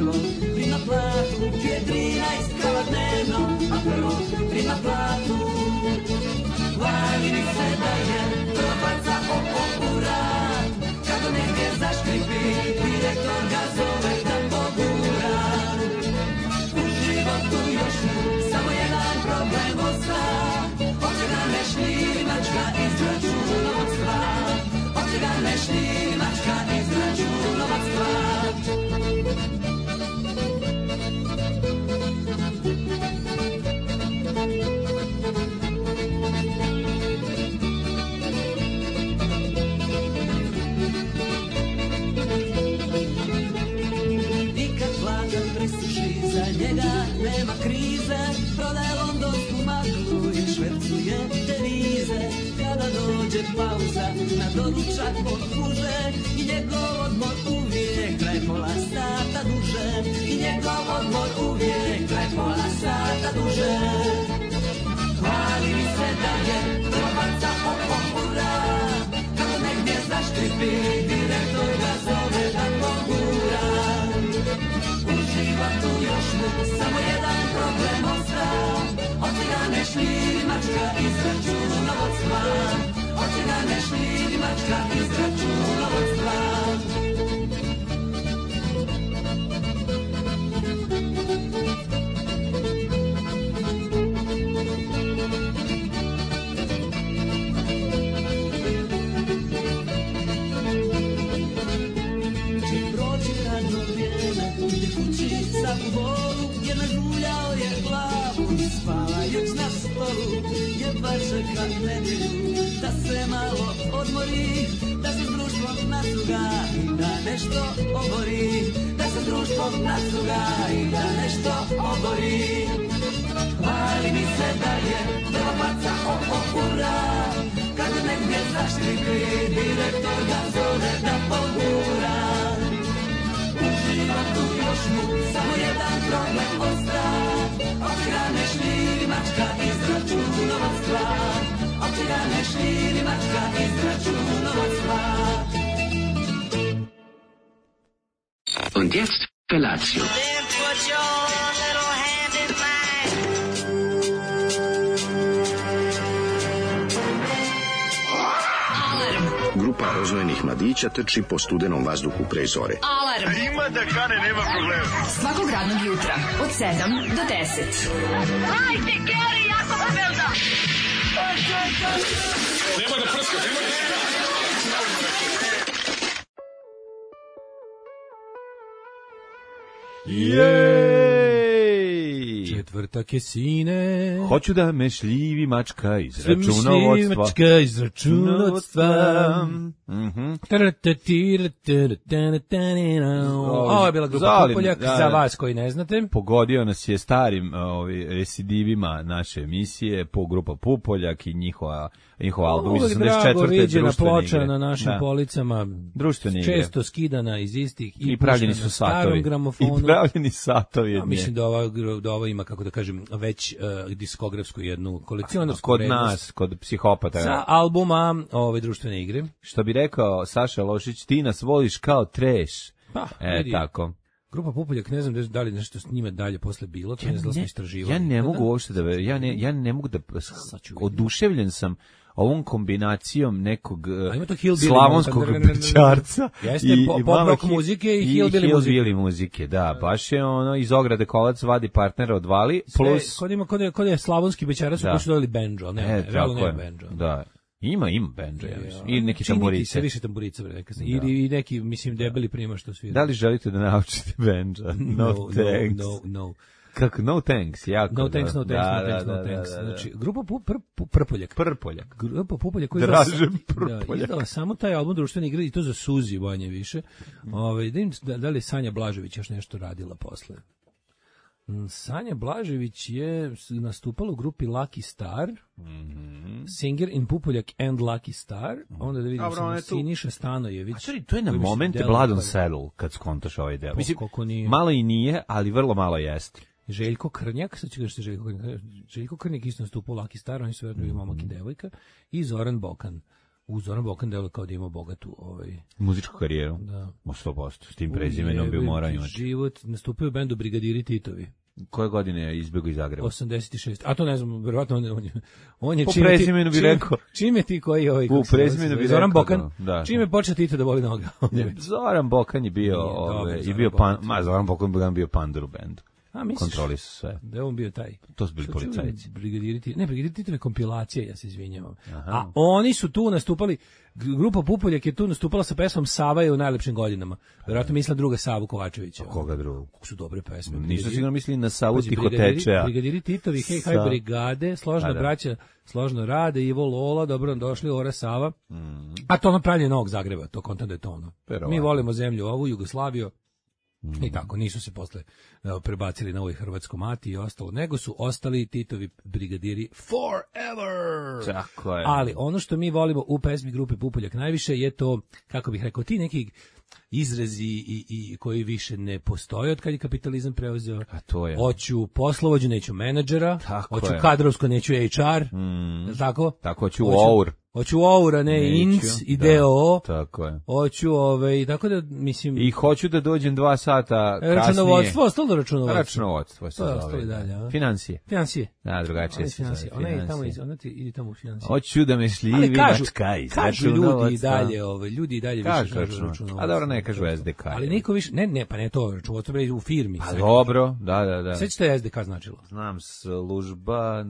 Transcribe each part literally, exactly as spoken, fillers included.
prvo prima platu, je trinaest kava dnevno, a prvo prima platu. Hvali mi se da je prva faca oko urat, kako negdje zaškripi, direktor ga zove da pogura. U životu još mu samo jedan problem osta, oče ga ne šlimačka iz računovodstva, oče ga ne šlimačka iz računovodstva. Za njega nema krize, prodaje londonsku maglu i švercuje devize. Kada dođe pauza, na doručak posluže i njegov odmor uvijek traje pola sata duže. I njegov odmor uvijek traje pola sata duže. Hvali mi se da je probaca oko ura, kako negdje zaškripi, direktor ga zove da pogura. Tu još mu samo jedan problem osta, oče ga ne šlimačka iz računovodstva, oče ga ne šlimačka iz računovodstva. U vodu, jer nažuljao je glavu i spavajuć na stolu, jedva čeka nedjelju da se malo odmori, da se s društvom nacuga i da nešto obori, da se s društvom nacuga i da nešto obori. Hvali mi se da je prva faca oko ura, kada negdje zaškripi, direktor ga zove da pogura. Tu još mu samo jedan problem osta, oče ga ne šlimačka iz računovodstva, oče ga ne šlimačka iz računovodstva. Und jetzt Felatio. Grupa rozvojenih mladića trči po studenom vazduhu pre zore. Alarm! Ima da kane, nema problema. Svakog radnog jutra, od sedam do deset. Hajde, Geri, jako se velda! Nema da prska, nema da prska! Jej! Četvrtak je sine. Hoću da me šljivi mačka iz računovodstva. Mačka iz računovodstva. Mhm. Ovo je bila grupa Pupoljak, za vas koji ne znate. Pogodio nas je starim ovi, recidivima naše emisije, po grupa Pupoljak i njihova, njihova album iz osamdeset četvrte društvene ploča na našim da. Policama, društvene često igre. Skidana iz istih i, I pravljeni su satovi. I pravljeni satovi. Ja, mislim da ova, da ova ima, kako da kažem, već uh, diskografsku jednu kolekcionarsku kod vrednost. nas, kod psihopata. Sa albuma ove društvene igre. Što bi rekao Saša Lošić, ti nas voliš kao treš. Pa, e, vidi. tako. Grupa Pupoljak, ne znam da li nešto s njima dalje posle bilo, to ja ne znam da smo istraživali. Ja ne mogu uopšte da, ja ne, ja ne mogu da, oduševljen sam ovom kombinacijom nekog slavonskog bećarca i, i pop rock muzike i hillbilly muzike. muzike. Da, baš je ono, iz ograde kolac vadi partnera odvali, plus... Kod ima, kod je, kod je slavonski bećarac su koji su dodali banjo, ne, e, realno nema banjo. Da. Ima, ima banjo, ja mislim. I neki tamburice. Se više tamburica, rekao sam. I, I neki, mislim, debeli prima što svira. Da li želite da naučite banjo? No, no thanks. No, no, no. Kako, no thanks, jako. No thanks, no thanks, da, no thanks, da, no thanks. Da, da, da. Znači, grupa pu, pr, pu, Prpoljak. Prpoljak. Grupa Pupoljak koji Dražem Prpoljak. Da, izdala samo taj album društvene igre i to za Suzi banje više. Ove, da, im, da, da li je Sanja Blažević još nešto radila posle? Sanja Blažević je nastupala u grupi Lucky Star, mm-hmm. Singer in Pupoljak and Lucky Star, onda da vidimo samo Siniša Stanojević. A čari, to je na moment Blood on Saddle, kad skontaš ovaj deo. Mislim, malo i nije, ali vrlo malo jeste. Željko Krnjak, sad ću kažete Željko Krnjak, Željko Krnjak isto nastupao u Lucky Star, oni su vjerno i momak i devojka, i Zoran Bokan. U Zoran Bokan delo kao da ima bogatu ovaj muzičku karijeru. Da. Ma sto posto. S tim prezimenom bi morao imati. Život nastupio u bendu Brigadiri Titovi. Koje godine je izbjegao iz Zagreba? osamdeset šest. A to ne znam, verovatno on je on je, on je po čime prezimenu bi čime, rekao. Čime ti koji ovaj po prezimenu bi Zoran rekao, Bokan. Da. Čime počeo Tito da boli noga? Zoran Bokan je bio, ove, i bio pan, ma Zoran Bokan bio pandar u bendu. A misliš? Kontroli su sve. Da je on bio taj. To su bili policajci. Brigadiri Titovi, ne, Brigadiri Titovi kompilacije, ja se izvinjavam. Aha. A oni su tu nastupali, grupa Pupoljak je tu nastupala sa pesmom Sava je u najlepšim godinama. Verovatno misla druga Savu Kovačevića. A koga drugog? Kako su dobre pesme. Nisu sigurno mislili na Savu Tihotečea. Brigadiri Titovi, hej, haj, brigade, složna da. braća, složno rade, Ivo Lola, dobro nam došli, Ora Sava. Mm. A to ono pravljenje Novog Zagreba, to kontent da je to ono. Pero, Mi volimo zemlju ovu, Jugoslaviju. Mm. I tako, nisu se posle uh, prebacili na ovoj Hrvatsko mati i ostalo, nego su ostali Titovi brigadiri forever. Tako je. Ali ono što mi volimo u pesmi grupe Pupoljak najviše je to, kako bih rekao, ti neki izrazi i, i koji više ne postoje od kad je kapitalizam preuzeo. A to je. Hoću poslovođu, neću menadžera, tako hoću je. kadrovsko, neću H R, mm. tako? Tako, hoću O U R. Hoću O U R, a ne I N C i D O O. Tako je. Hoću, ovaj, tako da, mislim... I hoću da dođem dva sata kasnije. Računovodstvo, ostalo računovodstvo. Računovodstvo se zove. Dalje, financije. Financije. Da, drugačije se zove. Ona je tamo, ona ti ide tamo u financije. Hoću da me šljivi mačka iz kažu ljudi i dalje, ovaj, ljudi i dalje više kažu računovodstvo. A dobro, ne kažu S D K. Ali niko više, ne, ne, pa ne to, računovodstvo bre u firmi. Pa dobro, da, da, da. Sve što je S D K značilo. Znam, služba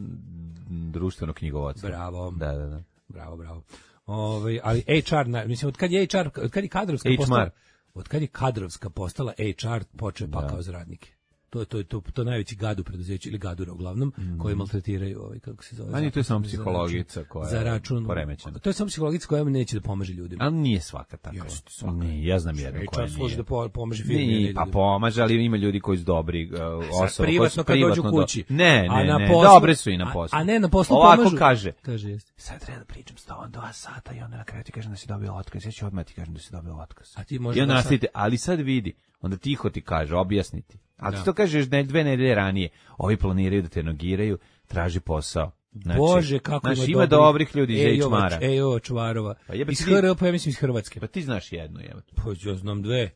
društvenog knjigovodstva. Bravo. Da, da, da. Bravo, bravo. Ovaj, ali H R, mislim, od kad je H R, od kad je kadrovska postala, od kad je kadrovska postala H R počeo pakao za radnike. To je to, to, to najveći gad u preduzeću ili gadura uglavnom mm. koji maltretiraju ovaj kako se zove. Ali to je samo psihologica koja za račun poremećena. To je samo psihologica koja neće da pomaže ljudima. Ali nije svaka tako. Jeste, svaka. Ne, ja znam jedno koja nije. Služi da pomaže firmi. Nije, pa pomaže, ali ima ljudi koji su dobri uh, osobe. Privatno kad dođu kući. Ne, ne, ne, poslu, dobre su i na poslu. A, a ne na poslu ovako pomažu. kaže. Kaže jeste. Sad treba da pričam s tobom dva sata i onda na kraju ti kažem da si dobio otkaz. Ja ću odmah ti kažem da si dobio otkaz. A ti možeš. I onda nastavite, ali sad vidi, onda tiho ti kaže, objasniti. Ali ti to kažeš ne, dve nedelje ranije. Ovi planiraju da te nogiraju, traži posao. Znači, Bože, kako znači, ima, ima dobrih ljudi iz H M-a. Ejo, čvarova. Pa iz H R, pa ja mislim iz Hrvatske. Pa ti znaš jednu, evo. Pa ja znam dve.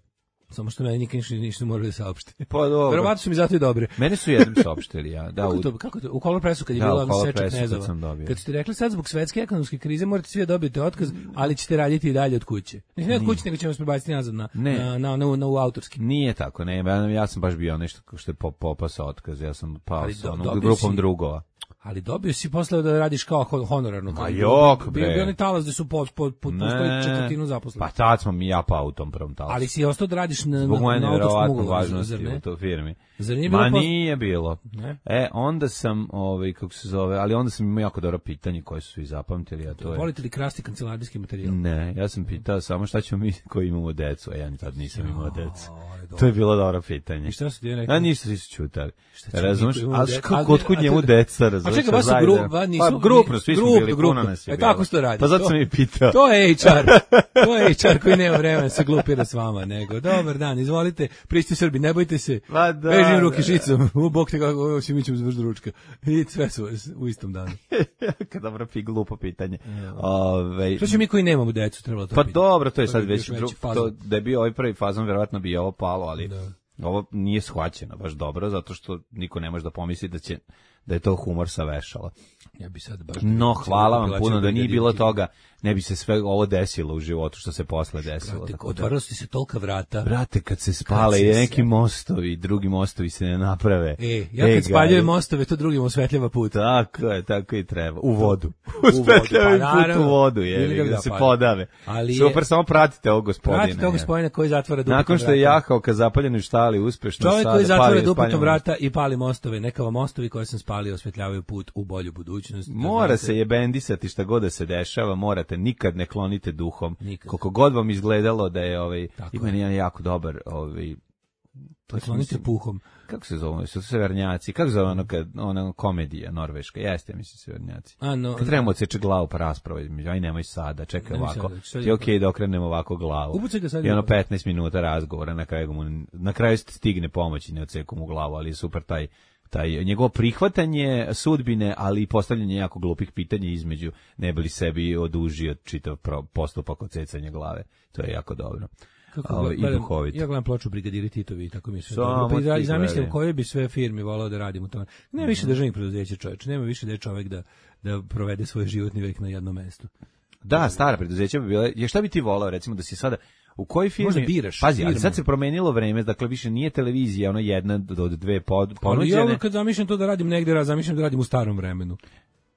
Samo što meni nikad ništa, ništa morali da saopšte. Pa dobro. Verovatno su mi zato i dobre. Mene su jednom saopštili, ja. Da, kako, to, kako to? U Kolopresu kad je da, bila seča Knezova. Kad, kad ste rekli sad zbog svetske ekonomske krize morate svi dobiti otkaz, ali ćete raditi i dalje od kuće. Ne od kuće, nego ćemo se prebaciti nazad na, na, na, na, na, na, u autorski. Nije tako, ne. Ja, ja sam baš bio nešto što je popasao otkaz. Ja sam pao sa onom grupom si, drugova. Ali dobio si posle da radiš kao honorarno. Ma jok, bre. Bio bi oni talas da su pod, pod, pod postoji četvrtinu zaposleni. Pa tad smo mi ja pa u tom prvom talasu. Ali si ostao da radiš na, zbog na, na autorskom ugovoru. Važnosti u toj firmi. Zar nije bilo Ma posle? Nije bilo. Ne? E, onda sam, ovaj, kako se zove, ali onda sam imao jako dobro pitanje koje su i zapamtili, a to je... Volite li krasti kancelarijski materijal? Ne, ja sam pitao samo šta ćemo mi koji imamo decu, a ja tad nisam imao decu. To je bilo dobro pitanje. I šta su ti rekli? A ništa si se čutali. Razumeš? Ali kod kud njemu deca, razumeš? A čekaj, baš su grup, nisu... Pa grupno, svi smo bili, puno nas je bilo. E tako se to radi. Pa zato sam i pitao. To je H R. To je H R koji nema vremena se glupira s vama, nego dobar dan, izvolite, prišti Srbi, ne bojte se. Vežim ruke šicom, u bok te kako si mi ćemo završiti ručka. I sve su u istom danu. Kad dobro pi glupo pitanje. Ove, što će mi koji nemamo decu, trebalo to pa pitanje. Pa dobro, to je sad već drug, to, da je bio ovaj prvi fazon, verovatno bi ovo palo, ali da. Ovo nije shvaćeno baš dobro, zato što niko ne može da pomisli da će da je to humor sa vešala. Ja bi sad baš no, hvala vam puno da nije bilo toga, ne bi se sve ovo desilo u životu što se posle desilo. Brate, otvaralo si se tolika vrata. Brate, kad se spale i neki mostovi, drugi mostovi se ne naprave. E, ja kad e, spaljujem mostove, to drugim osvetljava put. Tako je, tako i treba. U vodu. Osvetljava pa, put u vodu, je, da se podave. Ali super, je, samo pratite ovog gospodina. Pratite ovog gospodina koji zatvara dupetom vrata. Nakon što je jahao ka zapaljenoj štali uspešno čovjek sada koji zatvara dupetom vrata i pali mostove, neka vam mostovi koje sam spalio osvetljavaju put u bolju budućnost. Mora se jebendisati šta god da se dešava, morate, nikad ne klonite duhom. Nikad. Koliko god vam izgledalo da je ovaj ima jedan jako dobar ovaj to klonite puhom. Kako se zove? Su severnjaci. Kako se zove ono kad ona komedija norveška? Jeste, mislim severnjaci. A no. Kad trebamo odseći glavu pa rasprava između, aj nemoj sada, čekaj nemoj ovako. Sada, ti okej okay, da okrenemo ovako glavu. I ono petnaest minuta razgovora, na kraju mu na kraju stigne pomoć i ne odseku mu glavu, ali je super taj taj njegovo prihvatanje sudbine, ali i postavljanje jako glupih pitanja između, ne bi li sebi odužio čitav postupak odsecanja glave. To je jako dobro. Kako Ovo, gledam, i duhovito. Ja gledam ploču Brigadiri Titovi, tako mi se Samo dobro. Pa ti i zamislim gledaj. koje bi sve firme volao da radim u tome. Nema više državnih preduzeća, čoveče, nema više da je čovek da, da provede svoj životni vek na jednom mestu. Da, stara preduzeća bi bile, je šta bi ti volao, recimo da si sada u kojoj firmi? Možda biraš Pazi, ali firmu. sad se promenilo vreme, dakle više nije televizija, ono jedna do dve pod, Ali ponuđene. ja kad zamišljam to da radim negde, raz, zamišljam da radim u starom vremenu.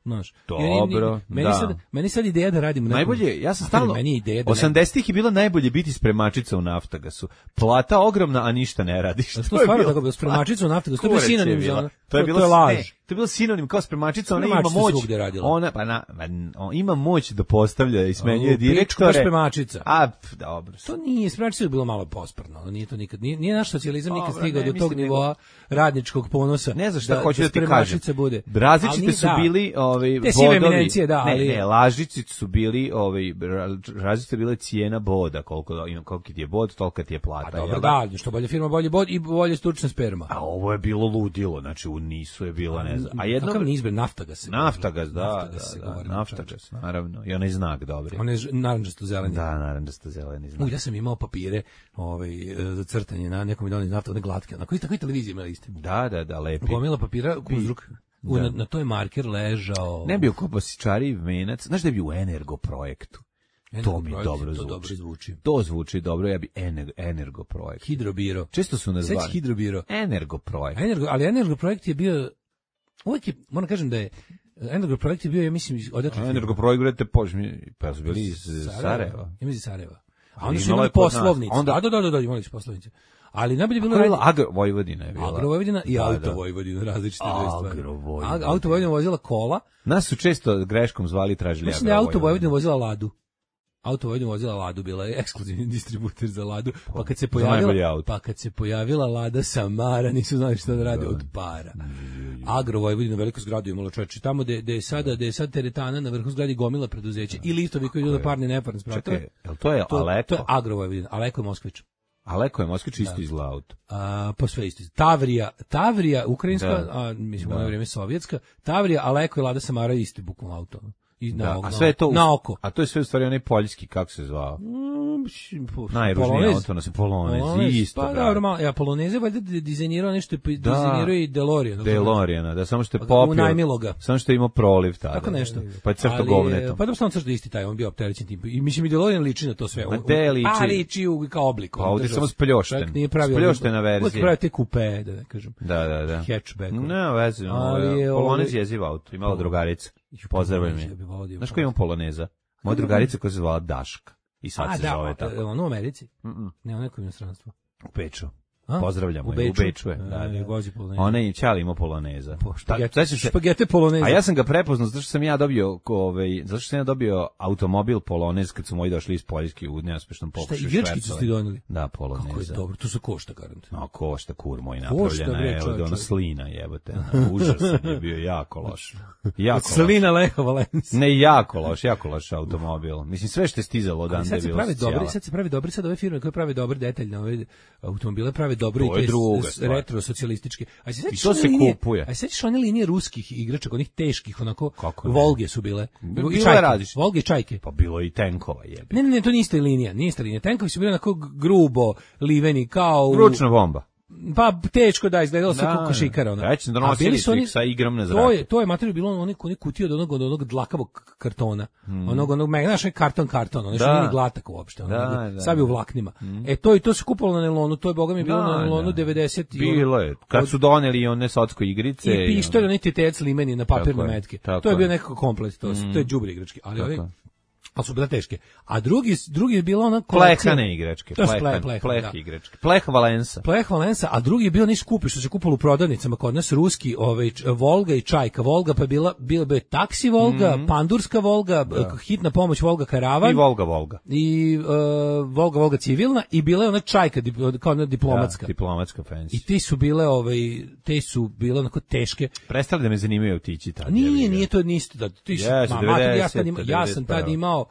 Znaš, Dobro, meni, da. sad, meni sad ideja da radim... Nekom, Najbolje, ja sam stalno, meni je ideja da osamdesetih je bilo najbolje biti spremačica u Naftagasu. Plata ogromna, a ništa ne radiš. To je stvarno tako bilo, spremačica u Naftagasu, to je bio Kurac je sinonim za bila. ono. To je bilo to je laž. ne, to je bilo sinonim kao spremačica, ona ima Spremačica moć. svugde radila. Ona pa na, pa, on ima moć da postavlja i smenjuje U pičku, direktore. baš spremačica. A, pf, dobro. To nije, spremačica je bilo malo posprno, ono, nije to nikad, nije, nije naš socijalizam nikad Dobro, stigao ne, do tog mislim, nivoa radničkog ponosa. Ne znam šta da, hoću da, ti kažem. spremačica bude. Različite Ali ni- su da. bili ovaj Te sive bodovi. eminencije, da, ali- Ne, ne, lažici su bili ovaj ra- različite bile cijena boda, koliko ima koliki ti je bod, tolika ti je plata. A dobro, jel da, što bolje firma, bolje bod i bolje stručna sperma. A ovo je bilo ludilo, znači u Nisu je bila, ne znam. A jedno Kakav niz bre, Naftagas se govori. Naftagas, da, Naftagas se da, da, govori, Naftagas, naravno. I onaj znak dobri. On je naranđasto zeleni. Da, naravno da ste zeleni znak. U, ja sam imao papire ovaj, e, za crtanje na nekom idolni nafta, one glatke. Na koji takoj televiziji imali isti. Da, da, da, lepi. Gomila papira, kuzruk. U, na, na to je marker ležao. Ne bi u Kobasičari venac, znaš da bi u Energo projektu. To mi Energoprojekt, dobro to zvuči. dobro zvuči. To zvuči dobro, ja bi ener, Energo projekt. Hidrobiro. Često su nas Sećaš zvali. Hidrobiro? Energo projekt. A Energo, ali Energo projekt je bio, uvijek je, moram kažem da je, Energo projekt je bio, ja mislim, odatle. A Energo projekt, gledajte, požmi, pa su bili iz Sarajeva. Ja mislim iz Sarajeva. A Ali onda su imala imali je kod nas. poslovnice. Onda- A da, da, da, da, imali su poslovnice. Ali najbolje je bilo... Kako je bila radi- Agro Vojvodina je bila. Agro Vojvodina i Da, Auto da. Vojvodina, različite dve stvari. Agro Vojvodina. A- Auto Vojvodina vozila kola. Nas su često greškom zvali i tražili Mislim da je Agro Auto Vojvodina vozila Ladu. Auto Vojvodina vozila Ladu, bila je ekskluzivni distributer za Ladu. Pa kad se za najbolji pojavila, auto. pa kad se pojavila Lada Samara, nisu znali šta da rade od para. Agro Vojvodina, veliko zgradu imalo, čoveče, tamo gde gde je sada, gde je sad teretana na vrhu zgradi gomila preduzeća i listovi koji idu na parne neparne spratove. Čekaj, jel to je To, Aleko? to je Agro Vojvodina, Aleko je Moskvić. Aleko je Moskvić isto izgleda auto. A, pa sve isto. Tavrija, Tavrija, ukrajinska, Da. a, mislim, u ono vrijeme sovjetska, Tavrija, Aleko i Lada Samara isti bukvalno auto. I na, Da, na, a sve je to u- na oko. A to je sve u stvari onaj poljski, kako se zvao? Mm, po- Najružniji Polonez. auto, nas je Polonez, Polonez, isto. Pa brate. dobro, malo, ja Poloneze valjda di- dizajnirao nešto, pa dizajnirao i DeLorean. DeLoreana, da samo što je Pa ga popio. unajmilo ga. Samo što je imao proliv tada. Tako nešto. Pa je crto Ali, govnetom. Pa dobro, samo crto isti taj, on bio opterećen tim. I mislim i DeLorean liči na to sve. Ma On- te liči. Pa liči u, kao oblik. Pa on ovdje držao samo se. spljošten. Čak nije pravio. Spljoštena verzija. Uvijek pravio te kupe, da ne kažem. Da, da, da. Hatchback. Ne, veze, Ali ali je Polonez ovaj- je jeziv auto, imala drugarica. Pozdravljam Polonez, je. ja bih volio da imam Znaš ko ima Poloneza? Moja drugarica koja se zvala Daška. I sad A, se da, zove a, tako. ono u Americi? Mm-mm. Ne, ono je u inostranstvu. U Beču. A? Pozdravljamo U je, u Beču? Beču je. Da, E, da. vozi Polonez. Ona je Ćali imao Poloneza. Po, Ta- špagete, sećam se- špagete Poloneza. A ja sam ga prepoznao zato što sam ja dobio ko, ovaj zato što sam ja dobio automobil Polonez kad su moji došli iz Poljske u neuspešnom Šta, pokušaju. igračkicu švercovanja. ste doneli? Da, Kako je Poloneza. dobro, to se košta garant. No, košta kur moj Košta, napravljena bre, je od čoveče. ona slina jebote. Užasan je bio, jako loš. Jako loš. Slina Leha Valencija. Ne, jako loš, jako loš automobil. Mislim, sve što je stizalo odande Sad je se bilo pravi socijala. dobri, sad se pravi dobri, sad ove firme koje prave dobre detaljne ove automobile prave dobro To i je te druga s- stvar. retro socijalističke. A se sećaš to one se linije- kupuje. A se sećaš one linije ruskih igračaka, onih teških, onako Kako ne? Volge su bile. Bilo I je čajke, različito. Volge i čajke. Pa bilo je i tenkova jebi. Ne, ne, ne, to nije ista linija, nije ista linija. Tenkovi su bili onako grubo, liveni, kao u... Ručna bomba. Pa teško da izgledalo se Da, kao košikara ona. već A donosili bili su ih oni- sa igram na To zraku. je to je materijal bilo onih onih kutija od onog od onog dlakavog kartona. Onog onog me znaš, onaj karton karton, ono što Mm. Da. nije glatak uopšte, ono. Da, nego da, sav je u vlaknima. E to i to se kupovalo na nelonu, to je bogami bilo Da, na nelonu da. devedeset i Bilo je. Kad od- su doneli one socko igrice. i pištolj, onaj tetec limeni na papirne Tako je, metke. tako To je bio je. nekako komplet, to, su- to je đubre igrački, ali Tako ovi je. ali su bile teške. A drugi drugi je bila ona kolekcija Plehane igračke. To je Plehan, pleh, pleh, pleh da. igračke. Pleh Valensa. Pleh Valensa, a drugi je bio niš skupi što se kupalo u prodavnicama kod nas ruski, ovaj č- Volga i Čajka. Volga pa je bila bila bi taksi Volga, pandurska Volga, hitna pomoć Volga Karavan I Volga Volga. i uh, Volga Volga civilna i bila je ona Čajka dip- kao ona diplomatska. Da, diplomatska fancy. I ti su bile ovaj te su bile onako teške. Prestali da me zanimaju autići tad. Nije, jebi ga. nije to nisto da ti su, Jesu, ma, mater, ja, devedeset, sam, ima, ja sam tad devedeset prva. imao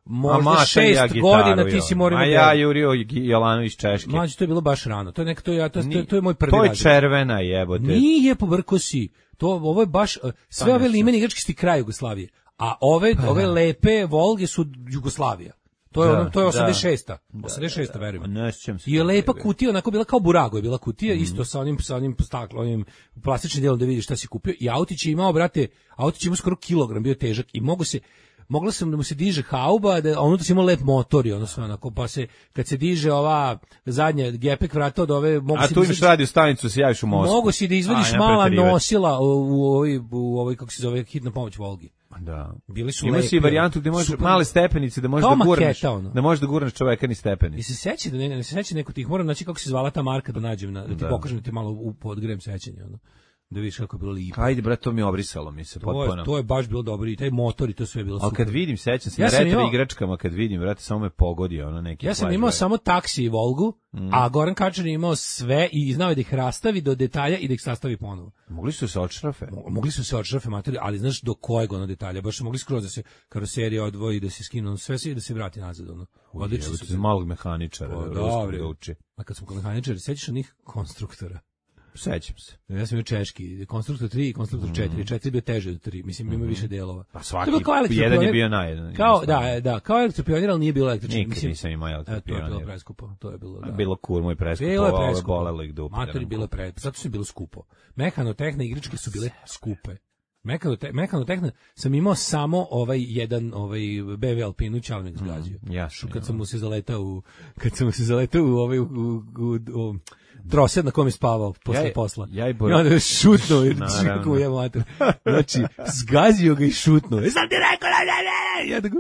možda šest ja godina ti si morao. A ja Jurio Jolanović Češke. Mlađe, to je bilo baš rano. To je nek to ja to, to, to je moj prvi razred. razred. To je červena jebote. Nije pobrko si. To ovo je baš sve ove limene igračke su kraj Jugoslavije. A ove pa, ove lepe Volge su Jugoslavija. To je da, ono, to je osamdeset šesta. Da, osamdeset šesta da, verujem. Ne sjećam se. I je lepa kutija, onako bila kao burago, je bila kutija mm. isto sa onim sa onim staklo, onim plastičnim delom da vidiš šta si kupio. I autić je imao, brate, autić je imao skoro kilogram, bio težak i mogu se mogla sam da mu se diže hauba, da ono da ima lep motor i ono sve onako, pa se kad se diže ova zadnja gepek vrata od ove mogu a se tu imaš radio stanicu, se javiš u Moskvu. Mogu si da izvadiš a, mala nosila u, u ovoj u ovoj kako se zove hitna pomoć Volgi. Da. Bili su ima si varijantu gde možeš super, male stepenice da možeš da gurneš, ono. da možeš da gurneš čoveka ni stepenice. I se seća da ne, ne se seća neko tih, moram znači kako se zvala ta marka da nađem na, da ti da. pokažem ti malo u podgrem sećanje ono. Da vidiš kako je bilo lipo. Ajde bre, to mi je obrisalo mi se potpuno. To je baš bilo dobro i taj motor i to sve je bilo super. Al kad vidim, sećam se ja na retro imao, igračkama, kad vidim, brate, samo me pogodi ono neki. Ja sam imao brate. samo taksi i Volgu, mm. a Goran Kačar je imao sve i znao je da ih rastavi do detalja i da ih sastavi ponovo. Mogli su se odšrafe. Mo, mogli su se odšrafe materije, ali znaš do kojeg ono detalja, baš su mogli skroz da se karoserija odvoji, da se skinu sve sve da se vrati nazad ono. Odlično su za malog mehaničara, ruskog da uči. A kad smo kod mehaničara, sećaš onih konstruktora? Sećam se. Ja sam imao češki, konstruktor tri i konstruktor četiri. Mm. četiri bio teže od tri, mislim ima mm. više delova. Pa svaki, jedan je bio najjedan. Kao, da, da, kao elektropionir, ali nije bilo električni. Nikad mislim, nisam imao elektropionir. To je bilo preskupo, to je bilo, da. Bilo kur, moj preskupo, bilo je preskupo. Bolelo ih dupe. Matori bilo preskupo, zato su bilo skupo. Mehanotehne igračke su bile skupe. Mekanote, mekanotehna sam imao samo ovaj jedan ovaj B M W Alpinu Čalme ga zgazio. Mm, ja, kad sam mu se zaletao u kad sam mu se zaletao u ovaj u, u, u, u trosed na kom je spavao posle ja, posla. Ja i Bor... Ja onda šutnuo i čekao ja mater. Znači, zgazio ga i šutnuo. Sam ti rekao, ja tako.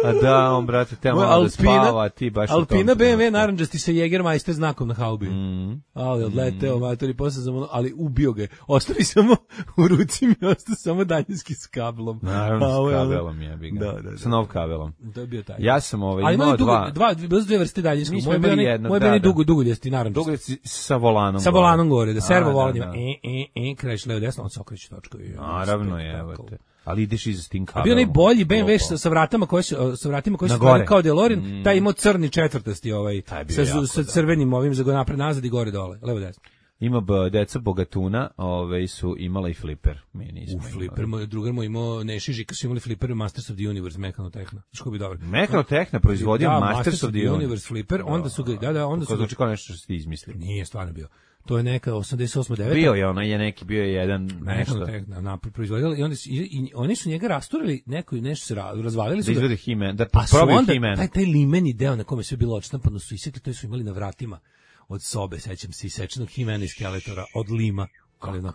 A da, on brate, te malo da spava, ti baš Alpina B M W narandžasti sa Jägermeister znakom na haubi. Mm. Ali odleteo mm. mater i posle sam, ali ubio ga. Ostavi samo u ruci mi ostao samo daljinski s kablom. Naravno, s kabelom je bi ga. Da, da, da. Sa nov kabelom. To je bio taj. Ja sam ovaj imao dva. Dva, bilo su dve vrste daljinskog. Moj bio jedno, moj bio dugo dugoljasti narandžasti. Dugoljasti sa volanom. Sa volanom gore, da servo volan ima. E e e kreš levo desno, on se okreće točko. Naravno je, evo te. Ali ideš iza s tim kabelom. A bio najbolji B M W sa, sa vratama koje su sa vratima koji su kao DeLorean, mm. taj imao crni četvrtasti ovaj sa, jako, sa crvenim ovim za go napred nazad i gore dole, levo desno. Ima b, deca Bogatuna, ovaj su imala i fliper. Mi nismo. U fliper, moj drugar moj imao Neši Žika su imali fliper Masters of the Universe Mekanotehna. Što bi dobro. Mekanotehna proizvodio da, Masters of the Universe. Universe fliper, onda su ga da da onda su znači kao nešto što ste izmislili. Nije stvarno bio. To je neka osamdeset osma deveta Bio je ona je neki bio je jedan nešto na na proizvodili i onda su, i, i oni su njega rasturili, neko i nešto se razvalili su da izvede He-Man, da probaju He-Man. Taj taj limeni deo na kome sve bilo odštampano su isekli, to su imali na vratima od sobe, sećam se, isečenog He-Mana iz skeletora od lima. Ali no,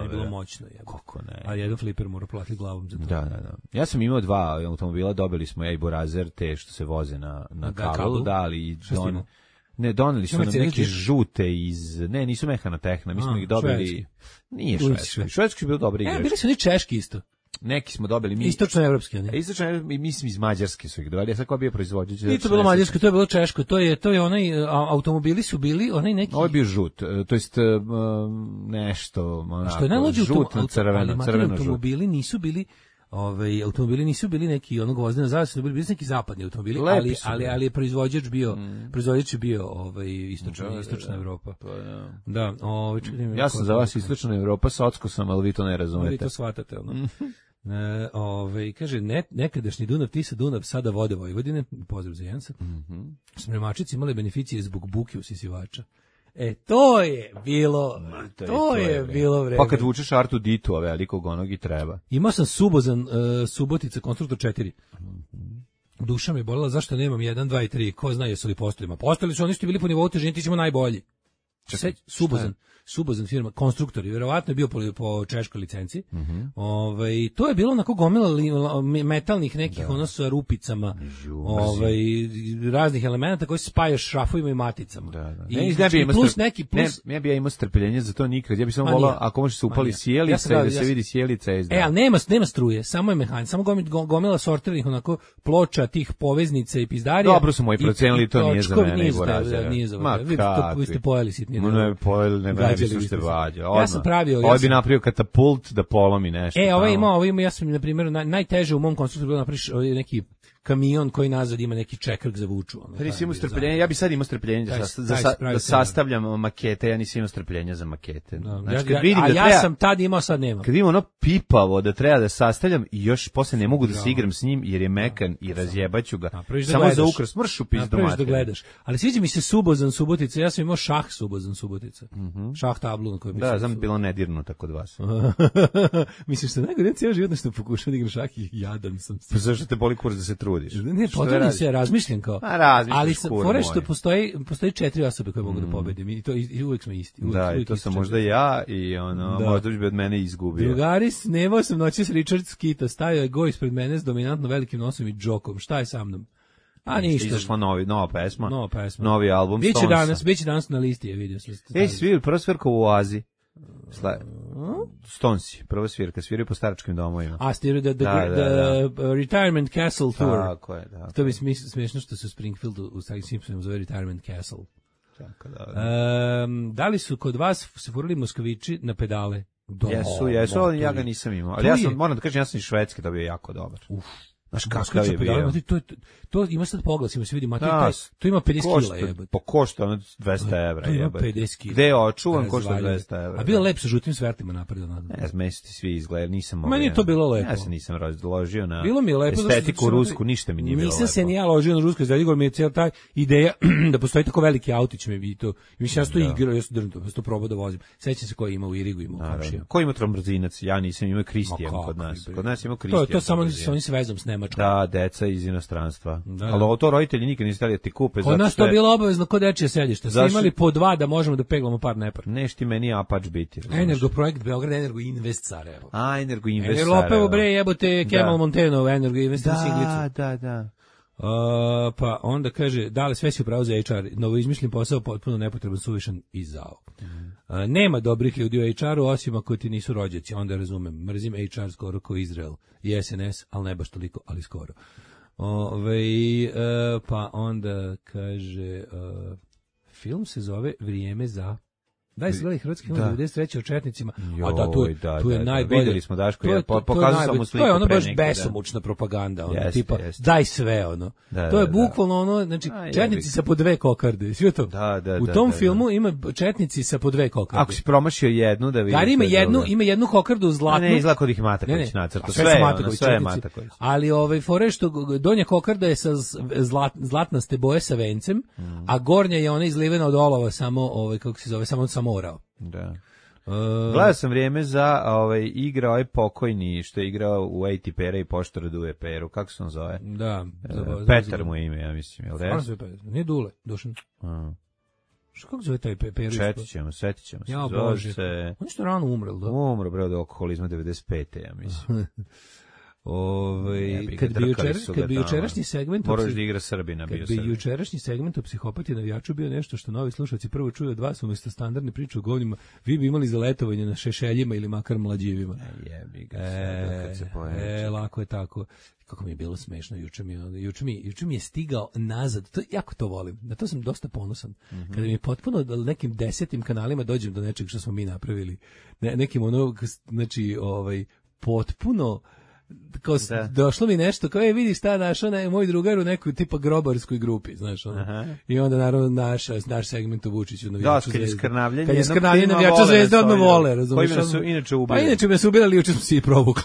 je bilo moćno. Je. Kako ne. A jedan fliper mora platiti glavom za to. Da, da, da. Ja sam imao dva automobila, dobili smo ja i Borazer, te što se voze na, na da, kablu, da, ali i don... Ne, doneli su nam neke žute iz... Ne, nisu Mekanotehna, mi smo A, ih dobili... Švedski. Nije švedski. Švedski je bilo dobri igrač. E, bili su oni češki isto. Neki smo dobili mi. Istočnoevropski, ne. Istočno, mislim iz Mađarske su ih dobili. Ja sad ko bio proizvođač. Nije to bilo mađarsko, to je bilo češko. To je to je onaj automobili su bili, onaj neki. Ovo je bio žut, to jest nešto, onako. Što je najluđe žut, crveno, crveno automobili nisu bili Ovaj automobili nisu bili neki onog vozdena zavesa, su bili, bili neki zapadni automobili, Lepi ali ali ali je proizvođač bio, mm. proizvođač je bio ovaj istočna da, istočna da, Evropa. Pa da. Da, ovaj ja sam za vas istočna Evropa, socko sam, ali vi to ne razumete. Vi to shvatate, ono. E, ovaj kaže ne, nekadašnji Dunav Tisa Dunav sada vode Vojvodine, pozdrav za Jansa. Mhm. Mm Spremačice imale beneficije zbog buke usisivača. E, to je bilo, Ma, to, to je, je bilo vreme. Pa kad vučeš Artu Ditu, a velikog onog i treba. Imao sam Subozan, uh, Subotica, konstruktor četiri. Duša me bolela, zašto nemam jedan, dva i tri, ko zna jesu li postojima. Postojili su oni što bili po nivou težine, ti ćemo najbolji. Čekaj, Subozan. Subozan firma, konstruktor, i verovatno je bio po, po češkoj licenci. Mm -hmm. Ovaj to je bilo onako gomila metalnih nekih da. ono sa rupicama, Žu, ovaj raznih elemenata koji se spajaju šrafovima i maticama. Da, da. I, ne, ne bi plus neki plus ne, ja bih ja imao strpljenje za to nikad. Ja bih samo volao ako može se upali sjelica ja i da se ja vidi sjelica izda. E, al nema nema struje, samo je mehan, samo gomila sortirnih onako ploča tih poveznica i pizdarija. Dobro su moji procenili, to nije za mene, nego razlog. Nije za mene. Vi to vi ste pojeli sitni. Ne, pojeli, ne, ne bi se vađa. Ja sam pravio, ovaj bi napravio katapult da polomi nešto. E, ovaj ima, ovaj ima, ja sam na primjer naj, najteže u mom konstruktoru bilo napraviš neki kamion koji nazad ima neki čekrk za vuču. Ono, pa nisi imao strpljenja, ja bi sad imao strpljenja da, sa, za, sa, da sastavljam makete, ja nisam imao strpljenja za makete. No, znači, ja, kad vidim a da ja treba, sam tad imao, sad nemam. Kad vidim ono pipavo da treba da sastavljam i još posle ne mogu da se igram s njim jer je mekan i razjebaću ga. Da samo gledaš. Za ukras, mršu pizdu mater. Da gledaš. Ali sviđa mi se Subozan Subotica, ja sam imao šah Subozan Subotica. Mm -hmm. Šah tablu na kojoj bi da, znam bilo nedirnuto kod vas. Misliš da najgore cijelo život nešto pokušao da igram šah i jadan sam. Pa zašto te boli kurac da se trudiš? Ne, potrebno se, razmišljam kao. A, ali fore što postoji, postoji četiri osobe koje mogu mm. da pobedim i to i uvek smo isti. Uvek, da, uvek i to sam četiri. možda ja i ono, da. Možda bi od mene izgubio. Drugari, snimao sam noći s Richard Skita, stavio je go ispred mene s dominantno velikim nosom i džokom. Šta je sa mnom? A ništa. Izašla novi, nova pesma. Nova pesma. Novi album Biće danas, biće danas na listi, je vidio sam. Ej, svir, prva svirka u Oazi. Sla... Stonsi, prva svirka, sviraju po staračkim domovima. A, stiraju da, da, da, da, da. Retirement Castle Tour. Tako je, da. To mi smiješno što se u Springfieldu u Starim Simpsonu zove Retirement Castle. Tako da. Um, da li su kod vas se furali Moskvići na pedale? Do, jesu, jesu, ali ja ga nisam imao. Ali ja sam, moram da kažem, ja sam iz Švedske dobio jako dobar. Uf. Znaš kakav je bio. To, to, to ima sad pogled, ima se vidi, Matej, taj, to ima pedeset kila jebate. Po košta ono dvesta evra jebate. To ima pedeset kila. Gde je očuvan, košta dvesta evra. A bilo lepo sa žutim svertima napred. Ne, meni su ti svi izgledali, nisam mogao. Meni je to bilo lepo. Ja se nisam razložio na bilo mi je lepo, estetiku rusku, ništa mi nije bilo lepo. Nisam se ni ja ložio na rusku, zato mi je cijela ta ideja da postoji tako veliki autić me bi to. Mislim, ja sam to igrao, ja sam drnto, ja sam to probao da vozim. Sećam se koji ima u Irigu, ima u komšija. Ko ima trombrzinac? Ja nisam, imao Kristijan kod nas. Kod nas ima Kristijan. To to samo sa onim vezom s Nemačkom. Da, deca iz inostranstva. Da. Ali to roditelji nikad nisu htjeli da ti kupe. Kod nas to je bilo obavezno kod dečije sedište. Svi imali po dva da možemo da peglamo par nepar. Neš ti meni Apač biti. Energo projekt Beograd, Energo Invest Sarajevo. A, Energo Invest Sarajevo. Energo Lopevo bre, jebote, Kemal Monteno, Energo Invest Singlicu. Da, da, da. Uh, pa onda kaže, da li sve si upravo za H R, novo izmišljen posao, potpuno nepotreban, suvišan i zao. Mm. Uh, nema dobrih ljudi u H R-u, osim ako ti nisu rođaci, onda razumem, mrzim H R skoro kao Izrael i S N S, ali ne baš toliko, ali skoro. Ove, uh, pa onda kaže, uh, film se zove Vrijeme za... Daj se gledaj hrvatski film devedeset treće o četnicima, Joj, a da, tu, da, tu je da, najbolje. Vidjeli smo Daško, ja pokazao sam mu sliku. To je ono baš neki, besomučna da. propaganda, ono, jest, tipa, jest. daj sve, ono. Da, to je da, bukvalno ono, znači, a, četnici sa po dve kokarde, svi to? Da, da, u da, tom da, filmu da. ima četnici sa po dve kokarde. Ako si promašio jednu, da vidiš. Da, ima jednu, ima jednu kokardu zlatnu. Ne, izgleda kod ih Mataković nacrta, sve, ono, sve je Mataković. Ali ovaj, fore što donja kokarda je sa zlat, zlatnaste boje sa vencem, mm. a gornja je ona izlivena od olova, samo, ovaj, kako se zove, samo samorao. Da. Uh, Gledao sam Vrijeme za ovaj, igra ovaj pokojni što je igrao u Ejti Pera i Poštara Duje Peru, kako se on zove? Da. Uh, Petar mu je ime, ja mislim, jel res? Nije Dule, Dušan. Uh. Što kako zove taj Peru? Setit ćemo, setit ćemo se. Ja, Bože. Se... On je što rano umrel, da? Umro, bre, od alkoholizma devedeset pete, ja mislim. Ove, kad bi, jučer, kad bi jučerašnji segment moraš da igra Srbina bio Kad bi jučerašnji segment o psihopati navijaču bio nešto što novi slušalci prvo čuju od vas umjesto standardne priče o govnima, vi bi imali za letovanje na šešeljima ili makar mlađivima. E, jebi ga e, kad se pojači. E, lako je tako. Kako mi je bilo smešno, juče mi, juče mi, juče mi je stigao nazad, to, jako to volim, na to sam dosta ponosan, mm-hmm. kada mi je potpuno da nekim desetim kanalima dođem do nečeg što smo mi napravili, ne, nekim ono, znači, ovaj, potpuno, kao da. Došlo mi nešto, kao je vidi šta našao ne, moj drugar u nekoj tipa grobarskoj grupi, znaš ono. Aha. I onda naravno naš, naš segment u Vučiću navijaču da, kad je skrnavljenje, kad je skrnavljenje navijača Zvezde odmah vole, razumiješ? Koji su inače ubili. Pa inače me su ubili, juče smo se i provukli.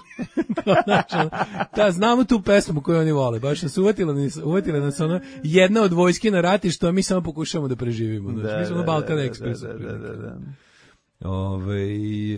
Znači, da, znamo tu pesmu koju oni vole, baš nas uvatila, uvatila nas ona jedna od vojske na ratištu, a mi samo pokušamo da preživimo. Znači, da, mi smo na Balkan Express. Da, da, da, da. Ove,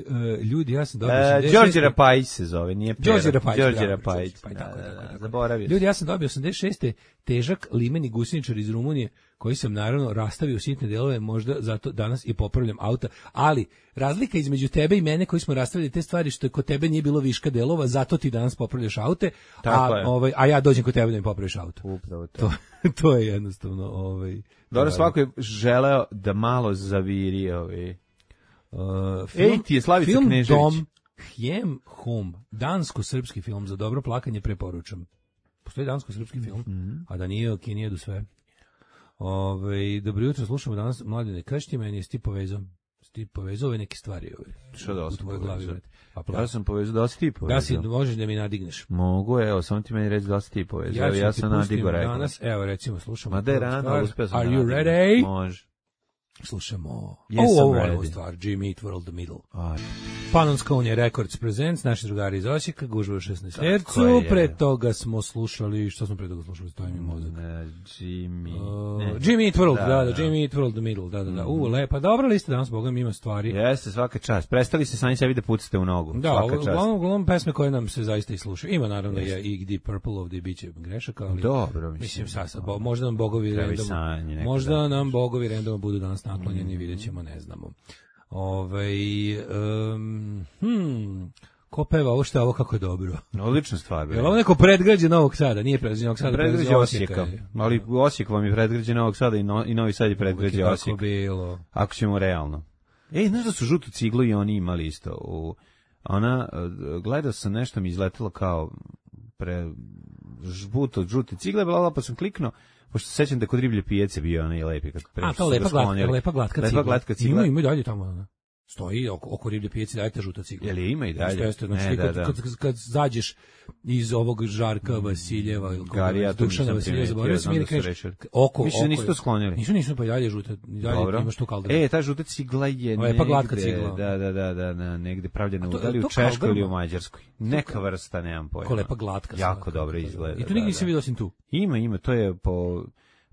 uh, ljudi, ja sam dobio uh, Đorđe Rapajić se zove, nije Pera. Đorđe Rapajić, Đorđe Rapajić. Pa, tako, da, tako, tako. Zaboravio. Ljudi, ja sam dobio osamdeset šeste težak limeni gusjeničar iz Rumunije, koji sam naravno rastavio u sitne delove, možda zato danas i popravljam auta, ali razlika između tebe i mene koji smo rastavili te stvari što je kod tebe nije bilo viška delova, zato ti danas popravljaš aute, a, ovaj, a ja dođem kod tebe da mi popraviš auto. Upravo to. To, to je jednostavno. Ovaj, dobro, svako je želeo da malo zaviri ovaj. Uh, film, Ej, ti je Slavica film Knežević. Dom, Hjem Home, dansko-srpski film za dobro plakanje preporučam. Postoji dansko-srpski film, mm-hmm. a da nije o Kini jedu sve. Ove, dobro jutro, slušamo danas Mladene Kršti, meni jesi ti povezao. ti povezao ove neke stvari ove. Što da u tvojoj glavi? Pa ja sam povezao, da si ti povezao. Da si, možeš da mi nadigneš. Mogu, evo, samo ti meni reći da si ti povezao. Ja, ja sam nadigo rekao. Danas, evo, recimo, slušamo. Ma da je rano, uspio sam. Are you ready? Može. Slušamo. Yes, oh, ovo je stvar, Jimmy Eat World the Middle. Aj. Panonskonia Records Presents, naši drugari iz Osijeka, gužva u šesnaest hercu, pre toga smo slušali, što smo pre toga slušali, stoji mi mozak. Ne, Jimmy. Uh, ne. Jimmy Eat World, da, da, da, Jimmy Eat World the Middle, da, da, da. Mm. U, lepa, dobra lista, danas, Boga mi ima stvari. Jeste, svaka čast. Prestali se sami sebi da pucate u nogu. Da, svaka čast. uglavnom, uglavnom pesme koje nam se zaista i slušaju. Ima naravno je i Deep Purple ovdje biće grešaka, ali dobro, mislim. Mislim, sad, sad, bo, možda nam bogovi random, sanje, možda da. nam bogovi random budu danas naklonjeni, mm. vidjet ćemo, ne znamo. Ovaj um, hmm, ko peva ovo što je ovo kako je dobro? Odlična stvar. Je li ovo neko predgrađe Novog Sada? Nije predgrađe Novog Sada, predgrađe Osijeka. Ali Osijek vam je predgrađe Novog Sada i, no, i Novi Sad je predgrađe Osijeka. Kako bilo. Ako ćemo realno. Ej, znaš da su žutu ciglu i oni imali isto. U, ona, gledao sam nešto mi izletelo kao pre žbuto, žute cigle, bla, pa sam kliknuo. Pošto se sećam da kod riblje pijace bio onaj lepi. Kad A, to lepa glatka, lepa glatka cigla. Lepa glatka cigla. Ima, ima i dalje tamo, ona. Stoji oko, oko riblje pijace, dajte žuta cigla. Jel je ima i dalje? Jeste, znači, ne, kad, da, da. Kad, kad, kad zađeš iz ovog Žarka Vasiljeva, ili Gari, ja Dušana Vasiljeva, zaboravio sam, jer kažeš, oko, Više oko. nisu to sklonili. Nisu, nisu, pa i dalje žuta, i dalje Dobro. imaš tu kaldrma. E, ta žuta cigla je lepa glatka cigla. Da, da, da, da, da, negde pravljena u, da li u Češkoj ili u Mađarskoj. Neka vrsta, nemam pojma. Ko lepa glatka. Jako dobro izgleda. I tu nigdje nisam vidio osim tu. Ima, ima, to je po...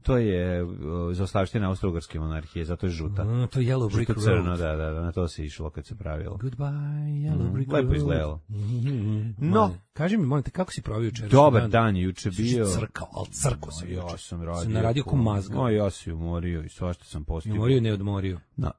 To je uh, zaostavština Austro-Ugarske monarhije, zato je žuta. Mm, to je Yellow Brick Road. Crno, da, da, da, na to se išlo kad se pravilo. Goodbye, Yellow Brick mm, Road. Lepo izgledalo. Mm-hmm. No. Kaži mi, molim te, kako si provio jučer? Dobar dan juče bio. Crkao, ali crko sam juče. Ja sam radio. Sam naradio ko mazga. O, ja si umorio i svašta sam postigao. Umorio, ne odmorio. Na.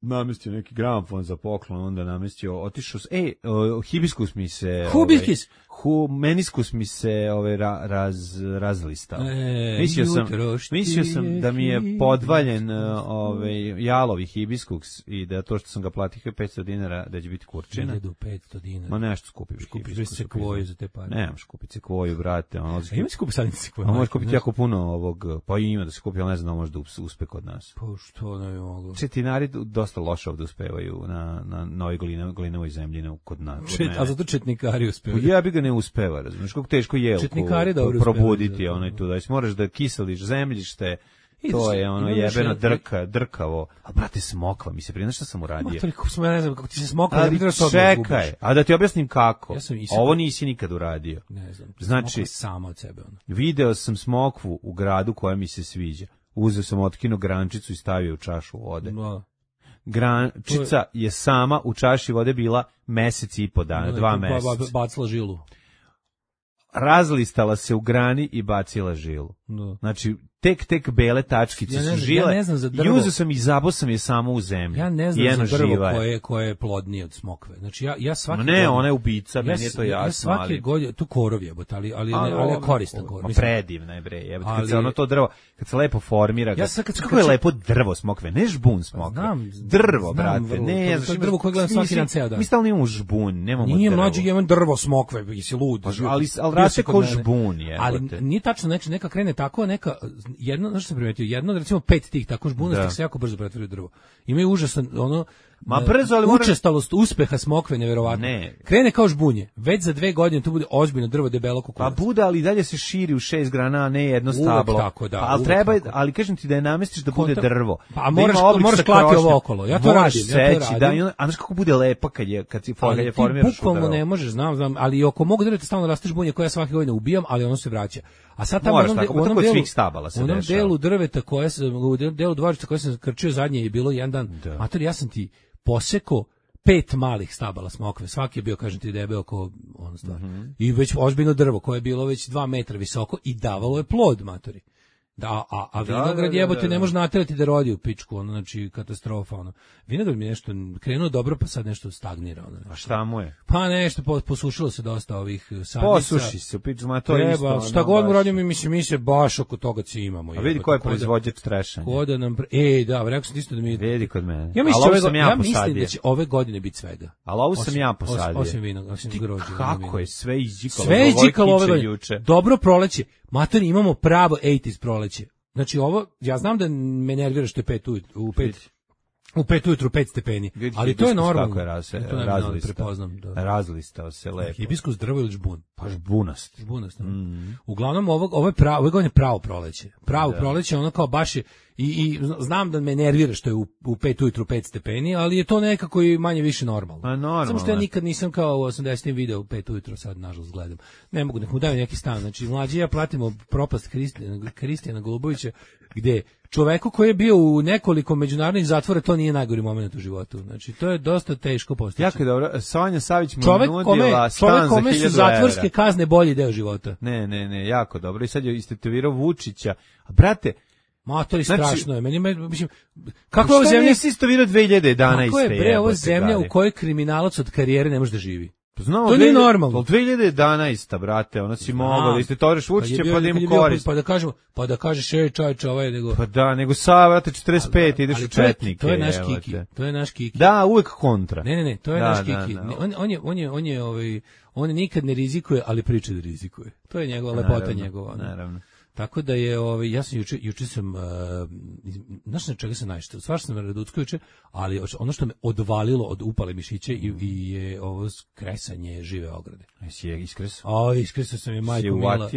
Namestio neki gramofon za poklon, onda namestio, otišao, ej, uh, hibiskus mi se... Hubiskis! Ovaj, hu, meniskus mi se ovaj, ra, raz, razlistao. E, mislio sam, mislio sam da mi je podvaljen ovaj, jalovi hibiskus i da to što sam ga platio petsto dinara, da će biti kurčina. hiljadu petsto dinara. Ma nešto skupiš. Skupiš sekvoju za te pare. Nemaš kupiti sekvoju, brate. Ono, a ima se kupi sadnici sekvoju? A možeš kupiti jako puno ovog, pa ima da se kupi, ali ne znam da može da uspe kod nas. Pa što ne bi moglo? Četinari dosta loše ovde uspevaju na, na novoj glinovoj zemlji kod nas. Čet, a zato četnikari uspevaju. Ja bi ga ne uspeva, razumiješ, kako teško jelku probuditi, onaj tu, da moraš da kiseliš zemljište, to je ono jebeno drka, drkavo. A brate, smokva mi se prije, šta sam uradio? Ma, kako smo, ja ne znam, kako ti se smokva, ali ja čekaj, a da ti objasnim kako. Ja sam ovo nisi nikad uradio. Ne znam, znači, sama od sebe. Ono. Video sam smokvu u gradu koja mi se sviđa. Uzeo sam otkino grančicu i stavio u čašu vode. No. Grančica je sama u čaši vode bila mesec i po dana, no, dva meseca. Bacila žilu. Razlistala se u grani i bacila žilu. No. Znači, tek, tek bele tačkice ja su žile. Ja ne znam za drvo. I uzeo sam i zabao sam je samo u zemlji. Ja ne znam za drvo koje, koje je plodnije od smokve. Znači, ja, ja svaki... No ne, ona je ubica, ja, meni je to jasno. Ja svaki ali... godine, tu korov jebote, ali, ali, ali, ali je koristan korov. Ma predivna je bre, jebote, kad se ono to drvo, kad se lepo formira, ja sad, kad, kako je lepo drvo smokve, ne žbun smokve. Znam, drvo, znam, brate, vrlo, ne, to, to je drvo koje gledam svaki dan ceo dan. Mi stalno imamo žbun, nemamo drvo. Nije mlađi, imam drvo smokve, jesi lud. Ali, ali raste ko žbun, jebote. Ali nije tačno, znači, neka krene tako, neka, jedno, znaš što sam primetio, jedno, recimo pet tih tako žbunastih se jako brzo pretvori u drvo. Imaju užasan, ono, ma brzo, ali učestalost uspeha smokve neverovatno. Ne. Krene kao žbunje, već za dve godine to bude ozbiljno drvo debelo kukuvac. Pa bude, ali dalje se širi u šest grana, a ne jedno stablo. Uvek tako, da. Pa, ali treba, tako. Ali kažem ti da je namestiš da bude Kontra... drvo. Pa moraš, da moraš klati ovo okolo. Ja to radim, ja to radim. Da, i onda, a znaš kako bude lepa kad je, kad si ali je formiraš ti bukvalno ne možeš, znam, znam, ali oko mog drveta stalno raste žbunje koje ja svake godine ubijam, ali ono se vraća. A sad tamo moraš, onom, tako, u onom delu, delu, stabala se u onom dešava. delu drveta koje sam, u delu dvorišta koje sam krčio zadnje je bilo jedan dan. Da. Mater, ja sam ti poseko pet malih stabala smokve, svaki je bio, kažem ti, debel oko ono stvar. Mm-hmm. I već ozbiljno drvo koje je bilo već dva metra visoko i davalo je plod, matori. Da, a, a vinograd jebote ne može naterati da rodi u pičku, ono, znači katastrofa, ono. Vinograd mi nešto krenuo dobro, pa sad nešto stagnira, ono. A šta mu je? Pa nešto, posušilo se dosta ovih sadnica. Posuši se, pičku, ma to je isto. Ono, šta god mu radim, mi mislim, mi se baš oko toga ci imamo. A vidi ko je proizvođač trešanja. Ko da nam, e, da, rekao sam isto da mi... Vidi kod mene. Ja mislim, ove, sam ja, ja mislim da će ove godine biti svega. Ali ovo sam ja posadio. Osim vinog, osim grožđa. Kako je sve izđikalo? Sve izđikalo ove godine. Dobro proleće. Mater, imamo pravo osamdesetih proleće. Znači ovo, ja znam da me nervira što je pet u, u pet. U pet ujutru pet stepeni. Ali to je normalno. Kako je raz, to ne razlistao. Prepoznam, da. Razlistao se lepo. Hibiskus drvo ili žbun? Pa žbunast. Žbunast. Mm. Uglavnom ovo ovo je pravo, ovo je pravo proleće. Pravo da. proleće, ono kao baš je i, i znam da me nervira što je u, u pet ujutru pet stepeni, ali je to nekako i manje više normalno. A normalno. Samo što ja nikad nisam kao u osamdesetim video u pet ujutru, sad nažalost gledam. Ne mogu, nek mu daju neki stan. Znači mlađi ja platimo propast Kristijana, Kristijana Golubovića, gde čoveku koji je bio u nekoliko međunarodnih zatvora, to nije najgori moment u životu. Znači, to je dosta teško postići. Jako je dobro. Sonja Savić mu čovek nudila kome, stan čovek kome za su zatvorske kazne bolji deo života. Ne, ne, ne, jako dobro. I sad je istetovirao Vučića. A brate, ma to je znači, strašno je. Meni mislim kako je zemlja nisi istetovirao dve hiljade jedanaeste. Kako je bre ovo zemlja u kojoj kriminalac od karijere ne može da živi? Znamo, to nije normalno. dve hiljade jedanaeste brate, ona si mogao da istetoriš Vučića pa da im korist. Pa da kažemo, pa da kažeš ej čovječe, ovaj nego. Pa da, nego sa brate četrdeset pet ideš u četnike. To je naš Kiki. To je naš Kiki. Da, uvek kontra. Ne, ne, ne, to je da, naš Kiki. Da, da. On, on je on je on je ovaj on nikad ne rizikuje, ali priča da rizikuje. To je njegova lepota njegova. Naravno. Tako da je ovaj ja sam juče juče sam uh, znaš na čega sam najšto svašta sam Raducko juče, ali ono što me odvalilo od upale mišiće i, i je ovo kresanje žive ograde. Jesi je iskresao? A iskresao sam je majko mila.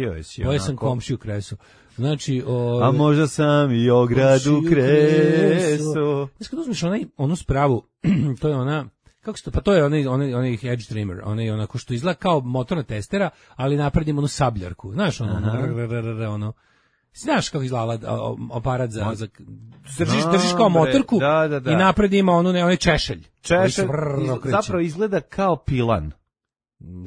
Boje sam komšiju kresu. Znači, ove, a možda sam i ogradu kresu. Znači kad uzmeš onaj onu spravu, to je ona kako što, pa to je onaj onaj onaj edge trimmer, onaj onako što izgleda kao motorna testera, ali napravimo onu sabljarku. Znaš ono, ono, ono znaš kako izgleda aparat za, za držiš, držiš kao motorku da, da, da. I napred ima onu ne onaj češelj. Češelj zapravo izgleda kao pilan.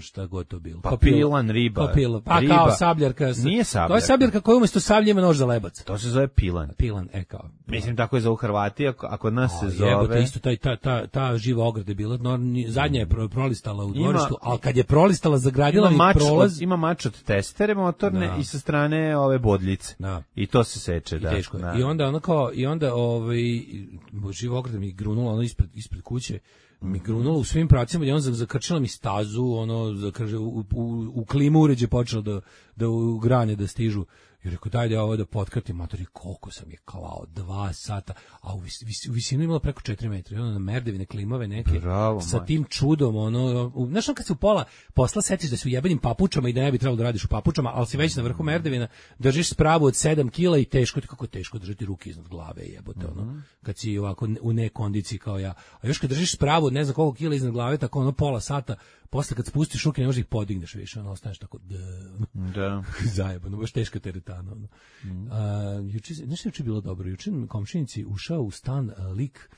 Šta god to bilo. Pa pilan, riba. Pa, pila. pa riba. kao sabljarka. Nije sabljarka. To je sabljarka koja umjesto sablje ima nož za lebac. To se zove pilan. Pilan, e kao. Mislim tako je za u Hrvati, a kod nas o, se zove. Jebote, isto taj, ta, ta, ta živa ograda je bila, no, zadnja je prolistala u dvorištu, ali kad je prolistala, zagradila ima i prolaz. Od, ima mač od testere motorne da. I sa strane ove bodljice. Da. I to se seče, I da. Teško. Da. I onda ono kao, i onda ovaj, živa ograda mi grunula ono ispred, ispred kuće, mi grunulo u svim pravcima i on zakrčila mi stazu, ono zakrže u, u, u klimu uređe počelo da da u grane da stižu. I rekao daj da ovo da potkratim, matori koliko sam je klao, dva sata, a u, vis, vis, u visinu imala preko četiri metra, i ono na merdevine klimave neke, bravo, sa tim čudom, ono, u, znaš on kad se u pola posla setiš da si u jebenim papučama i da ne bi trebalo da radiš u papučama, ali si već na vrhu merdevina, držiš spravu od sedam kila i teško, kako je teško držati ruke iznad glave, jebote, ono, mm-hmm. kad si ovako u nekondiciji kao ja, a još kad držiš spravu od ne znam koliko kila iznad glave, tako ono pola sata, posle kad spustiš ruke ne možeš ih podigneš više, ono, ostaneš tako, da, zajebano, baš teška teretana, ono. Mm. A, juče, nešto juče bilo dobro, juče komšinici ušao u stan a, lik,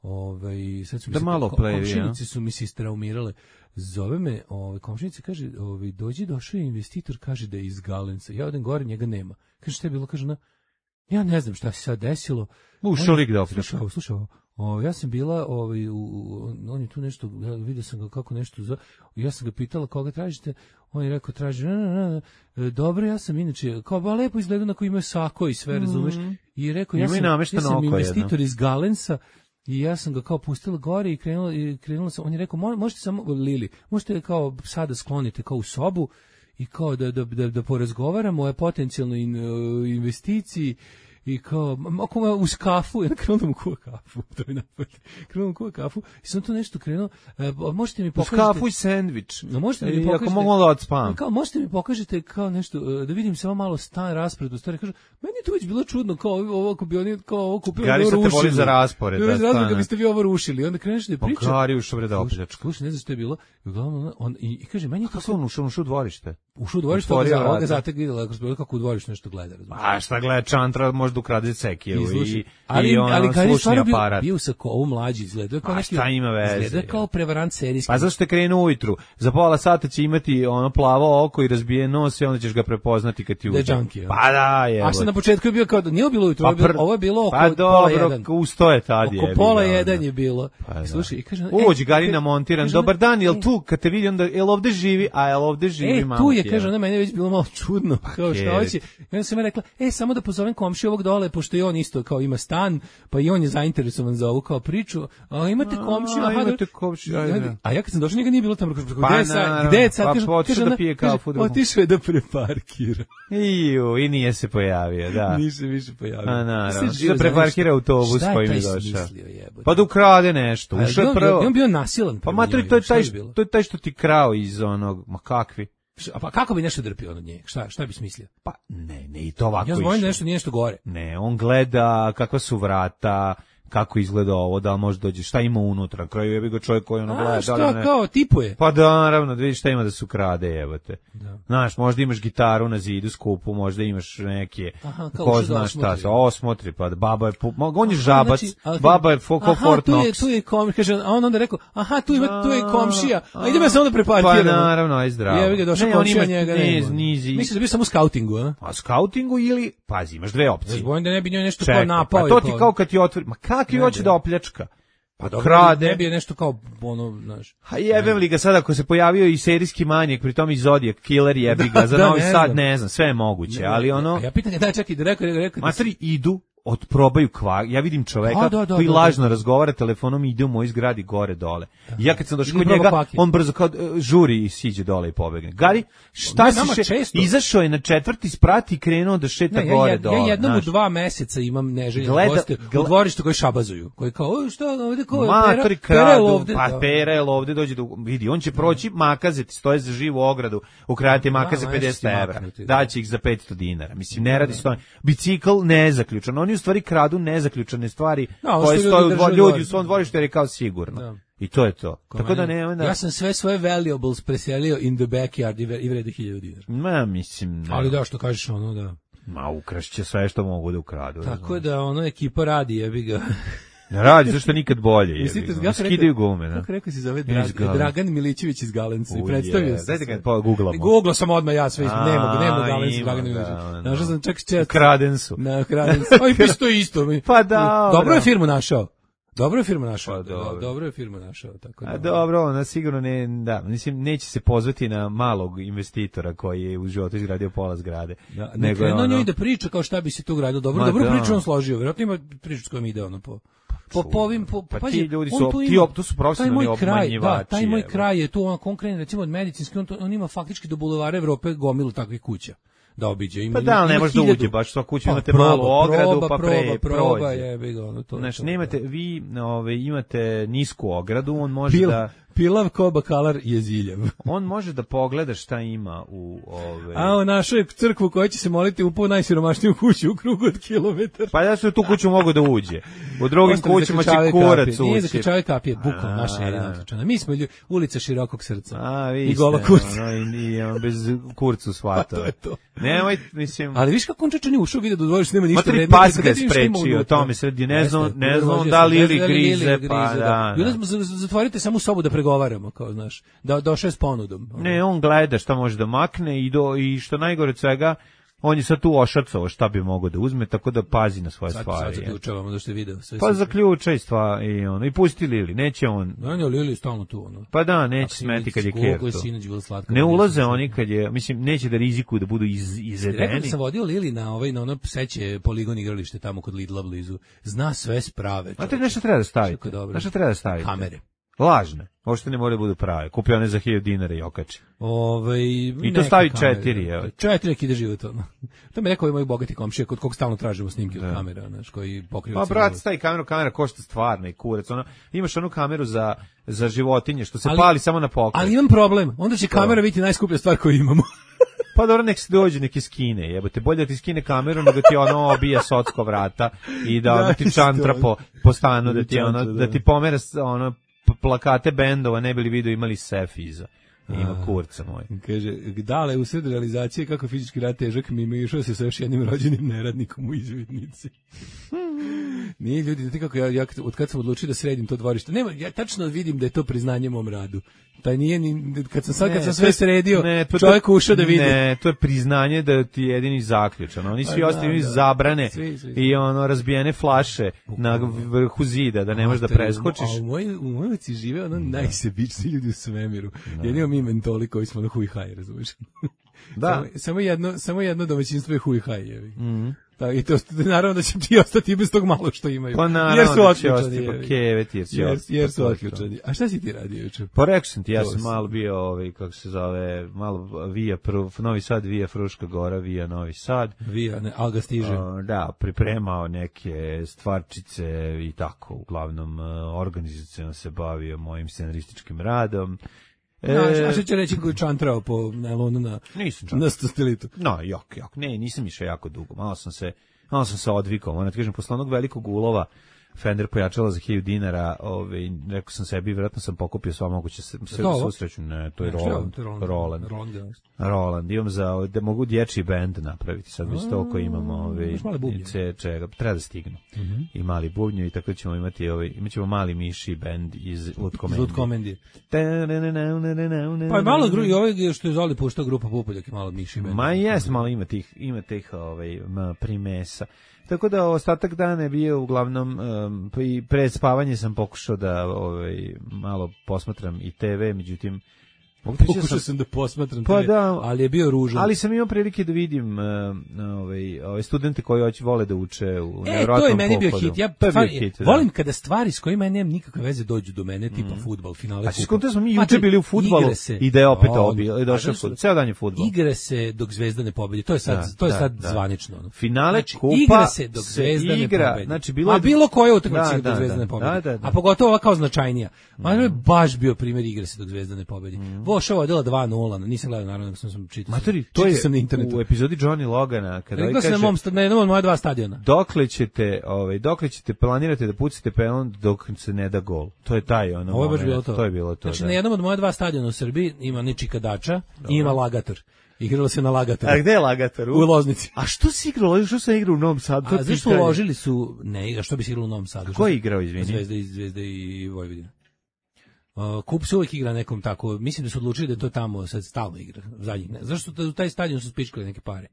ovaj, sad su mi da se, malo ko, plevi, komšinici ja? Su mi se istraumirale, zove me, ovaj, komšinici kaže, ovaj, dođi, došao je investitor, kaže da je iz Galenca, ja odem gore, njega nema, kaže šta je bilo, kaže, na, ja ne znam šta se sad desilo, ušao lik da slušao, slušao, O, ja sam bila, ovaj, u, on je tu nešto, ja vidio sam ga kako nešto, za, ja sam ga pitala koga tražite, on je rekao traži, na, na, na, dobro, ja sam inače, kao ba lepo izgleda na koji ima sako i sve, razumeš, mm-hmm. I rekao, ja sam, ja sam investitor jedno. Iz Galensa, i ja sam ga kao pustila gore i krenula, i krenula sam, on je rekao, možete samo, Lili, možete kao sada sklonite kao u sobu, i kao da, da, da, da porazgovaramo o potencijalnoj in, uh, investiciji, i kao, ako ma uz kafu, ja krenuo da mu kuva kafu, to mi napad, krenuo da mu kuva kafu, i sam to nešto krenuo, e, možete mi pokažete... Uz kafu i sendvič, no, možete mi pokažete, ako mogu da odspam. Kao, možete mi pokažete kao nešto, da vidim samo malo stan, raspored, u stvari, kažu, meni je to već bilo čudno, kao ovo, ako bi oni, kao ovo kupili, Gari, ovo rušili. Gari, sad te voli za raspored, da, stane. Razlog, biste vi ovo rušili, onda kreneš da priča. Gari, ušao bre da opljačka. Slušaj, ne znam što je bilo, i uglavnom, on, i, i kaže, meni je to... Kako on ušao, ušao u dvorište? Ušao u dvorište, ovoga zatek vidjela, kako u dvorištu nešto gleda, razumiješ. A šta gleda, čantra, možda ukrade ceki. I, ali, i ono, ali kad je stvarno bio, aparat. bio sa ovo mlađi, izgleda kao neki, šta ima veze? Izgleda kao prevarant serijski. Pa zašto te krenu ujutru? Za pola sata će imati ono plavo oko i razbije nos i onda ćeš ga prepoznati kad ti uđe. Da junkie, pa da, je. A sam na početku je bio kao, nije bilo ujutru, pa pr... ovo je bilo oko pa pola jedan. Pa usto je tad je. Oko pola jedan je bilo. Pa slušaj, i kaže, uđi Garina montiran, dobar dan, jel tu, kad te vidi, onda, jel ovde živi, a jel ovde živi e, mama tu je, kaže, ona meni već bilo malo čudno, pa kao šta hoće. I onda sam ja rekla, e, samo da pozovem komšiju ovog ovog dole, pošto i on isto kao ima stan, pa i on je zainteresovan za ovu kao priču, a imate komšiju, a imate komšiju, ajde. A ja kad sam došao, njega nije bilo tamo, pa, gde je sad, gde je sad, pa, kaže, kaže, da pije kaže, otišao je da preparkira. Iju, i nije se pojavio, da. Nije se više pojavio. A naravno, da preparkira autobus kojim je došao. Pa da ukrade nešto, ušao je prvo. On bio nasilan. Pa matri, to je taj, to je taj što ti krao iz onog, ma kakvi. A pa kako bi nešto drpio od nje? Šta, šta bi smislio? Pa ne, ne i to ovako. Ja znam da nešto nije nešto gore. Ne, on gleda kakva su vrata, kako izgleda ovo, da li može dođe, šta ima unutra, na kraju jebi ga čovjek koji ono gleda. A što ne... kao, tipuje? Pa da, naravno, da vidiš šta ima da su krade, jebate. Da. Znaš, možda imaš gitaru na zidu, skupu, možda imaš neke, aha, ko zna šta, se osmotri, pa baba je, on je žabac, znači, ali, baba je ko Fort Knox. Aha, tu je komšija, kaže, a on onda rekao, aha, tu, ima, tu je komšija, a idemo se onda prepartiramo. Pa naravno, aj zdravo. Jebi ga, došao komšija njega, ne ima. Misliš da bi samo u skautingu, a? A skautingu ili, pazi, imaš dve opcije. Ja bojim da ne bi njoj nešto kao napao. Pa to ti kao kad ti otvori, ma kakvi hoće da opljačka? Pa dobro, krade. Ne bi je nešto kao ono, znaš. A jebem li ga sad ako se pojavio i serijski manijak, pritom i Zodiac Killer jebi ga, za da, Novi Sad znam. Ne znam, sve je moguće, ne, ali ono... A ja pitan ga, daj čekaj, da rekao, rekao... Matri idu, otprobaju kvar, ja vidim čoveka a, da, da, koji da, lažno da. razgovara telefonom i ide u moj zgradi gore dole. Da. I ja kad sam došao kod njega, paket. On brzo kao uh, žuri i siđe dole i pobegne. Gari, šta ne, si še... Izašao je na četvrti sprat i krenuo da šeta ne, gore ja, dole. Ja jednom znaš. U dva meseca imam neželjene Gleda, goste gleda... u dvorištu koji šabazuju. Koji kao, o, šta, ovde ko je Matori pera, pera ovde. Pa pera je ovde, dođe do... Vidi, on će proći makazeti, stoje za živu ogradu, ukradite makaze pedeset evra. Daće ih za petsto dinara. Mislim, ne radi stoje. Bicikl nezaključan. Oni u stvari kradu nezaključane stvari no, koje stoje u dvorištu, ljudi u svom dvorištu jer je kao sigurno. Da. I to je to. Ko Tako da ne, ne, ja sam sve svoje valuables preselio in the backyard i vrede hiljadu dinara. Ma, mislim... Ne. Ali da, što kažeš ono, da... Ma, ukrašće sve što mogu da ukradu. Tako da, ono, ekipa radi, jebi ga... Ne radi, zašto nikad bolje, jebi ga. Ja skidaju gume, da. Kako rekao si zove Dragan, Dragan Milićević iz Galenca i predstavio se. Dajte ga pa googlamo. Googlao sam odmah ja sve, ne mogu, ne mogu Galenca i Dragan Milićević. Našao sam čak čet. Kraden su. Na Kraden su. Oj, piše to isto. Pa da. Dobro je firmu našao. Dobro je firma našao. Pa, dobro. dobro je firma našao, tako da. A dobro, ona sigurno ne, da, mislim neće se pozvati na malog investitora koji je u životu izgradio pola zgrade. Da, nego je ono njoj da priča kao šta bi se tu gradilo. Dobro, dobro da. Priču on složio. Verovatno ima priču s kojom ide ono po po povim po pa ti ljudi su ti to su profesionalni obmanjivači. Da, taj moj kraj je tu on konkretno recimo od medicinski on, on ima faktički do bulevara Evrope gomilu takvih kuća. Da obiđe ima. Pa da, ne može da uđe, baš sva kuća imate pa, malu ogradu, proba, pa pre proba, proba jebi ga, ono to. Znači, nemate vi, ove imate nisku ogradu, on može Pil, da Pilav ko bakalar je ziljav. On može da pogleda šta ima u ove. A u našoj crkvu koja će se moliti u najsiromašniju kuću u krugu od kilometar. Pa ja se u tu kuću mogu da uđe. U drugim kućama će kurac ući. Nije zaključavaju kapije, bukvalno naša je naključana. Mi smo ljudi, ulica širokog srca. A, vi i gola kurca. No, i, i on bez kurcu svata. To je to. Nemoj, mislim. Ali viš kako on čečan je ušao vidi da dvoriš nema ništa vredno. Pas ga sprečio, to mi sredi, ne znam, ne znam da li ili grize, pa da. Ljudi zatvorite samo sobu da pregovaramo, kao znaš, da došao s ponudom. Ne, on gleda šta može da makne i do i što najgore od svega, on je sad tu ošacao šta bi mogao da uzme, tako da pazi na svoje sad, stvari. Sad zaključavamo da ste video. Sve pa sve zaključaj stvari i ono, i pusti Lili, neće on. Da, ne, Lili je stalno tu, ono. Pa da, neće smeti kad je Kerto. Ne ulaze oni kad je, mislim, neće da rizikuju da budu iz, izvedeni. Rekao da sam vodio Lili na ovaj, na ono pseće poligon igralište tamo kod Lidla blizu. Zna sve sprave. A to nešto treba da staviti. Nešto treba da staviti. Kamere. Lažne. Ošte ne more da budu prave. Kupio one za hiljadu dinara i okači. Ovaj i to stavi četiri, evo. Četiri ide život ono. To mi rekao i moji bogati komšije kod kog stalno tražimo snimke od kamera, znaš, koji pokriju. Pa brat, stavi kameru, kamera košta stvarno i kurac. Ono, imaš onu kameru za za životinje što se ali, pali samo na pokret. Ali imam problem. Onda će kamera biti najskuplja stvar koju imamo. Pa dobro, nek se dođe neki skine, jebote, bolje da ti skine kameru nego ti ono obija socko vrata i da, da ti čantra po, po stanu, da ti, ono, da ti pomera ono, plakate bendova, ne bili video imali sef iza. Ima kurca moj. Kaže, dale, u sred realizacije kako fizički rad težak mi ima išao se sa još jednim rođenim neradnikom u izvidnici. Nije ljudi, znate kako ja, ja od kad sam odlučio da sredim to dvorište, nema, ja tačno vidim da je to priznanje mom radu. Taj nije ni, kad sam sad, ne, kad sam sve sredio, ne, to, čovjek ušao da vidi. Ne, to je priznanje da ti je jedini zaključan. Oni svi ostali da, zabrane svi, svi, svi. I ono razbijene flaše na vrhu zida, da ne možeš da preskočiš. A u mojoj u mojoj ulici žive ono najsebičniji ljudi u svemiru. Da. Jedino mi mentoli koji smo na huj haj, razumiješ? Da. Samo, samo jedno, samo jedno domaćinstvo je huj haj, jevi. Mhm. Da, i to naravno da će ti ostati bez tog malo što imaju. Pa naravno jer su da će otključani. ostati kevet, jer, jer, jer su otključani. A šta si ti radio juče? Pa rekao sam ti, ja sam malo bio, ovaj, kako se zove, malo via, Novi Sad, via Fruška Gora, via Novi Sad. Via, ne, ali ga stiže. Uh, da, pripremao neke stvarčice i tako, uglavnom uh, organizacijno se bavio mojim scenarističkim radom. E, no, a što će reći koji čantrao po Nelonu na, na stotilitu? No, jok, jok, ne, nisam išao jako dugo, malo sam se, malo sam se odvikao, moram ti kažem, posle onog velikog ulova, Fender pojačala za hiljadu dinara, ovaj, rekao sam sebi, vjerojatno sam pokupio sva moguće se, se susreću, ne, to je Roland, Roland, Roland, Roland, imam za, da mogu dječji bend napraviti, sad već toliko imamo, ovaj, ce, čega, treba da stignu, uh -huh. i mali bubnju i tako ćemo imati, ovaj, imat ćemo mali miši bend iz Lutkomendi. Pa je malo drugi, ovaj što je Zoli puštao grupa Pupoljak i malo miši bend. Ma jes, malo ima tih, ima tih, ovaj, primesa. Tako da ostatak dana je bio uglavnom um, i pred spavanje sam pokušao da ovaj, malo posmatram i te ve, međutim pokušao sam, sam da posmatram pa te ve, da, ali je bio ružan. Ali sam imao prilike da vidim uh, ovaj, ove studente koji hoće vole da uče u e, nevjerojatnom to je meni bio pohodu. hit. Ja bio hit, volim da. Kada stvari s kojima nemam nikakve veze dođu do mene, tipa mm. fudbal, finale. A skonto smo mi juče bili u fudbalu i da je opet obio, i došao fudbal. Ceo dan je fudbal. Igre se dok Zvezda ne pobedi. To je sad, da, to je sad da, zvanično. Da. Finale znači, kupa igra se dok Zvezda igra, ne pobedi. Znači bilo A bilo koja utakmica da, dok Zvezda da, ne pobedi. Da, da, da. A pogotovo ova kao značajnija. Ma je baš bio primjer igre se dok Zvezda ne pobedi. Voša vodila dva nula, nisam gledao naravno nego sam sam čitao. Materi, to je sam na internetu. U epizodi Johnny Logana kada ovaj kaže na mom na jednom od moja dva stadiona. Dokle ćete, ovaj, dokle ćete planirate da pucate pelon dok se ne da gol. To je taj ono. Ovo je baš bilo to. To je bilo to. Znači da. Na jednom od moja dva stadiona u Srbiji ima Niči Kadača i ima Lagator. Igralo se na Lagatoru. A gde je Lagator? U Loznici. A što si igralo? Što se igra u Novom Sadu? A zašto uložili su ne, a što bi se igralo u Novom Sadu? Ko je igrao, izvini? Zvezda i Zvezda i Vojvodina. Uh, Kup se uvijek igra nekom tako, mislim da su odlučili da to tamo sad stalno igra, zadnjih ne. Zašto u taj stadion su spičkali neke pare?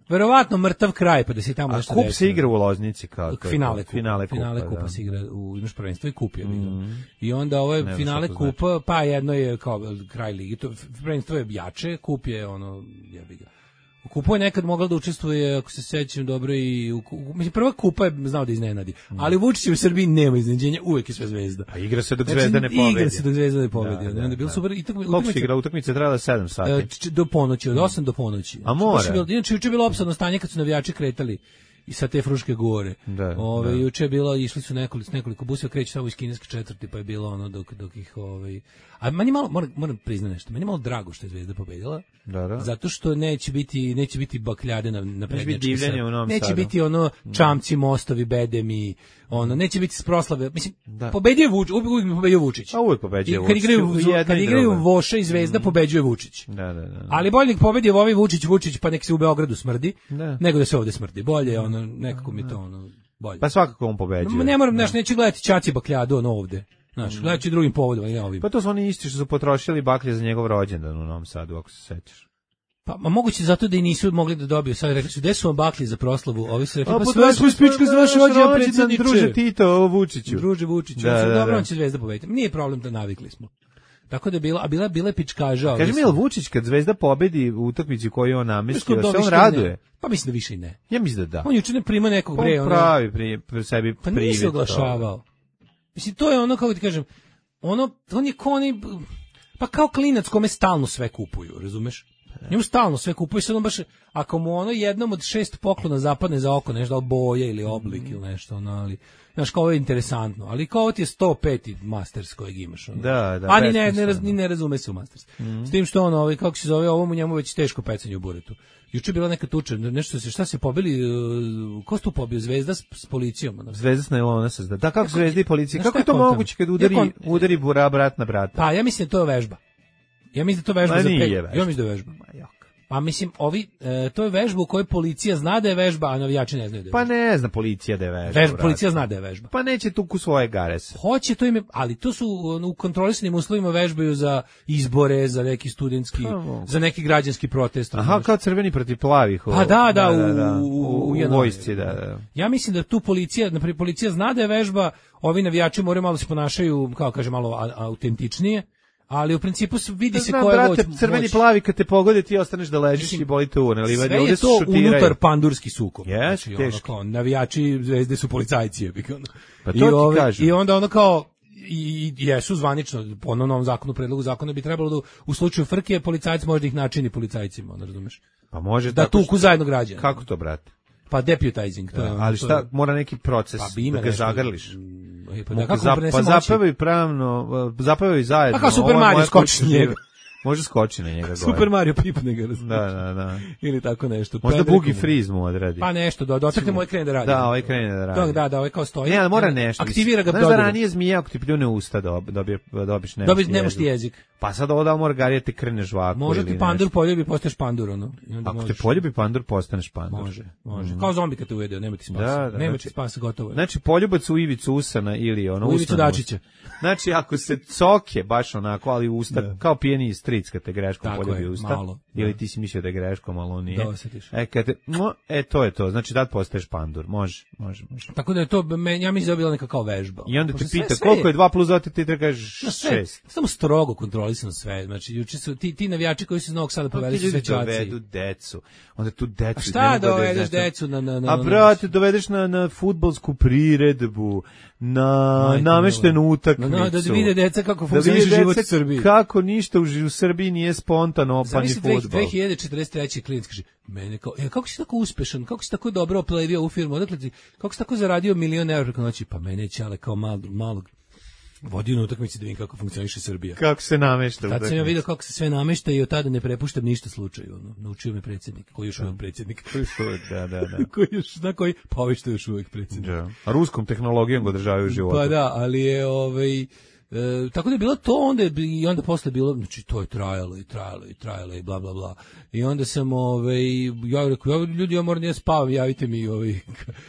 Verovatno mrtav kraj, pa da se tamo nešto desilo. A Kup desilo. se igra u Loznici kao to. Finale kupa, finale kupa, finale kupa da. se igra u imaš prvenstvo i kup je mm. I onda ovo je finale kupa, znači. Pa jedno je kao kraj ligi, to prvenstvo je jače, kup je ono jebi ga. U kupu je nekad mogla da učestvuje, ako se sećam dobro, i u, mislim, prva kupa je znao da iznenadi, mm. ali Vučić u Srbiji nema iznenađenja, uvek je sve Zvezda. A igra se dok znači, Zvezda ne pobedi. Igra se dok Zvezda ne pobedi. Da, da, da, bilo da. super. I tako, koliko se igra utakmica trajala sedam sati? Do ponoći, od osam do ponoći. A mora? Bilo, inače, juče je bilo opsadno stanje kad su navijači kretali i sa te Fruške gore. Da, ove, da. Juče je bilo, išli su nekoliko, nekoliko buseva, kreće samo iz kineske četvrti, pa je bilo ono dok, dok ih... Ovaj, a meni malo, moram, moram priznati nešto, meni malo drago što je Zvezda pobedila, da, da. Zato što neće biti, neće biti bakljade na, na prednjački sad. Neće Sadu. biti ono čamci, mostovi, bedemi, ono, neće biti proslave. Mislim, da. Pobedio je Vučić, uvijek bi pobedio Vučić. A uvijek pobeđuje Vučić. Kad igraju, kad igraju Voša i Zvezda, mm. pobeđuje Vučić. Da, da, da, da. Ali bolje nek pobedi ovaj Vučić, Vučić, pa nek se u Beogradu smrdi, da. nego da se ovde smrdi. Bolje, ono, nekako mi to, ono, bolje. Pa svakako on pobeđuje. Ne moram, znaš, neće gledati Ćaci bakljadu, ono ovde. Znaš, mm. gledajući drugim povodom, ne ovim. Pa to su oni isti što su potrošili baklje za njegov rođendan u Novom Sadu, ako se sećaš. Pa ma moguće zato da i nisu mogli da dobiju. Sad rekli su, gde su vam baklje za proslavu? Ovi su rekli, pa, pa sve smo spička za vaše rođendan, predsjedniče. Druže Tito, Vučiću. Druže Vučiću. Da, da, da. Dobro, on će Zvezda pobediti. Nije problem da navikli smo. Tako da je bila, a bila, bila je pičkaža. Kaži mi, je li Vučić kad Zvezda pobedi u utakmici koju on namestio, se on raduje? Ne. Pa mislim da više i ne. Ja mislim da da. On juče ne prima nekog pa bre. On pravi pri, pri sebi pa privet. Pa nije oglašavao. Mislim, to je ono, kako ti kažem, ono, on je kao oni, pa kao klinac kome stalno sve kupuju, razumeš? Njemu stalno sve kupuju, sad on baš, ako mu ono jednom od šest poklona zapadne za oko, nešto, da li boje ili oblik mm. ili nešto, ono, ali, znaš, kao ovo je interesantno, ali kao ovo ti je sto peti Masters kojeg imaš, ono. Da, da. A ni ne, ne, raz, ni ne razume se u Masters. Mm. S tim što ono, ovaj, kako se zove, ovo mu njemu već teško pecanje u buretu. Juče je bila neka tuča, nešto se, šta se pobili, uh, ko se tu pobio, Zvezda s, s policijom? Ono? Zvezda s najlona se zda. Da, kako Zvezda i policija, kako je to moguće kad udari, kon... udari bura brat na brata? Pa, ja mislim da to je vežba. Ja mislim da to je vežba Ma za pet. Ja mislim da je vežba. Ma, pa mislim, ovi, e, to je vežba u kojoj policija zna da je vežba, a navijači ne znaju da je vežba. Pa ne zna policija da je vežba. Vežba policija zna da je vežba. Pa neće tu ku svoje garese. Hoće to ime, ali to su u kontrolisanim uslovima vežbaju za izbore, za neki studentski, pa, za neki građanski protest. Aha, kao crveni protiv plavih. Pa da, da, da, da, da. U, u, u, u vojsci, da, da. Ja mislim da tu policija, naprijed policija zna da je vežba, ovi navijači moraju malo se ponašaju, kao kaže, malo autentičnije. Ali u principu vidi se Znam, ko je brate, moć. crveni plavi kad te pogode ti ostaneš da ležiš Mislim, i boli te urne, ali sve ovdje je se to šutiraju. unutar pandurski sukob. Yes, znači, ono teški. kao, navijači Zvezde su policajci. Je, ono. Pa to I, ti ove, kažem. I onda ono kao, i, i jesu zvanično, po novom zakonu, predlogu zakona bi trebalo da u slučaju frke policajac može da ih načini policajcima, ono razumeš? Pa može Da tako tuku što- zajedno građana. Kako to, brate? Pa deputizing. To je, Da, ono, ali to šta, je- mora neki proces Pa bi ima da ga nešto. zagrliš. E, Pa, Mogu da, kako zap- prenese pa moći? zapevaju pravno, zapevaju zajedno. Pa kao Super Ovo je Mario moja skoči kuća na njega. živa. Može skoči na njega gore. Super Mario pipne ga, razumeš? Da, da, da. Ili tako nešto. Možda Pedriku Boogie mu- Freeze mu odradi. Pa nešto, da dotakne moj krene da radi. Da, ovaj krene da radi. Da, da, da, ovaj kao stoji. Ne, ali mora nešto. Aktivira ga Znaš da dodire. ranije zmija ako ti pljune usta dob, dobije, dobiš nemaš Dobiš ti nemaš ti jezik. Pa sad ovo da mora garije te krene žvaku. Može ili ti pandur nešto. poljubi, postaješ pandur, ono. I onda Ako te možeš- poljubi pandur, postaneš pandur. Može, može. Kao zombi kad te uvede, nema ti spasa. Da, da, nema znači- ti spasa, gotovo je. Znači, poljubac u ivicu usana ili ono U Ivicu usna Dačića. Znači, ako se coke baš onako, ali usta, Da. kao pijeni stric kad te greškom Tako poljubi je, usta. malo, Ili da. ti si mislio da je greškom, ali on nije. Da, osjetiš. E, kad te, no, e, to je to. Znači, tad postaješ pandur. Može, može, može. Tako da je to, men- ja mislim da je bila neka kao vežba. I onda te Pošto sve- pita sve koliko je dva plus dva, ti treba kažeš Na sve, šest. samo strogo kontrolisano sve. Znači, juče su ti, ti navijači koji su iz Novog Sada poveli su sve Ljudi ćaci. dovedu decu. Onda tu decu. A šta ne mogu da dovedeš znači- decu na... na, na A na- brate, dovedeš na, na fudbalsku priredbu, na Majke nameštenu mila. utakmicu. Na- na- da vide deca kako Da funkcioniše vide život deca u Srbiji. Kako ništa u, ži- u Srbiji nije spontano opani Zamisli dve- fudbal. dve hiljade četrdeset treće klinac kaže, mene kao, e, kako si tako uspešan, kako si tako dobro oplevio u firmu, odakle ti, kako si tako zaradio milion evra preko noći, pa mene je Ćale kao malog, malog vodio na utakmici da vidim kako funkcioniše Srbija. Kako se namešta. Tad sam ja utakmica. vidio kako se sve namešta i od tada ne prepuštam ništa slučaju. Ono. Naučio me predsjednik, koji je još uvijek predsjednik. Koji su, da, da, da. koji je još, na koji, pa ovaj što je još uvijek predsjednik. Da. A ruskom tehnologijom ga održavaju u životu. Pa da, ali je ovaj E, tako da je bilo to, onda je, i onda posle bilo, znači to je trajalo i trajalo i trajalo i bla bla bla. I onda sam ovaj ja rekao, ja, ljudi, ja moram da ja spavam, javite mi ovaj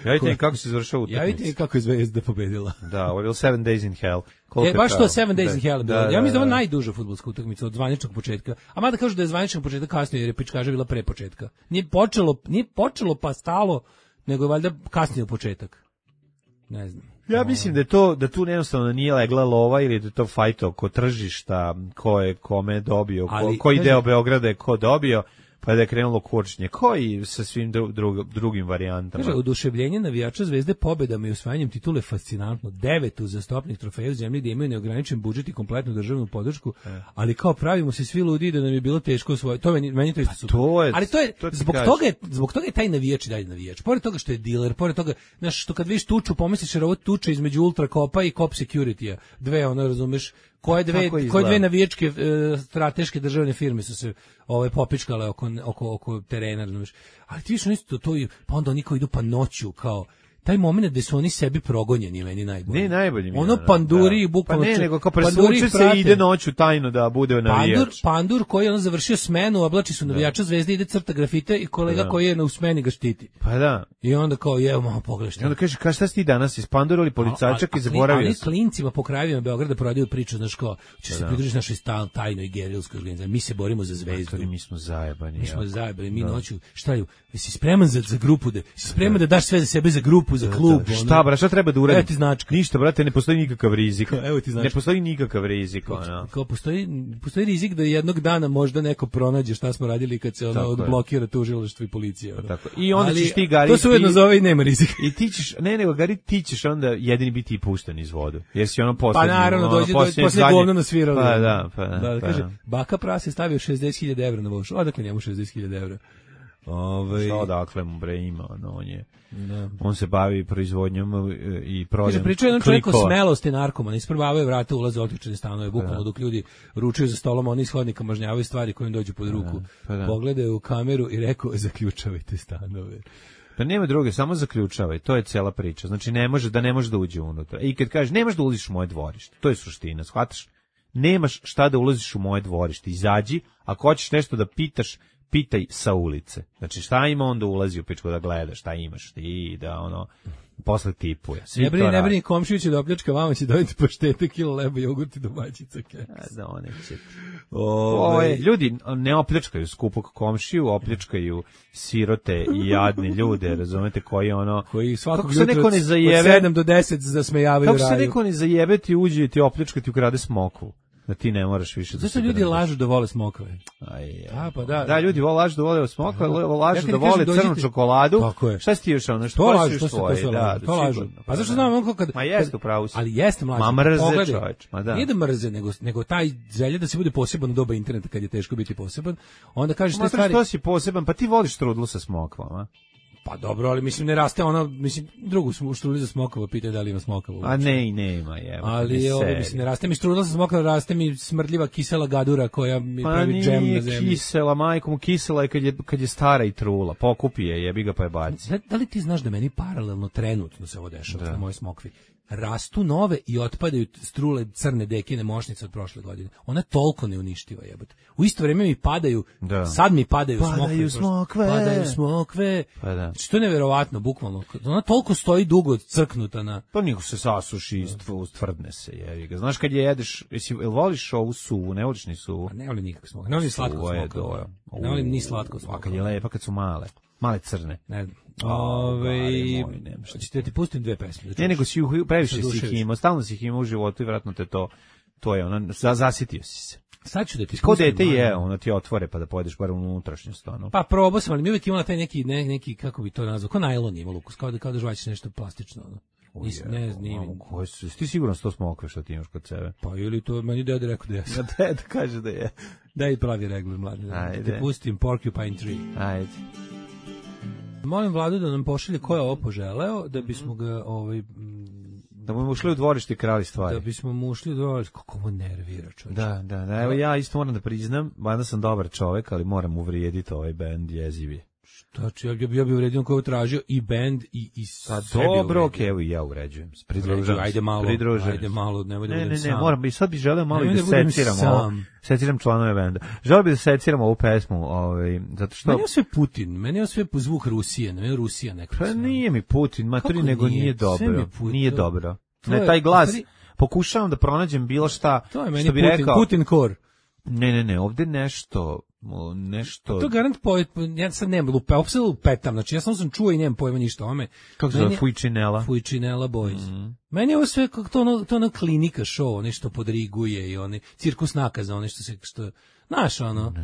Javite mi kako se završava utakmica. Javite mi kako je Zvezda pobedila. Da, ovo je bilo Seven Days in Hell. E, je baš to trajalo? Seven Days in Da, Hell. bilo. da, Ja mislim da je ovo da. najduža fudbalska utakmica od zvaničnog početka. A mada kažu da je zvaničnog početka kasnije jer je pičkaža bila pre početka. Nije počelo, nije počelo pa stalo, nego je valjda kasnije početak. Ne znam. Ja mislim da je to, da tu jednostavno nije legla lova ili da je to fajt oko tržišta, ko je kome dobio, ko, Ali, koji kažem- deo Beograda je ko dobio, pa da je krenulo kurčnje, koji sa svim dru, drug, drugim varijantama. Kaže, oduševljenje navijača Zvezde pobedama i osvajanjem titule je fascinantno. Devet uzastopnih trofeja u zemlji gde imaju neograničen budžet i kompletnu državnu podršku, ali kao pravimo se svi ludi da nam je bilo teško osvojiti. To meni, meni to isto super. to je- ali to je, to ti zbog kažem. toga je, zbog toga je taj navijač i dalje navijač. Pored toga što je diler, pored toga, znaš, što kad vidiš tuču, pomisliš jer ovo tuča između Ultrakopa i Cop Security-a. Dve, ono, razumeš, koje dve, Tako izgleda. koje dve navijačke e, strateške državne firme su se ovaj popičkale oko oko oko terena, razumeš. Ali ti viš isto to i pa onda oni koji idu pa noću kao taj momenat gde su oni sebi progonjeni je meni najbolji. Ne, najbolji mi je, Ono da, panduri i da. bukvalno Pa ne, če- nego kao panduri presvuče se prate. i ide noću tajno da bude navijač. Pandur, pandur koji je on završio smenu, oblači su navijača Zvezde, ide crta grafite i kolega Da. koji je na u smeni ga štiti. Pa da. I onda kao, jevo, malo pogledaj I šta. onda kaže, ka šta si ti danas, ispandurali policajčak A- a- i a- zaboravio Ali sam. klincima po krajevima Beograda prodaju priču, znaš kao, će se da. pridružiti našoj stal, tajnoj gerilskoj organizaciji. Mi se borimo za Zvezdu. Matori, mi smo zajebani. Mi smo jako. zajebali, mi Da. noću, šta je, jesi spreman za, za grupu, da, jesi spreman da daš sve za sebe, za grupu, za klub? Da, ono? šta, bra, šta treba da uradim? Evo ti značka. Ništa, brate, ne postoji nikakav rizik. Evo ti značka. Ne postoji nikakav rizik, ono. Kao postoji, postoji rizik da jednog dana možda neko pronađe šta smo radili kad se ono Tako je. odblokira tužilaštvo i policija. ono. Tako. I onda Ali ćeš ti, Gari, to se ujedno ti- zove i nema rizika. I ti ćeš, ne, nego, Gari, ti ćeš onda jedini biti i pušten iz vodu. Jer si ono Pa poslednji. naravno, ono, dođe, dođe posljednji posle zadnji. govno nasviralo. Pa da, pa da. Da, pa kaže, da. baka Pras je stavio šezdeset hiljada evra na vošu. Odakle njemu šezdeset hiljada evra? Ove, Šta odakle mu bre ima, ono, on je, da. on se bavi proizvodnjom e, i prodajom Kaže, pričao je jedan čovjek o klikova. smelosti narkomana, isprobavaju vrata, ulaze u otključene stanove, bukvalno dok ljudi ručuju za stolom, oni iz hodnika mažnjavaju stvari koje im dođu pod ruku. pa da. Pogledaju u kameru i rekao, zaključavajte stanove. Pa nema druge, samo zaključavaj, to je cela priča. Znači ne može da ne može da uđe unutra. I kad kažeš nemaš da ulaziš u moje dvorište, to je suština, shvataš? Nemaš šta da ulaziš u moje dvorište. Izađi, ako hoćeš nešto da pitaš, pitaj sa ulice. Znači šta ima, onda ulazi u pičku da gleda šta imaš ti, da ono posle tipuje. Svi Ne brini, to ne rade. brini, komšiju će da opljačka, vama će dobiti paštete, kilo leba, jogurt i domaćica keks. A da one će. Ovaj, Ove, ljudi ne opljačkaju skupog komšiju, opljačkaju sirote i jadne ljude, razumete, koji ono... koji svakog kako se jutra neko ne od zajebe, sedam do deset zasmejavaju kako se raju. neko ne zajebe ti uđe i ti opljačka ti ukrade smokvu. Da ti ne moraš više da Zašto ljudi držiš. lažu da vole smokve? Aj, A, pa da. Da, ljudi vole lažu da vole smokve, lažu Ja da kad vole kažem crnu dođite- čokoladu. Tako je. Šta si ti još ono? Što To kosiš lažu, to se to svoje? sve Da, lažu. To lažu. sigurno, Pa zašto da. znam on kad Ma jeste, upravo si. Ali jeste mlađe. Ma mrze, Pogledaj. čoveč, ma da. Nije da mrze, nego nego taj želja da se bude poseban u doba interneta kad je teško biti poseban. Onda kažeš te Ma stvari. što si poseban, pa ti voliš trudlu sa smokvama. Pa dobro, ali mislim ne raste ona, mislim drugu smo uštruli za smokava, pitaju da li ima smokava. A ne, i nema, je. Ali ovo mislim ne raste mi štrudla sa smokava, raste mi smrdljiva kisela gadura koja mi Pa pravi džem na nije zemlji. kisela, majko mu kisela je kad je, kad je stara i trula. Pokupi je, jebi ga pa je baci. Da, da li ti znaš da meni paralelno trenutno se ovo dešava na mojoj smokvi? Rastu nove i otpadaju strule crne dekine mošnice od prošle godine. Ona toliko ne uništiva, jebote. U isto vrijeme mi padaju, Da. sad mi padaju, Padaju smokve. smokve. Padaju smokve. Pa da. Što je neverovatno, bukvalno. Ona toliko stoji dugo crknuta na... Pa niko se sasuši i stv- stvrdne se, jebi ga. Znaš kad je jedeš, jesi, jel voliš ovu suvu, ne voliš ni suvu? Pa ne volim nikakve smokve. Ne volim ni slatko Suva je smokve. doja. Ne volim ni slatko A kad smokve. je lepa, kad su male. Male crne. Ne znam. A, Ove, gari moj, nema šta. hoćete da ti pustim dve pesme? Da Ne, čuješ? nego si ih- previše Se si ih oduševiš. imao, stalno si ih imao u životu i vratno te to, to je ono, za, zasitio si se. Sad ću da ti Ko pustim, dete mladen. je, ono ti otvore pa da pojedeš bar u unutrašnjost, ono. Pa probao sam, ali mi uvijek imala taj neki, ne, neki, kako bi to nazvao, ko najlon ima lukus, kao da, kao da žvaćeš nešto plastično. Ono. Nis, ne, nije mi. Koje su, ti sigurno sto smokve što ti imaš kod sebe? Pa ili to, meni dede rekao da jesam. Da, da kaže da je. Daj pravi regler, mladi. Da Ajde. ti pustim Porcupine Tree. Ajde. Molim Vladu da nam pošalje ko je ovo poželeo, da bismo ga, ovaj, mm, Da mu ušli u dvorište i krali stvari. da bismo mu ušli do... Kako ovo nervira, čovječ. Da, da, da, evo ja isto moram da priznam, mada sam dobar čovek, ali moram uvrijediti ovaj bend jezivi. Znači, ja, bi- ja bi uvredio ko je tražio i band i, i Pa sve bi dobro, uvredio. okej, evo i ja uređujem. Pridružujem se. Ajde malo, pridružujem ajde se. malo, nemoj da Ne, budem ne, ne, sam. moram bi, sad bi želeo malo Nemoj i da da budem seciram sam. ovo. Seciram članove benda. Želeo bi da seciram ovu pesmu, ovaj, zato što... Meni je sve Putin, meni je sve po zvuk Rusije, ne, Rusija neka. Pa nije mi Putin, maturi, Kako nego nije? nije Sve mi dobro. je Putin. Nije dobro. To Ne, je- taj glas, stvari- pokušavam da pronađem bilo šta, To je meni što bi Putin, rekao... Putin core. Ne, ne, ne, ovde nešto, o, nešto... To garant poet, ja sad nemam lupe, opet lupetam, znači ja samo sam čuo i nemam pojma ništa o ome. Kako se Meni zove, je- Fujčinela? Fujčinela Boys. Meni je ovo sve kako to ono, to ono klinika show, nešto podriguje i oni cirkus nakaza, ono što se, što, znaš ono,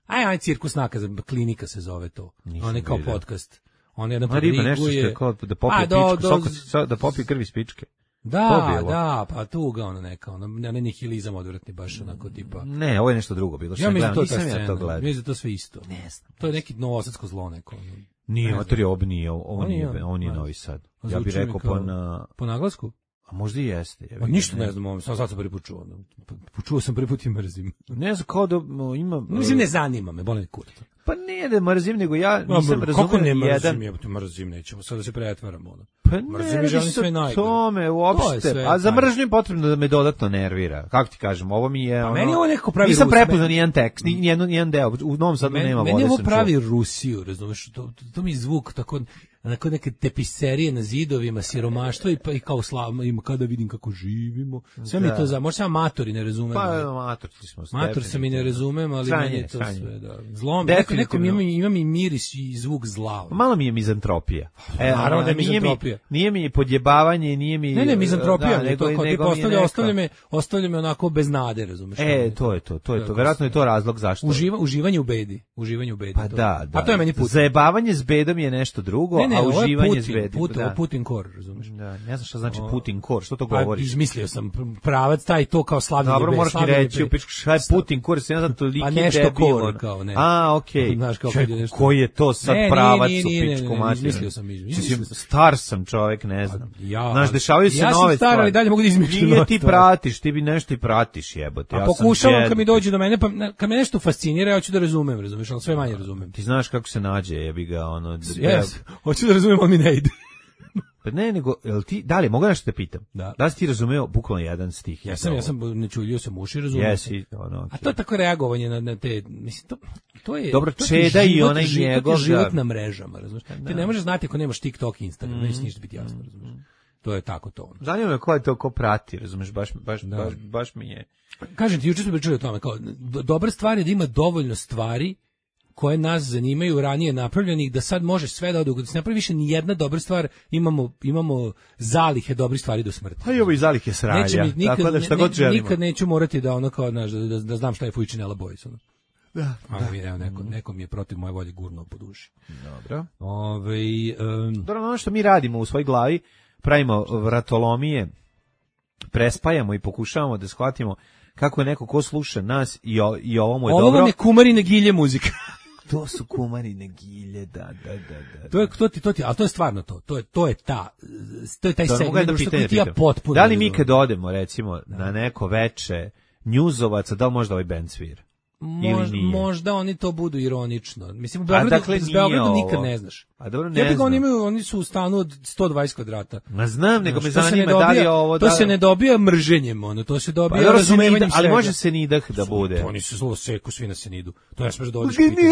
aj, aj, cirkus nakaza, klinika se zove to, Nisam on je kao vidio. podcast. On jedan Ma riba, nešto što podriguje. je kao da popije A, do- pičku, do- soko- so- da popije krvi iz pičke. To bi Da, ovo. da, pa tu ga ono neka, ono, ne, ne nihilizam odvratni, baš onako tipa. Ne, ovo je nešto drugo bilo. Što Ja sam mislim da gledao, to je ta nisam ja scena, to gledao. mislim da je to sve isto. Ne znam. To je neki novosadsko zlo neko. ono. Nije, Ne mater, ovo nije, ovo Ovo nije, nije, ovo nije ne. Novi Sad. A Ja bih zvuči mi rekao kao- pa na... Po naglasku? A možda i jeste. ja Pa bih ništa ga- ne znam, sam sad sam prvi put čuo. ono. Pa- Čuo sam prvi put i mrzim. Ne znam, kao da o, ima... Mislim, ne zanima me, boli me kurac. Pa nije da mrzim, nego ja nisam Kako razumio ne ni jedan... mrzim, jebote, mrzim, nećemo sad da se pretvaramo. Ono. Pa Mrzim ne, i radi želim se sve o najgore. tome, To je uopšte. sve A za najgore. mržnju je potrebno da me dodatno nervira. Kako ti kažem, ovo mi je... Pa ono, meni je ovo nekako pravi Nisam Rus- prepoznao nijedan tekst, ni nijedan, nijedan deo. U Novom Sadu Meni, nema meni vode, ovo sam pravi čuo. Rusiju, razumeš, to, to, to mi je zvuk tako, onako neke tepiserije na zidovima, siromaštvo i, pa, i kao slava, ima kada vidim kako živimo. Sve mi Da. to za, možda sam amatori ne razumem. Pa, ali- mator smo. Mator sam i ne razumem, ali Sranje, meni je to sranje. sve, da. Zlom, neko, neko mi Definitivno. ima, ima mi miris i zvuk zla. Malo mi je mizantropija. E, naravno da je nije mi- mizantropija. Nije mi podjebavanje, nije mi... Ne, ne, mizantropija, da, nego, to kao nego tipa mi je ostavlja, neka- ostavlja me, ostavlja me onako bez nade, razumeš? E, to je to, to je to. Tako Verovatno je to razlog zašto. Uživa, uživanje u bedi, uživanje u bedi. Pa to. da, da. A to je meni put. Zajebavanje s bedom je nešto drugo, Ne, ne, a ovo je uživanje s Putin, bedom. Putin, da. ovo Putin kor, razumeš? Da, ne znam šta znači O. Putin kor, što to Pa govoriš? izmislio sam pr- pravac taj to kao slavljenje Dobro, bede, moraš mi slavljenje reći, u bede. pičku, šta je Putin kor, se ne znam toliki Pa nešto debil, kor, ono. kao, ne. A, okej. Znaš, kao Čekaj, kad je nešto- koji je to sad Ne, nije, pravac nije, u nije, ne, pičku ne, materinu? izmislio sam, izmislio Mislim, sam. star sam čovek, ne znam. Ja, Znaš, dešavaju se ja sam nove star, stvari. ali dalje mogu da izmišljam Nije nove ti stvari. pratiš, ti bi nešto i pratiš, jebote. A Ja sam pokušavam djed. kad mi dođe do mene, pa na- kad me nešto fascinira, ja hoću da razumem, razumeš, ali sve manje razumem. Ti znaš kako se nađe, jebi ga, ono... d- Jes, hoću da razumem, ali mi ne ide. Pa ne, nego, jel ti, da li, mogu nešto te pitam? Da. Da li si ti razumeo bukvalno jedan stih? Ja sam, ja sam ne čulio sam uši, razumem. Jesi, ono, A okej. to je tako reagovanje na, na te, mislim, to, to je... Dobro, to ti je Čeda i život, onaj ži- to ti njegov, je život da. na mrežama, razumeš. Ti ne možeš znati ako nemaš TikTok i Instagram, neće ništa biti jasno, razumeš. To je tako to. ono. Zanima me ko je to, ko prati, razumeš, baš, baš, Da. baš, baš mi je... Kažem ti, juče smo pričali o tome, kao, do, dobra stvar je da ima dovoljno stvari koje nas zanimaju ranije napravljenih, da sad može sve da ode, da se napravi više ni jedna dobra stvar, imamo imamo zalihe dobrih stvari do smrti. Pa i ovo i zalihe sralja. Neće mi nikad, tako da šta ne, god želimo. nikad neću morati da ono kao, znaš, da, da, da znam šta je Fujčinela Boys. Ono. Da. A mi evo neko, neko mi je protiv moje volje gurnuo po duši. Dobro. Ove, um, Dobro, ono što mi radimo u svojoj glavi, pravimo vratolomije, prespajamo i pokušavamo da shvatimo kako je neko ko sluša nas i, o, i ovo mu je ovo dobro. Ovo vam je kumarine gilje muzika. To su kumarine gilje, da, da, da, da. To je to ti to ti, al to je stvarno to. To je to je ta to je taj da, segment da što pitanje, ti ja potpuno. Da li mi kad odemo recimo da. na neko veče njuzovaca, da li možda ovaj bend svira? Mož, možda oni to budu ironično. Mislim, u Beogradu, dakle, s Beogradu nikad ne znaš. A dobro, ne ja znam. Oni, imaju, oni su u stanu od sto dvadeset kvadrata. Ma znam, nego me to zanima dobija, da li je ovo... To da... se ne dobija mrženjem, ono, to se dobija pa, razumevanjem ali može se nidah da bude. Oni su zlo seku svi na Senidu. To ja smeš da odeš pitati.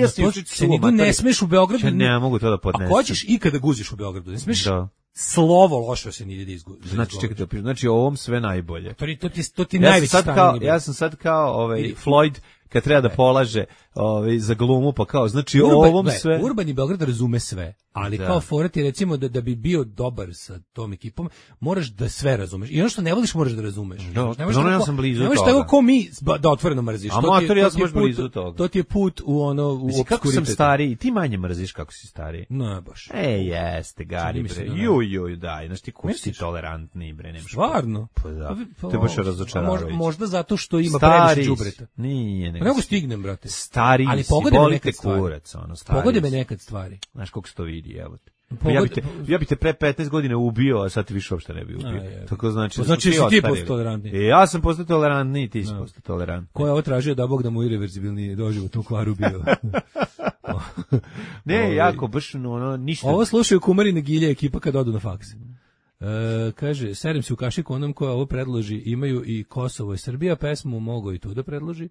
Ja sam Senidu ne smeš u Beogradu. Ja ne mogu to da podnesem. Ako hoćeš i kada guziš u Beogradu, ne smeš... Da. Slovo loše se nije da izgubi. Znači čekajte, znači ovom sve najbolje. To, to ti to ti ja najveći stan. Ja sam sad kao ovaj Floyd kad treba da polaže ovaj za glumu, pa kao znači Urban, ovom sve. Ne, Urbani Beograd razume sve, ali da. Kao fora ti recimo da da bi bio dobar sa tom ekipom, moraš da sve razumeš. I ono što ne voliš moraš da razumeš. Da, ne možeš ja sam blizu toga. Ne možeš tako ko mi da otvoreno mrziš. A motor ja sam baš blizu toga. To ti je put u ono u obskuritet. Kako sam stariji, ti manje mrziš kako si stariji. Ne baš. E, jeste, gari bre. Ju ju daj, znači ti ko si tolerantni bre, nemaš. Stvarno? Pa da. To je baš razočaravajuće. Možda zato što ima previše đubreta. Nije, ne. Nego stignem, brate. Stari, ali pogodi me nekad kurac, ono, stari. Pogodi me nekad stvari. Znaš kako se to vidi, evo te. Pogod... Ja, bi te, ja bi te pre petnaest godina ubio, a sad ti više uopšte ne bi ubio. A, tako znači, pa znači si ti postao tolerantniji. E, ja sam postao tolerantniji, ti si postao tolerantniji. Ko je ovo tražio da Bog da mu irreverzibilni doživot u kvaru bio? ne, Ovi... jako, baš ono, ništa. Ovo slušaju kumarine gilje ekipa kad odu na faks. E, kaže, serem se u kašiku onom koja ovo predloži, imaju i Kosovo i Srbija, pesmu mogo i tu da predloži.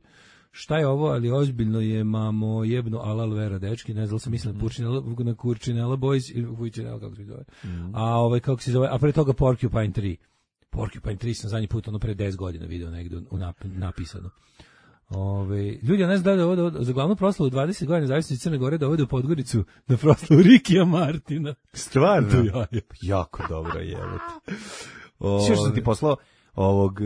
Šta je ovo, ali ozbiljno je, mamo, jebno alal vera, dečki, ne znam, sam mislila Purčinela, na Kurčinela Boys, ili Vujčinela, kako se zove. Mm. A ovaj, kako se zove, a pre toga Porcupine tri. Porcupine tri sam zadnji put, ono pre deset godina video negde u nap, napisano. Ove, ljudi, ne znam da ovo, da za glavnu proslavu dvadeset godina zavisnosti Crne Gore da ovde u Podgoricu na proslavu Rikija Martina. Stvarno? Ja, je. Jako dobro je. Sve što sam ti poslao ovog,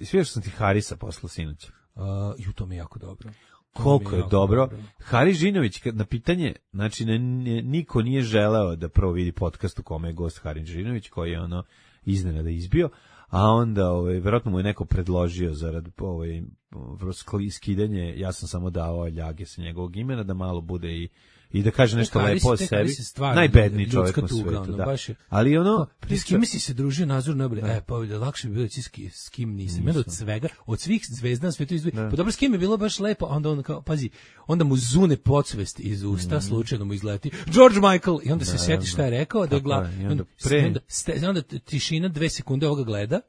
sve što sam ti Harisa poslao sinoć. Uh, ju, to mi je jako dobro. To Koliko je, je dobro. dobro. Haris Žinović, na pitanje, znači ne, ne, niko nije želeo da prvo vidi podcast u kome je gost Haris Žinović, koji je ono iznenada izbio, a onda ovaj, verovatno mu je neko predložio zarad ovaj, skidanje, ja sam samo dao ljage sa njegovog imena, da malo bude i i da kaže nešto lepo o sebi. Najbedniji čovjek na svijetu, ono, da. Je, ali ono... S kim si se družio Nazor Noble? E, pa lakše bi bilo da s kim nisam. Nisam. Od svega, od svih zvezda na svijetu izbili. Pa dobro, s kim je bilo baš lepo, onda on kao, pazi, onda mu zune podsvest iz usta, mm. slučajno mu izleti George Michael, i onda se sjeti šta je rekao, da gla, je, onda, pre... onda, ste, onda tišina dve sekunde ovoga gleda,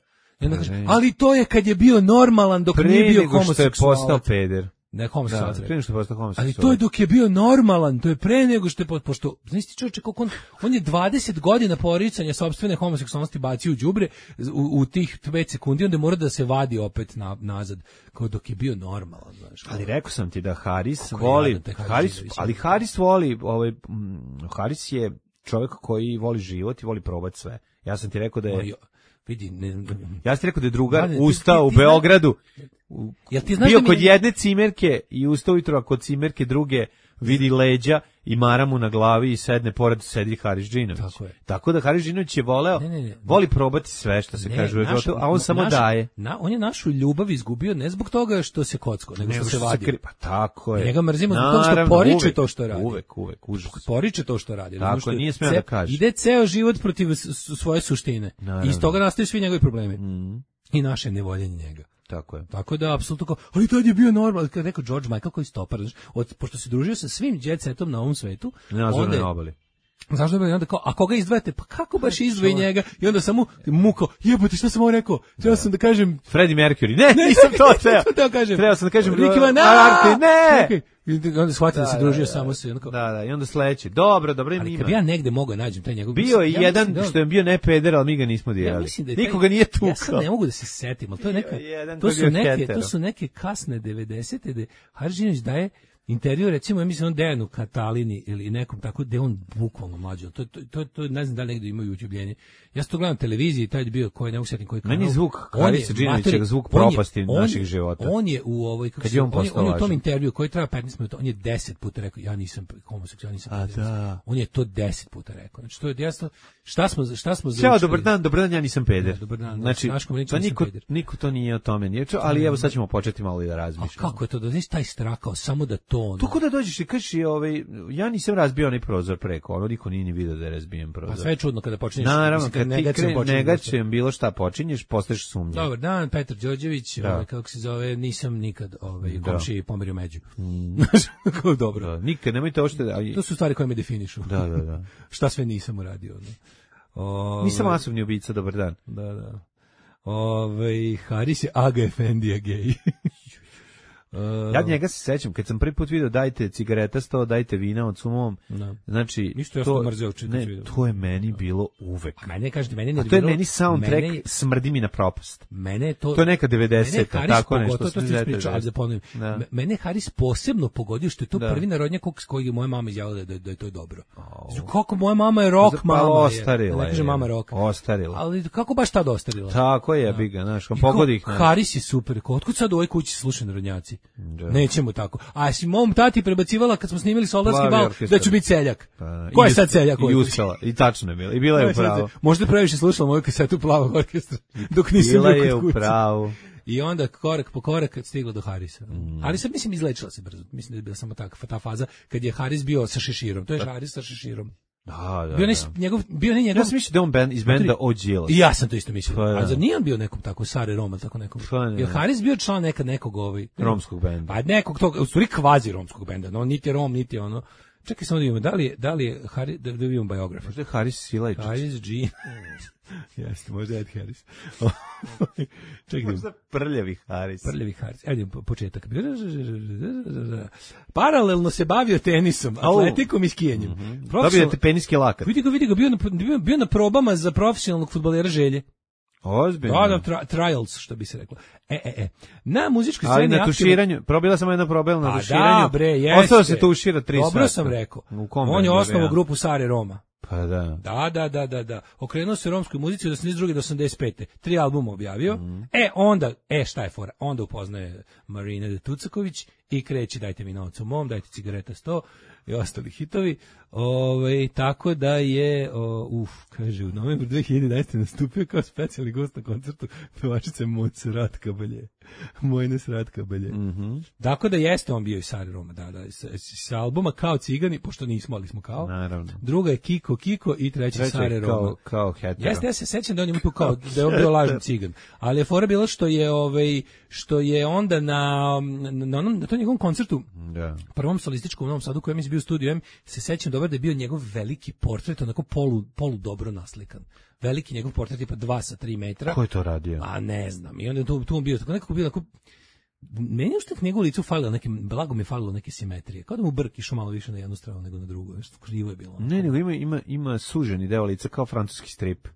i onda kaže, ali to je kad je bio normalan dok pre nije bio homoseksualac. Pre nego što je postao peder. Ne, homoseksualac. Da, pre nego što je postao homoseksualac. Ali to je dok je bio normalan, to je pre nego što je, pošto, znaš ti čovječe, kako on, on je dvadeset godina poricanja sopstvene homoseksualnosti bacio u đubre u, u tih pet sekundi, onda mora da se vadi opet na, nazad, kao dok je bio normalan, znaš. Ali rekao sam ti da Haris voli, Haris, ali Haris voli, ovaj, Haris je čovjek koji voli život i voli probati sve. Ja sam ti rekao da je... Vidi, ne, ne, ja sam ti rekao da je drugar ne, ustao ti, ti, u Beogradu, u, jel ti znaš bio da kod mi... jedne cimerke i ustao ujutro, a kod cimerke druge vidi leđa i maramu na glavi i sedne pored sedi Haris Džinović. Tako, Tako da Haris Džinović je voleo, ne, ne, ne, voli probati sve što se ne, kaže u životu, a on samo našu, daje. Na, on je našu ljubav izgubio ne zbog toga što se kocko, nego što, što se vadi. Pa tako je. Njega mrzimo zbog toga što poriče uvek, to što radi. Uvek, uvek, užas. Poriče to što radi. Tako, što nije smeo da kaže. Ide ceo život protiv svoje suštine. Naravno. I iz toga nastaju svi njegovi problemi. Mm. I naše nevoljenje njega. Tako je. Tako da apsolutno kao, ali tad je bio normalan, kad rekao George Michael koji stopar, znači, od pošto se družio sa svim jet setom na ovom svetu, onda je obali. Zašto bi onda kao, a koga izdvajate? Pa kako baš izdvoji njega? I onda samo muko, jebote, šta sam ovo rekao? Trebao sam da kažem Freddie Mercury. Ne, ne nisam to teo. to kažem. Trebao sam da kažem Ricky Van Arti. Ne. I onda shvatio da, da se družio da, samo se. Da, da, i onda sledeći. Dobro, dobro, ali ima. Kad bi ja negde mogao nađem taj njegov... Bio je ja jedan da, što je bio ne peder, ali mi ga nismo dirali. Ja da nikoga nije tukao. Ja sad ne mogu da se setim, ali to je neka... To su neke, to su neke kasne devedesete da Haris Žinović daje intervju, recimo, ja mislim on Dejanu Katalini ili nekom tako, da on bukvalno mlađo. To, to, to, to ne znam da li negdje ima YouTubebljenje. Ja sam to gledam na televiziji, taj je bio koji ne usjetim koji kanal. Meni zvuk Harisa Džinovića, zvuk propasti on naših života. On je u ovoj, kako se, on, on, je, on je u tom intervju koji traja petnaest minuta, on je deset puta rekao, ja nisam homoseksualan, nisam A, da. On je to deset puta rekao. Znači, to je jasno, šta smo, šta smo Ćao, dobar dan, dobar dan, ja nisam peder. Ja, dobar dan, znači, to niko, niko to nije o tome nije čuo, ali evo sad ćemo početi malo i da razmišljamo. A kako je to, da znaš taj strakao, samo da to ono... Kako da dođeš i kažeš, ovaj, ja nisam razbio onaj prozor preko, ono niko nije ni vidio da je razbijen prozor. Pa sve je čudno kada počinješ. Naravno, kad ti kre, negačem bilo šta počinješ, postaješ sumnjiv. Dobar dan, Petar Đorđević, ovaj, kako se zove, nisam nikad ovaj, komšiji pomerio među. Znaš, kako dobro. Da, nikad, nemojte ošte... A... To su stvari koje me definišu. Da, da, da. Šta sve nisam uradio. Ne? Ove... Nisam masovni ubica, dobar dan. Da, da. Ove, Haris je Aga Efendija gej. Uh, ja njega se sećam, kad sam prvi put vidio dajte cigareta sto, dajte vina od sumom, no. Znači, Isto ja to, mrzeo, ne, to je meni no. bilo uvek. A mene, kažete, mene A to je meni soundtrack, mene, smrdi mi na propast. Mene to, to je neka devedeseta, tako nešto. To ti ispričao, ali da ponovim. Da. Mene Haris posebno pogodio što je to da. prvi narodnjak kojeg je moja mama izjavila da, da je to dobro. Oh. Kako moja mama je rock pa, mama ostarila je. Ne kaže mama rock. Ostarila. Ali kako baš tad ostarila? Tako je, bi ga, znaš, pogodi ih. Haris je super. Otkud sad u ovoj kući slušaju narodnjaci? Neće mu tako. A si mom tati prebacivala kad smo snimili Soldarski bal da ću biti seljak. Pa, ko je sad seljak? I uspela. I tačno je bila. I bila je u pravu. Možda previše slušala moju kasetu Plavog orkestra dok nisam bila bio je u pravu. I onda korak po korak stiglo do Harisa. Mm. Harisa, mislim, izlečila se brzo. Mislim da je bila samo taka, ta faza kad je Haris bio sa šeširom. To je Haris sa šeširom. Da, da, bio ne, da. Njegov, bio ne njegov... Ja sam mislio da on band, iz benda Ođilas. I ja sam to isto mislio. Pa, a zar nije on bio nekom tako Sare Roma, tako nekom? Pa, je Haris bio član nekad nekog ovaj... romskog benda. Pa nekog tog, u stvari kvazi romskog benda. No, niti Rom, niti ono... Čekaj samo da vidimo, da li je, da li je Haris, da, da vidimo biografiju. Možda je Haris Silajčić. Haris G. Jeste, možda je Ed Harris. Čekaj, možda prljavi Haris. Prljavi Haris. Evo početak. Paralelno se bavio tenisom, atletikom i skijanjem. Mm-hmm. Dobio te peniski lakat. Vidi ga, vidi ga, bio na, bio, bio na probama za profesionalnog fudbalera Želje. Ozbiljno. Da, da, tra, trials, što bi se reklo. E, e, e. Na muzičkoj sceni... Ali na tuširanju, aktivno... probila sam jedna probela na tuširanju. Da, bre, jeste. Ostao se tušira tri sata. Dobro sam rekao. On je osnovao grupu Sare Roma. Pa da. Da, da, da, da, da. Okrenuo se romskoj muzici od osamdeset druge do osamdeset pete Tri albuma objavio. Mm. E, onda, e, šta je fora? Onda upoznaje Marina Tucaković i kreće dajte mi novac u mom, dajte cigareta sto i ostali hitovi. Ove, tako da je, o, uf, kaže, u novembru dve hiljade jedanaeste nastupio kao specijalni gost na koncertu pevačice Moc Ratka Balje. Mojnes Ratka Balje. Mm-hmm. Tako da jeste on bio i Sari Roma, da, da, sa, sa albuma Kao cigani, pošto nismo, ali smo kao. Naravno. Druga je Kiko Kiko i treća Sari Roma. Kao, kao hetero. Jeste, ja se sećam da on je tu kao, da je on bio lažni cigan. Ali je fora bilo što je, ovaj, što je onda na, na, onom, na tom njegovom koncertu, da. prvom solističkom u Novom Sadu, kojem je bio u studiju M, se sećam dobro da je bio njegov veliki portret, onako polu, polu dobro naslikan. Veliki njegov portret, tipa dva sa tri metra. Ko je to radio? A ne znam. I onda je tu, tu on bio, tako nekako bio, tako, meni je što njegovu licu falilo neke, blago mi je falilo neke simetrije. Kao da mu brk išao malo više na jednu stranu nego na drugu. Nešto krivo je bilo. Ne, nego ima, ima, ima suženi deo lica kao francuski strip.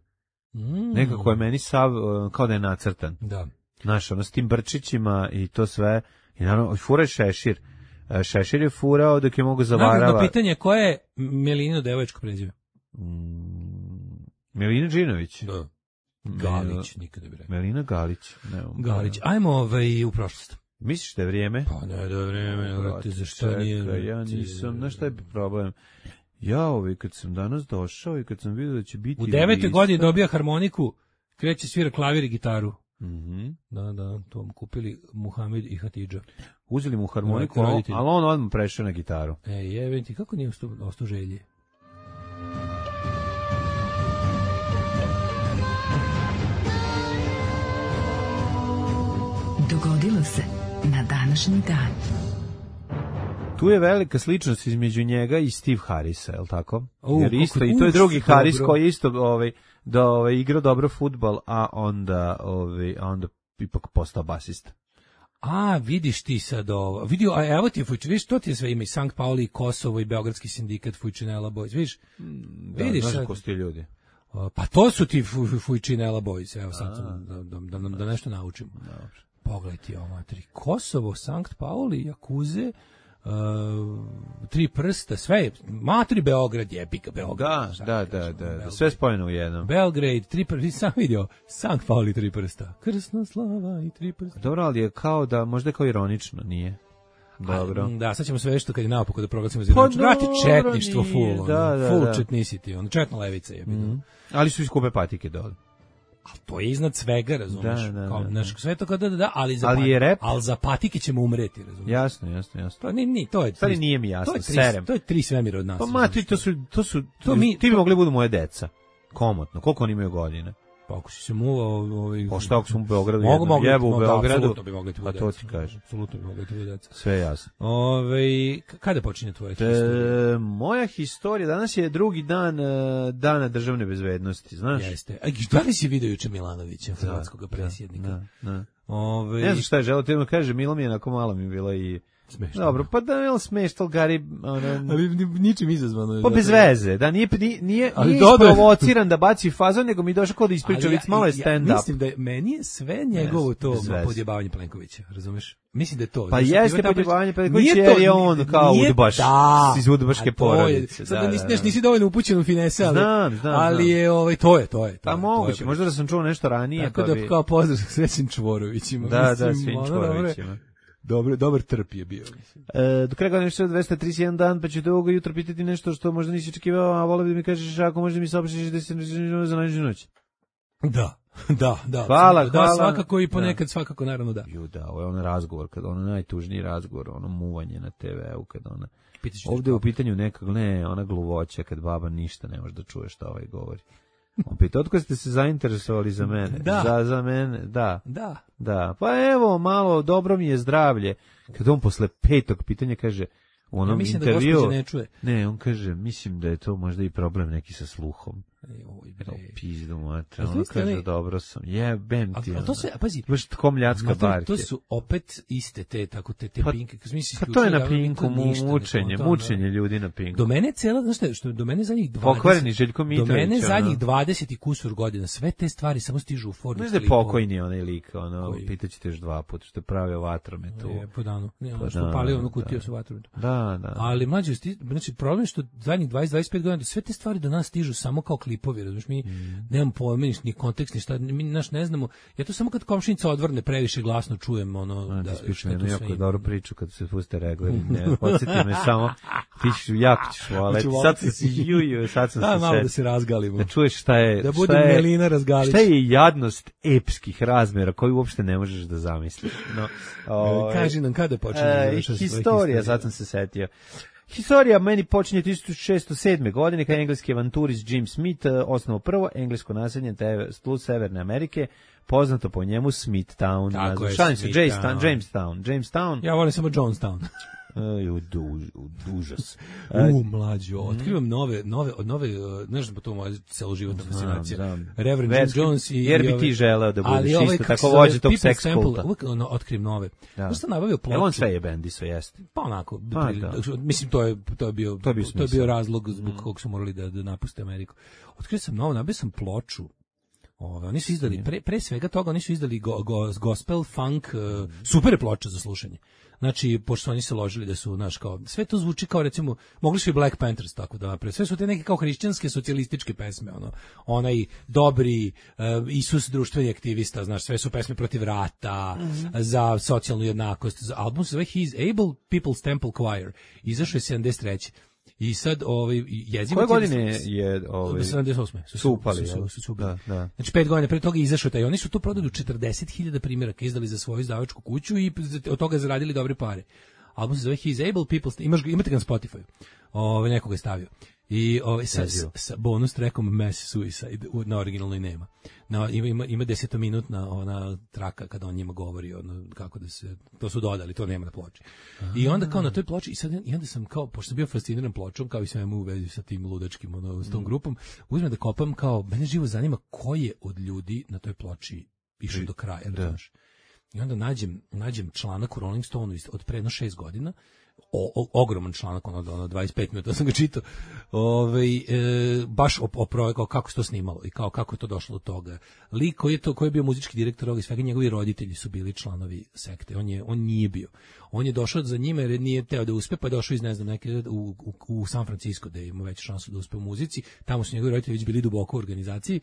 Mm. Nekako je meni sav, kao da je nacrtan. Da. Znaš, ono s tim brčićima i to sve. I naravno, fura je šešir. Šešir je furao dok je mogo zavarava. Naravno, pitanje koje je Melino devojačko prezime? Mm, Melina Džinović. Da. Galić, nikada bi rekao. Melina Galić. Ne, Galić. Ajmo ovaj, u prošlost. Misliš da je vrijeme? Pa ne, da je vrijeme. Vrati, zašto nije? Ja nisam, znaš šta je problem? Ja ovaj, kad sam danas došao i kad sam vidio da će biti... U devetoj godini dobija harmoniku, kreće svira klavir i gitaru. Mm-hmm. Da, da, to mu kupili Muhamed i Hatidža. Uzeli mu harmoniku, ali on odmah prešao na gitaru. E, jebem ti, kako nije ostao želji? Dogodilo se na današnji dan. Tu je velika sličnost između njega i Steve Harrisa, je li tako? U, jer isto, i to je drugi Harris koji je isto ovaj, da ovaj, igrao dobro fudbal, a onda, ovaj, a onda ipak postao basista. A, vidiš ti sad ovo. Vidio, a evo ti Fujčinela, vidiš, to ti je sve ima i Sankt Pauli, i Kosovo, i Beogradski sindikat Fujčinela Boys, vidiš? Da, vidiš znaš sad. ko su ti ljudi? Pa to su ti Fujčinela Boys, evo sad, da, da, da, da nešto naučimo. Dobro. Pogledaj ti ovo, materi. Kosovo, Sankt Pauli, Jakuze, Uh, tri prsta, sve je, matri Beograd, jebika Beograd. Da, da, da, da, da, sve spojeno u jednom. Belgrade, tri prsta, sam vidio, Sankt Pauli, tri prsta. Krsna slava i tri prsta. Dobro, ali je kao da, možda je kao ironično, nije? Dobro. A, da, sad ćemo sve što kad je naopako da proglasimo za ironično. Pa vrati četništvo full, da, da, full da. četnicity, ono, četna levica je bilo. Mm. Ali su iskupe patike dole. Ali to je iznad svega, razumiješ? Da, da, kao, da, naš, sve to kao da, da, da, ali za, ali je rap. ali za patike ćemo umreti, razumiješ? Jasno, jasno, jasno. To, ni, ni, to je, Stvari nije mi jasno, to je tri, serem. To je tri svemira od nas. Pa mati, to su, to su, to mi, ti bi mogli budu moje deca. Komotno, koliko oni imaju godine? Pa ako si se muvao... Ovaj, pa šta ako sam u Beogradu mogu, jednom mogu, jebu u Beogradu? Apsolutno bi mogli ti pa to ti kažem. Apsolutno bi mogli ti deca. Sve jasno. Ove, kada počinje tvoja historija? E, moja historija, danas je drugi dan uh, dana državne bezbednosti, znaš? Jeste. A da li si vidio juče Milanovića, hrvatskog predsjednika? Da, da. Ove... Ne znam šta je želeo, ti mi kaže, Milo mi je onako malo mi bilo i... Smešno. Dobro, pa da je li smešno, Gari... Ono, ali ničim izazvano. Pa bez veze, da nije, nije, nije, nije dodaj... isprovociran da baci fazon, nego mi došao kod da ispriča vic, malo je stand-up. Ja, mislim da je, meni je sve njegovo to podjebavanje Plenkovića, razumeš? Mislim da je to. Pa jeste podjebavanje Plenkovića jer je on kao udbaš da, iz udbaške porodice. Sad da, nisi, da, da. nisi dovoljno upućen u finese, ali, znam, znam, ali znam. je, ovaj, to je, to je. To pa je, moguće, možda da sam čuo nešto ranije. Tako pa da bi... kao pozdrav sve svim Čvorovićima. Da, mislim, da, svim Čvorovićima. Dobar, dobar trp je bio. E, do kraja godine je dvesta trideset jedan dan, pa ću te ovoga jutra pitati nešto što možda nisi očekivao, a volio bi da mi kažeš ako možda mi saopštiš da se za najnižu noć. Da, da, da. Hvala, da, hvala. Svakako i ponekad, da. Svakako, naravno da. Ju, da, ovo je ono razgovor, kad ono najtužniji razgovor, ono muvanje na te veu, kad ona... Pitaš ovde je u pitanju neka, ne, ona gluvoća, kad baba ništa ne može da čuje šta ovaj govori. On pita, otko ste se zainteresovali za mene? Da. Za, za mene, da. Da. Da, pa evo, malo, dobro mi je zdravlje. Kad on posle petog pitanja kaže, u onom ja intervju... Da ne, čuje. ne, on kaže, mislim da je to možda i problem neki sa sluhom. Oj, bre. Pizdu, mate. On kaže, ne... dobro sam. Jebem ti. A, a to se, pazi. Baš komljacka barke. To su opet iste te, tako te, te pa, pinke. Pa to je na pinku, mučenje, mučenje ljudi na pinku. Do mene cela, znaš šta, što do mene zadnjih dvadeset... Pokvareni Željko Mitrović. Do mene zadnjih dvadeset i kusur godina, sve te stvari samo stižu u formi klipova. Znaš da je pokojni onaj lik, ono, pitaćete još dva puta, što je pravio vatrometu. Je, po danu. Ne, ono što palio onu kutiju sa vatrometu. Da, da. Ali mlađe, znači, problem što zadnjih dvadeset do dvadeset pet godina, sve te stvari do nas stižu samo kao klipovi, razumiješ, mi nemam pojma, ni kontekst, ni šta, mi naš ne znamo. Ja to samo kad komšinica odvrne previše glasno čujem ono a, da šta to sve. Jako dobru priču kad se puste regleri. Ne, podsjeti me samo. Ti ćeš jako ćeš voleti. Sad se si juju, sad sam da, se malo set. Da se razgalimo. Da čuješ šta je, da šta je, Melina Razgalić. Šta je jadnost epskih razmera koju uopšte ne možeš da zamisliš. No, o, kaži nam kada počne. E, historija, sad sam se setio. Historija meni počinje tisuću šessto sedme. godine kada engleski avanturist Jim Smith osnovao prvo englesko naselje tlu Severne Amerike, poznato po njemu Smithtown. Tako je, Jamestown. Jamestown. Jamestown. Ja volim samo Jonestown. Uh, du, užas. U, mlađo, otkrivam nove, nove, nove, znaš da to moja celoživotna fascinacija. Reverend Jim Jones i... Jer bi ti želeo da budeš isto tako vođe tog seks kulta. Uvijek ono, otkrivam nove. Da sam nabavio ploču. Evo on sve je bendi, sve jeste. Pa onako, pa, mislim, to je, to je bio, to je bio, to je bio razlog zbog mm. kog su morali da, da napuste Ameriku. Otkrio sam novo, nabavio sam ploču. Ove, oni su izdali, pre, pre svega toga, oni su izdali go, go, gospel, funk, uh, super ploča za slušanje. Znači, pošto oni se ložili da su, znaš, kao, sve to zvuči kao, recimo, mogli su i Black Panthers tako da naprave. Sve su te neke kao hrišćanske, socijalističke pesme, ono, onaj dobri uh, Isus društveni aktivista, znaš, sve su pesme protiv rata, mm-hmm. za socijalnu jednakost. Za album se zove He's Able People's Temple Choir. Izašao je sedamdeset treće I sad ovaj jezivo koje godine je ovaj sedamdeset osme su, su upali, su, su, su da, da. Znači pet godina pre toga izašao taj, oni su to prodali u četrdeset hiljada primjeraka, izdali za svoju izdavačku kuću i od toga zaradili dobre pare. Album se zove He's Able People, imaš ga, imate ga na Spotify. Ovaj nekoga je stavio. I ovaj sa, sa bonus trackom Mass Suicide na originalnoj nema. Na ima ima ima desetominutna ona traka kada on njima govori ono kako da se to su dodali, to nema na ploči. I onda kao na toj ploči i sad i onda sam kao pošto sam bio fasciniran pločom kao i svemu u vezi sa tim ludačkim ono s tom grupom, uzmem da kopam kao mene živo zanima ko je od ljudi na toj ploči išao do kraja, znaš. I onda nađem, nađem članak u Rolling Stoneu od pre jedno šest godina, o, o, ogroman članak, ono, ono dvadeset pet minuta sam ga čitao, ovaj, e, baš o, o projektu, kako se to snimalo i kao, kako je to došlo do toga. Lik koji je, to, koji je bio muzički direktor ovoga i svega, njegovi roditelji su bili članovi sekte, on, je, on nije bio. On je došao za njima jer nije teo da uspe, pa je došao iz, ne znam, neke, u, u, u San Francisco, da ima veću šansu da uspe u muzici, tamo su njegovi roditelji već bili duboko u organizaciji.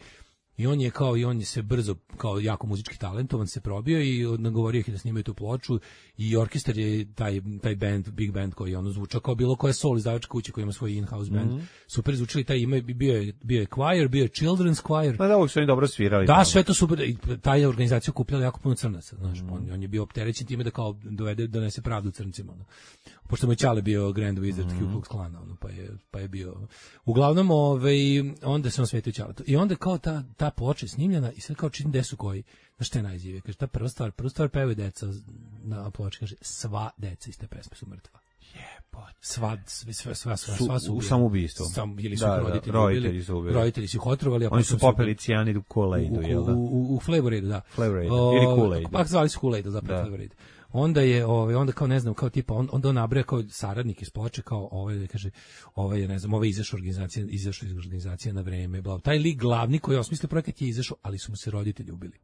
I on je kao i on je se brzo kao jako muzički talentovan se probio i nagovorio ih da snimaju tu ploču i orkestar je taj taj band big band koji ono zvučao kao bilo koja soul izdavačka kuća koja ima svoj in-house band. Mm-hmm. Super zvučili taj ime bio je bio je choir, bio je children's choir. Pa da, uvijek su oni dobro svirali. Da, sve to super. I ta je organizacija okupljala jako puno crnaca, znaš, mm-hmm. on, on je bio opterećen time da kao dovede donese pravdu crncima, ono. Pošto mu je Čale bio Grand Wizard mm-hmm. Ku Klux Klana, ono, pa je pa je bio. Uglavnom, ovaj onda se on svetio Čale. I onda kao ta ta ploča snimljena i sve kao čini gde su koji. Znaš šta je najzivije? Kaže, ta prva stvar, prva stvar pevaju deca na ploči, kaže, sva deca iz te pesme su mrtva. Jebote. Sva, sva, sva, sva, sva, sva su u samoubistvo. Sam, ili su da, roditelji, da, roditelji su ubili. Roditelji su ih otrovali. A oni su popeli cijanid u Kool-Aidu, jel da? U, u, u Flavoraidu, da. Flavoraidu, ili Kool-Aidu. Pa zvali su Kool-Aidu, zapravo Flavoraid. Onda je ovaj onda kao ne znam kao tipa on onda on nabraja kao saradnik iz ploče kao ovaj kaže ovaj je ne znam ovaj izašao organizacija izašao iz organizacije na vreme bla taj lik glavni koji je osmislio projekat je izašao ali su mu se roditelji ubili.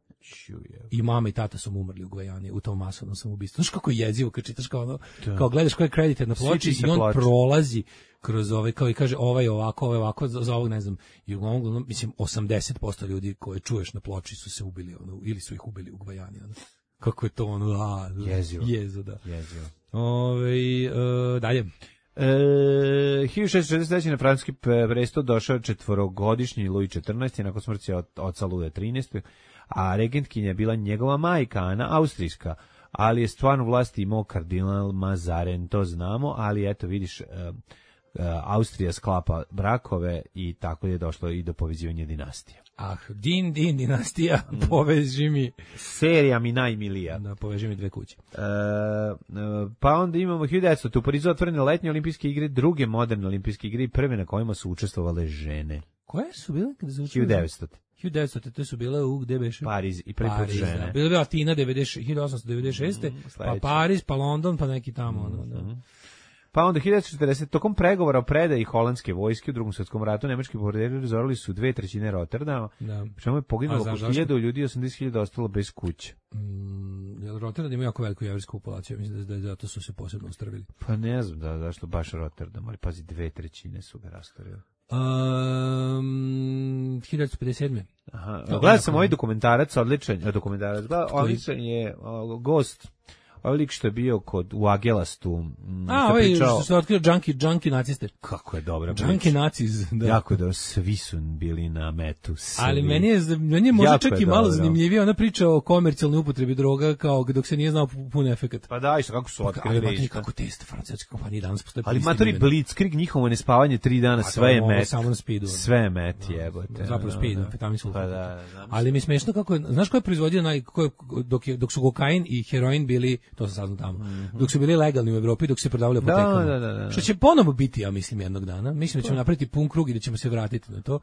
I mama i tata su mu umrli u Gvajani u tom masovnom samoubistvu. Znaš kako je jezivo kad čitaš kao ono da. Kao gledaš koji je kreditet na ploči i on ploč. Prolazi kroz ovaj kao i kaže ovaj ovako ovaj ovako za, za ovog ne znam i uglavnom mislim osamdeset posto ljudi koje čuješ na ploči su se ubili ono ili su ih ubili u Gvajani ono. Kako je to ono, a, jezivo. Jezo, da. Jezivo. Ove, e, dalje. E, hiljadu šessto šezdeset treće na francuski presto došao četvorogodišnji Louis četrnaesti nakon smrti od oca Luja trinaestog a regentkinja je bila njegova majka, Ana, austrijska, ali je stvarno vlasti imao kardinal Mazaren, to znamo, ali eto vidiš, e, e, Austrija sklapa brakove i tako je došlo i do povezivanja dinastija. Ah, din, din, dinastija, mm. poveži mi. Serija mi najmilija. Da, poveži mi dve kuće. E, pa onda imamo hiljadu devetsto. U Parizu otvorene letnje olimpijske igre, druge moderne olimpijske igre i prve na kojima su učestvovale žene. Koje su bile? hiljadu devetsto. hiljadu devetsto. Te su bile u gde beše? Pariz i prvi put žene. Da. Bile bi Atina hiljadu osamsto devedeset šeste. Mm, pa Pariz, pa London, pa neki tamo. Mm, ono, da. Mm. Pa onda hiljadu devetsto četrdeset. Tokom pregovora o predaji holandske vojske u Drugom svjetskom ratu nemački bombarderi razorili su dve trećine Rotterdama. Da. Pri čemu je poginulo oko hiljadu ljudi, osamdeset hiljada ostalo bez kuće. Mm, jel Rotterdam ima jako veliku jevrijsku populaciju, mislim da, da zato su se posebno ustrvili. Pa ne znam da zašto baš Rotterdam, ali pazi dve trećine su ga rastorili. Um, hiljadu devetsto pedeset sedme. Aha, gledao sam ovaj dokumentarac, odličan, dokumentarac, odličan je uh, Gost. Ovaj lik što je bio kod u Agelastu. A, ovaj pričao, što se otkrio junkie, junkie naciste. Kako je dobra priča. Junkie naciz, da. Jako da svi su bili na metu. Svi. Ali meni je, meni je možda čak je i malo dobro. Zanimljivije. Ona priča o komercijalnoj upotrebi droga kao dok se nije znao pun efekat. Pa da, isto kako su otkrili. Ali kako test francuske kompanije danas postoje. Ali matori Blitzkrieg, njihovo nespavanje tri dana, sve je met. Samo na speedu. Sve je met, jebote. Zapravo speed, amfetamin sulfat. Pa da, ali mi smešno kako je, znaš ko je proizvodio naj, dok, je, dok su kokain i heroin bili, to sam saznao tamo, mm-hmm. dok su bili legalni u Evropi, dok su se prodavali u apotekama. Da, da, da. Što će ponovo biti, ja mislim, jednog dana. Mislim da ćemo napraviti pun krug i da ćemo se vratiti na to.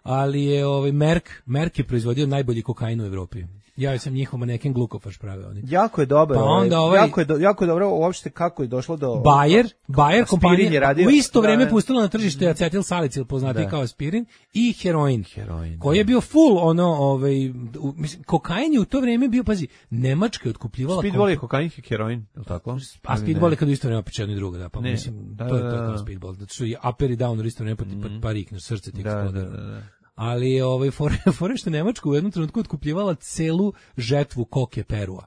Ali je ovaj Merck, Merck je proizvodio najbolji kokain u Evropi. Ja sam njihov maneken Glukofaš pravio oni. Jako je dobro. Pa onda ovaj, jako je do, jako je dobro uopšte kako je došlo do Bayer, Bayer kompanija radio, u isto vrijeme da, pustila na tržište acetil salicil poznati kao aspirin i heroin. Heroin. Koji je bio full ono ovaj u, mislim kokain je u to vrijeme bio pazi Nemačka je otkupljivala Speedball je kokain i heroin, je l' tako? A Speedball je kad u isto vrijeme počeo i drugo, da, pa ne, mislim da, to je to da, kao Speedball. Da su i upper i down u isto vrijeme pa mm. parik na srce ti da, da, da, da. Ali ovaj fore, fore što Nemačka u jednom trenutku otkupljivala celu žetvu koke Perua.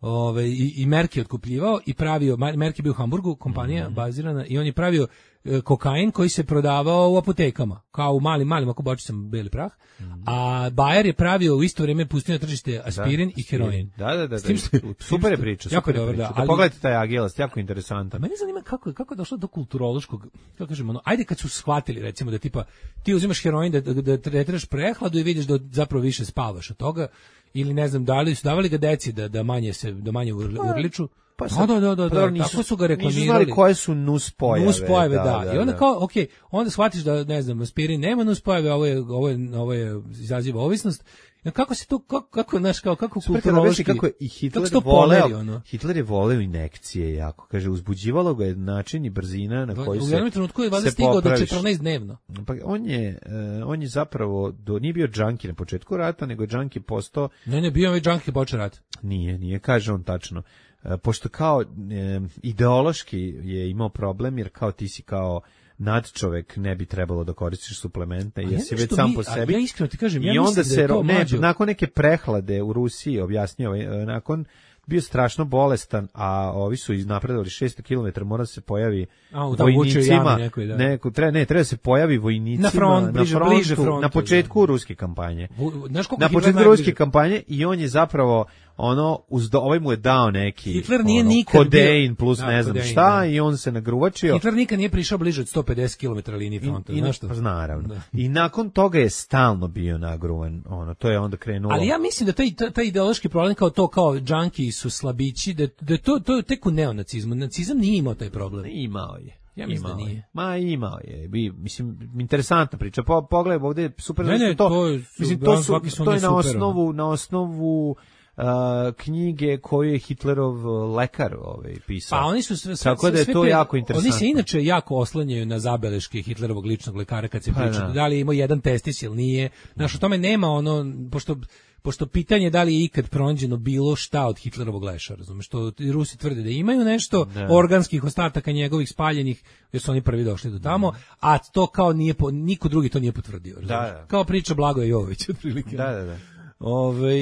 Ove, i, i Merck je otkupljivao i pravio, Merck je bio u Hamburgu, kompanija mm-hmm. bazirana, i on je pravio e, kokain koji se prodavao u apotekama, kao u malim, malim ako bočicama beli prah, mm-hmm. a Bayer je pravio u isto vrijeme pustio na tržište aspirin da, i heroin. Da, da, da, da. Što, super je priča. Jako super je dobro, priča. da. Ali, pogledajte taj Agelast, jako interesantan. Mene zanima kako je, kako je došlo do kulturološkog, kako kažemo, ono, ajde kad su shvatili, recimo, da tipa, ti uzimaš heroin da, da, da tretiraš prehladu i vidiš da zapravo više spavaš od toga, ili ne znam, da li su davali ga deci da da manje se da manje urliču. Pa sad, da, da, da, da, nisu, tako su ga reklamirali. Nisu znali koje su nuspojave. Nuspojave, da, da, da. I onda kao, ok, onda shvatiš da, ne znam, aspirin nema nuspojave, ovo je, ovo je, ovo je izaziva ovisnost Ja, kako se to, kako, kako, znaš, kao, kako kulturološki, kako je i Hitler je voleo, ono? Hitler je voleo injekcije jako, kaže, uzbuđivalo ga je način i brzina na koji se, u jednom trenutku je valjda stigao do četrnaest dnevno. Pa on je, uh, on je zapravo, do, nije bio džanki na početku rata, nego je džanki postao... Ne, ne, bio ovaj džanki počeo rat. Nije, nije, kaže on tačno. Uh, pošto kao e, ideološki je imao problem, jer kao ti si kao nadčovek, ne bi trebalo da koristiš suplemente, jer si već sam mi, po sebi. Ja iskreno ti kažem, I ja onda mislim da je to ne, mlađo. Nakon neke prehlade u Rusiji, objasnio, nakon bio strašno bolestan, a ovi su iznapredovali šesto kilometara, mora se pojavi a, vojnicima, nekoj, da. neko, treba, ne, treba se pojavi vojnicima na, front, bliže, na frontu, bliže frontu, na početku da. ruske kampanje. Znaš na početku ruske kampanje i on je zapravo ono, uz do, ovaj mu je dao neki Hitler nije ono, nikad kodein plus da, ne znam kodein, šta da. I on se nagruvačio. Hitler nikad nije prišao bliže od sto pedeset kilometara linije fronta, znaš što? Pa naravno. Da. I nakon toga je stalno bio nagruvan, ono, to je onda krenulo. Ali ja mislim da taj, taj ideološki problem kao to, kao džanki su slabići, da, da to, to je tek u neonacizmu. Nacizam nije imao taj problem. Imao je. Ja mislim imao da nije. Je. Ma imao je. Bi, mislim, interesantna priča. Po, pogledaj, ovdje je super. Ne, ne, to, to, je, mislim, to, su, su to je na super, osnovu, na osnovu Uh, knjige koju je Hitlerov lekar ovaj, pisao. Pa oni su sve, sve, tako da je sve to te, jako interesantno. Oni se inače jako oslanjaju na zabeleške Hitlerovog ličnog lekara kad se pa priča da. da li je imao jedan testis ili nije. Znaš, o tome nema ono, pošto pošto pitanje da li je ikad pronađeno bilo šta od Hitlerovog leša, razumeš, što Rusi tvrde da imaju nešto da. organskih ostataka njegovih spaljenih, jer su oni prvi došli do tamo, a to kao nije, niko drugi to nije potvrdio, razumeš. Da, da. Kao priča Blagoja Jovovića, otprilike. Da, da, da. Ove,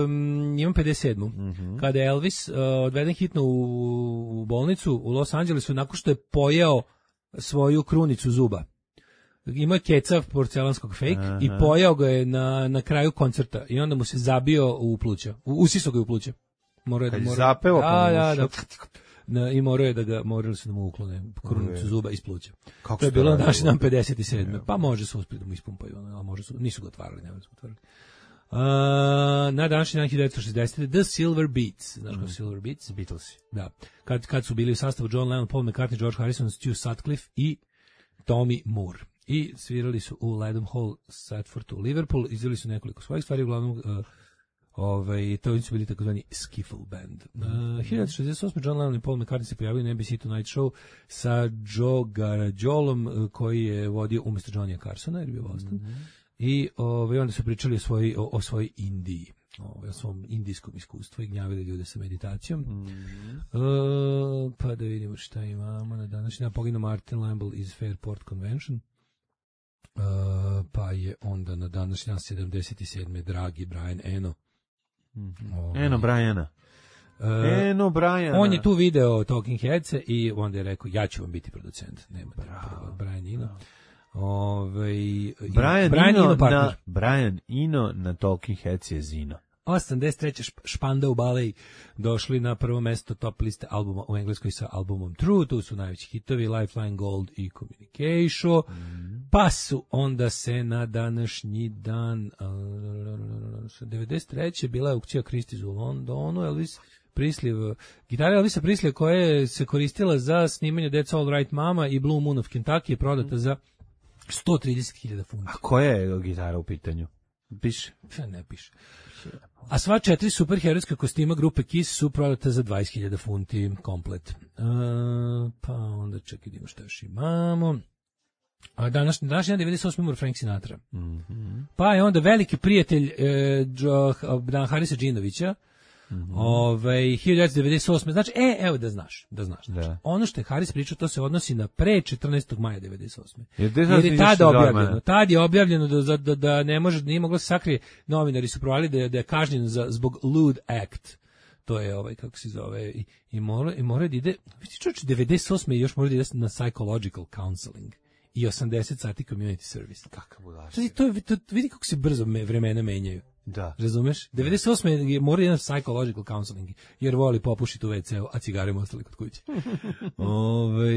um, imam pedeset sedmu Mm-hmm. Kada je Elvis uh, odveden hitno u, u bolnicu u Los Angelesu nakon što je pojeo svoju krunicu zuba. Imao je kecav porcelanskog fake Aha. i pojeo ga je na, na kraju koncerta i onda mu se zabio u pluća. Usiso ga je u pluća. Morao Kad je mora, zapeo, da, da, da. Na, i morao je da ga, morali su da mu uklone krunicu zuba iz pluća. Kako to je bilo naš dan pedeset sedme Pa može se uspjeti da mu ispumpaju, ali može su, nisu ga otvarali, ne su otvarali. Uh, na današnji dan hiljadu devetsto šezdesete The Silver Beats, znaš kao mm. Silver Beats? Beatlesi. Da. Kad, kad su bili u sastavu John Lennon, Paul McCartney, George Harrison, Stu Sutcliffe i Tommy Moore. I svirali su u Ledham Hall, Stratfordu, Liverpool, izveli su nekoliko svojih stvari, uglavnom uh, ovaj, to su bili takozvani skiffle band. Uh, hiljadu devetsto šezdeset osme John Lennon i Paul McCartney se pojavili na N B C Tonight Show sa Joe Garagolom, uh, koji je vodio umjesto Johnny'a Carsona, jer je bio Boston. Mm-hmm. I ovaj, onda su pričali o svojoj, o, o svojoj Indiji, o, o svom indijskom iskustvu i gnjavili ljude sa meditacijom. Mm-hmm. Uh, pa da vidimo šta imamo na današnji dan. Poginuo Martin Lamble iz Fairport Convention. Uh, pa je onda na današnji dan sedamdeset sedme dragi Brian Eno. Mm-hmm. Ovaj, Eno Briana. Uh, Eno Briana. On je tu video Talking Heads i onda je rekao, ja ću vam biti producent. Nema Bravo. Brian Eno. Bravo. Ove, Brian, Brian, Ino Ino na, Brian Eno na Talking Heads je Zino. osamdeset treće Špandau Ballet došli na prvo mesto top liste albuma u Engleskoj sa albumom True, tu su najveći hitovi Lifeline Gold i Communication, mm. pa su onda se na današnji dan uh, devedeset treće bila je aukcija Christie's u Londonu, Elvis Presley, gitara Elvisa Presley koja se koristila za snimanje That's All Right Mama i Blue Moon of Kentucky je prodata mm. za sto trideset hiljada funti. A koja je gitara u pitanju? Piše? Ne piše. A sva četiri superherojska kostima grupe Kiss su prodata za dvadeset hiljada funti komplet. Uh, pa onda čekaj, idemo šta još imamo. A današnji dan devedeset osme umro Frank Sinatra. Mm-hmm. Pa je onda veliki prijatelj eh, Dan Harisa Džinovića, Mm-hmm. Ove, hiljadu devetsto devedeset osme Znači, e, evo da znaš, da znaš. Znači, da. ono što je Haris pričao, to se odnosi na pre četrnaestog maja devedeset osme Jer, Jer je tada objavljeno. Tad je objavljeno da, da, da ne može, nije moglo se sakrije. Novinari su provali da je, da je kažnjen za, zbog lewd act. To je ovaj, kako se zove, i, i mora, i mora da ide, vidi čovječ, devedeset osme još mora da ide na psychological counseling i osamdeset sati community service. Kakav budaš. To, to, vidi kako se brzo me, vremena menjaju. Da. Razumeš? devedeset osme je mora jedan psychological counseling, jer voli popušiti u ve ce u, a cigare mu ostali kod kuće. Ove,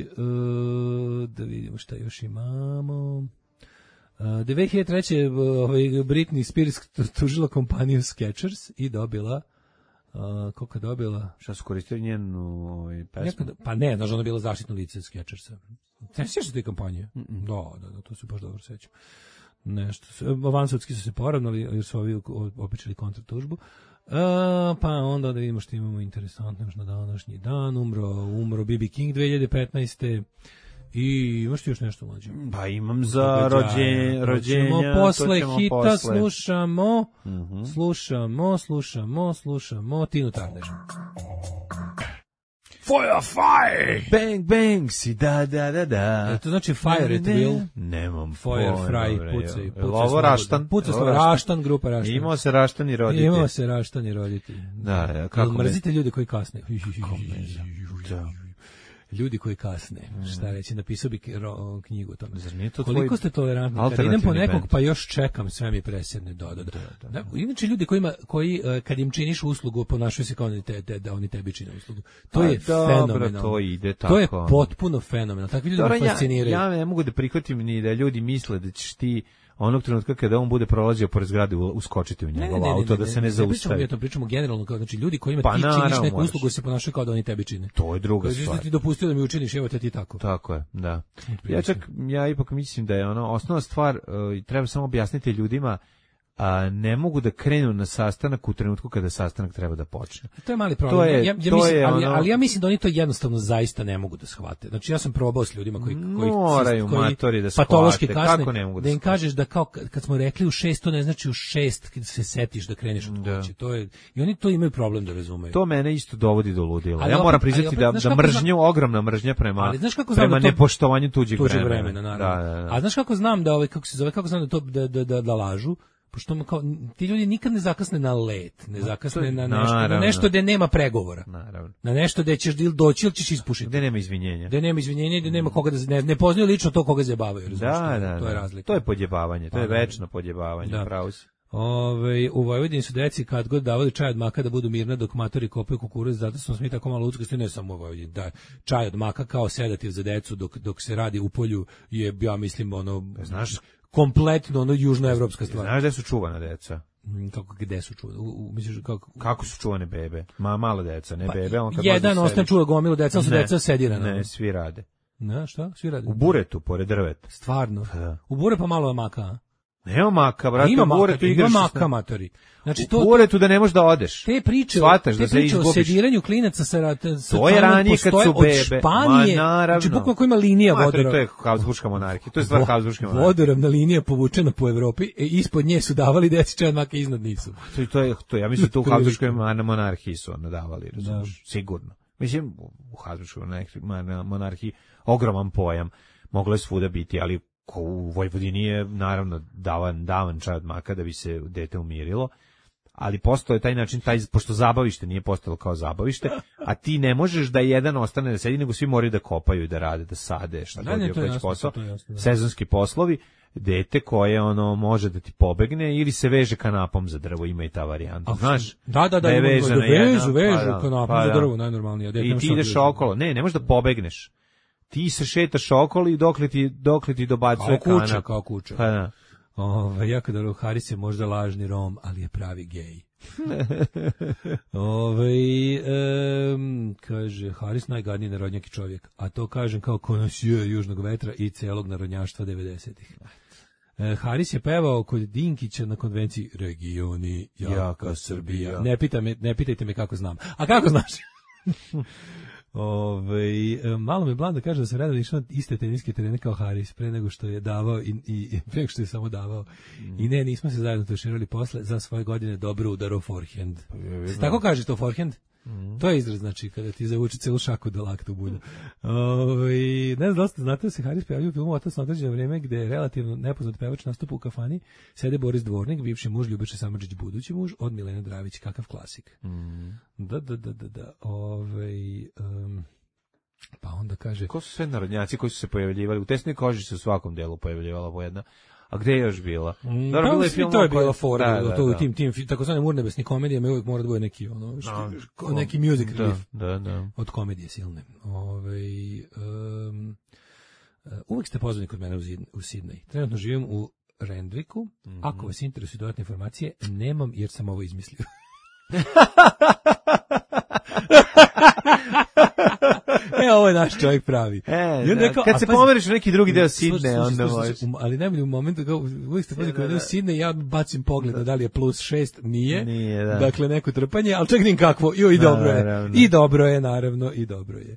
uh, da vidimo šta još imamo. Uh, dve hiljade treće ovaj, Britney Spears tužila kompaniju Skechers i dobila Uh, koliko je dobila? Šta su koristili njenu ovaj, pesmu? Nekada, pa ne, znaš, ona je bila zaštitno lice Skechersa. Ne sjećaš se te kampanje? Mm-mm. Da, da, da, to se baš dobro sećam. nešto, vansudski su se poravnali, jer su ovi opičili kontratužbu. Uh, pa onda da vidimo što imamo interesantno još na današnji dan. Umro, umro B B King dve hiljade petnaeste. I imaš ti još nešto mlađe? Pa imam za rođenja, rođenja. Posle hita posle. slušamo, Uh-huh. slušamo, slušamo, slušamo Tinu Turner. Fire, fire! Bang, bang, si da, da, da, da. E, to znači fire at will? Nemam Fire, pojma, fry, bre, pucaj. je pucaj ovo Raštan? Pucaj smo Raštan, grupa Raštan. Imao se Raštan i roditelj. Imao se Raštan i roditelj. Da, da, kako me... Mrzite ljudi koji kasne. Da. Ljudi koji kasne. Šta reći, napisao bi ro, knjigu o tome. Zar nije to Koliko tvoj ste tolerantni? Kad idem po nekog band. Pa još čekam, sve mi presedne. Da, da, da. da, da. Inače ljudi kojima, koji kad im činiš uslugu ponašaju se kao oni te, te, da oni tebi čine uslugu. To A, je dobro, fenomenalno. to ide tako. To je potpuno fenomenalno. Takvi ljudi me fasciniraju. Ja, ja ne mogu da prihvatim ni da ljudi misle da ćeš ti onog trenutka kada on bude prolazio pored zgrade uskočiti u njegov auto da se ne zaustavi. Ne, to pričamo generalno, kao znači ljudi kojima pa ti činiš neku moraš. uslugu se ponašaju kao da oni tebi čine. To je druga stvar. stvar. Ti dopustio da mi učiniš, evo te ti tako. Tako je, da. Ja čak ja ipak mislim da je ono osnovna stvar, uh, treba samo objasniti ljudima, a ne mogu da krenu na sastanak u trenutku kada sastanak treba da počne. To je mali problem. To je, ja, ja to mislim, je ali, ono... ali ja mislim da oni to jednostavno zaista ne mogu da shvate. Znači ja sam probao s ljudima koji koji moraju koji matori da patološki shvate. kasne, Kako ne mogu da, da im kažeš da kao kad smo rekli u šest, to ne znači u šest kad se setiš da kreneš od kuće. To je i oni to imaju problem da razumeju. To mene isto dovodi do ludila. Ali ja opet, moram priznati da da mržnju, zna... ogromna mržnja prema ali, znaš kako prema da to, nepoštovanju tuđeg vremena. vremena. vremena da, da, da. A znaš kako znam da ovaj kako se zove, kako znam da to da da da, da lažu? Pošto kao, ti ljudi nikad ne zakasne na let, ne zakasne na nešto, naravno. na nešto gde nema pregovora. Naravno. Na nešto gde ćeš doći ili ćeš ispušiti. Gde nema izvinjenja. Gde nema izvinjenja, gde nema koga da ne, ne poznaju lično to koga zabavaju, da, da, da, to je razlika. To je podjebavanje, to pa, je večno podjebavanje, da. Pravo si. Ove, u Vojvodini su deci kad god davali čaj od maka da budu mirna dok matori kopaju kukuruz, zato smo mi tako malo uckosti, ne samo u Vojvodini, da čaj od maka kao sedativ za decu dok, dok se radi u polju je, ja mislim, ono, znaš, kompletno ono južnoevropska stvar. Znaš gde su čuvana deca? Kako gde su čuvane? U, u, misliš kako kako su čuvane bebe? Ma mala deca, ne pa, bebe, on kad jedan ostane čuva gomilu deca, su deca sedirana. Ne, svi rade. Ne, šta? Svi rade. U buretu pored drveta. Stvarno. Da. U bure pa malo maka. Nema maka, brate, ima u buretu igraš. Ima maka, matori. Znači to u buretu da ne možeš da odeš. Te priče, Svataš te da se priče izgubiš. O sediranju klinaca sa sa to je ranije kad su bebe. Od Španije, ma naravno. Znači bukvalno ima linija vodoravna. To je Habsburška monarhija. To je stvar Habsburške monarhije. Vodoravna linija povučena po Evropi, e, ispod nje su davali deci čaj od maka, iznad nisu. To to je to ja mislim to u Habsburškoj monarhiji su ono davali, razumiješ, sigurno. Mislim u Habsburškoj monarhiji ogroman pojam, moglo je svuda biti, ali ko u Vojvodini je naravno davan, davan čaj od maka da bi se dete umirilo, ali postoje taj način, taj, pošto zabavište nije postalo kao zabavište, a ti ne možeš da jedan ostane da sedi, nego svi moraju da kopaju i da rade, da sade, šta god je već posao, sezonski poslovi, dete koje ono može da ti pobegne ili se veže kanapom za drvo, ima i ta varijanta, znaš? Da, da, da, je vežu, vežu, vežu pa kanapom pa za drvo, najnormalnije. I ti ideš okolo, ne, ne možeš da pobegneš. Ti se šetaš okolo i dokle ti, dokle ti dobacuje kanap. Kao kuća, kao kuća. Pa da. Ove, jako dobro, Haris je možda lažni Rom, ali je pravi gej. Ove, um, kaže, Haris najgadniji narodnjaki čovjek, a to kažem kao konosijer južnog vetra i celog narodnjaštva devedesetih. E, Haris je pevao kod Dinkića na konvenciji Regioni, jaka, jaka Srbija. Ne, pita me, ne pitajte me kako znam. A kako znaš? Ove, malo me Blanda kaže da se redovno išao na iste teniske terene kao Haris pre nego što je davao i, i pre nego što je samo davao mm. i ne, nismo se zajedno tuširali posle za svoje godine dobro udaro forehand. Se tako kaže to forehand? Mm. To je izraz, znači, kada ti zavuče celu šaku do lakta u bulju. Ove, ne znam da li ste znate da se Haris pojavio u filmu Otac na određeno vreme gde je relativno nepoznat pevač nastupa u kafani, sede Boris Dvornik, bivši muž Ljubiša Samardžić, budući muž od Milene Dravić, kakav klasik. Mm. Da, da, da, da, da. Ove, um, pa onda kaže... Ko su sve narodnjaci koji su se pojavljivali? U Tesnoj koži se u svakom delu pojavljivala po jedna. A gde je još bila? Mm, Dobro, bilo je film, to je bila fora, da, da, to u tim tim takozvanim urnebesnim komedijama uvijek mora da bude neki ono no, neki music da, riff. Da, da. Od komedije silne. Ovaj um, uvijek ste pozvani kod mene u, u Sidney. Trenutno živim u Randwicku. Mm-hmm. Ako vas interesuju dodatne informacije, nemam jer sam ovo izmislio. E, ovo je naš čovjek pravi. E, da, rekao, kad se pomeriš u neki drugi deo Sidneja, onda možeš. Ali najbolje u momentu, kao, uvijek ste pazi, kada je Sidnej, ja bacim pogled da li je plus šest, nije. Nije, da. Dakle, neko trpanje, ali čekaj kakvo, jo, i dobro je. I dobro je, naravno, i dobro je.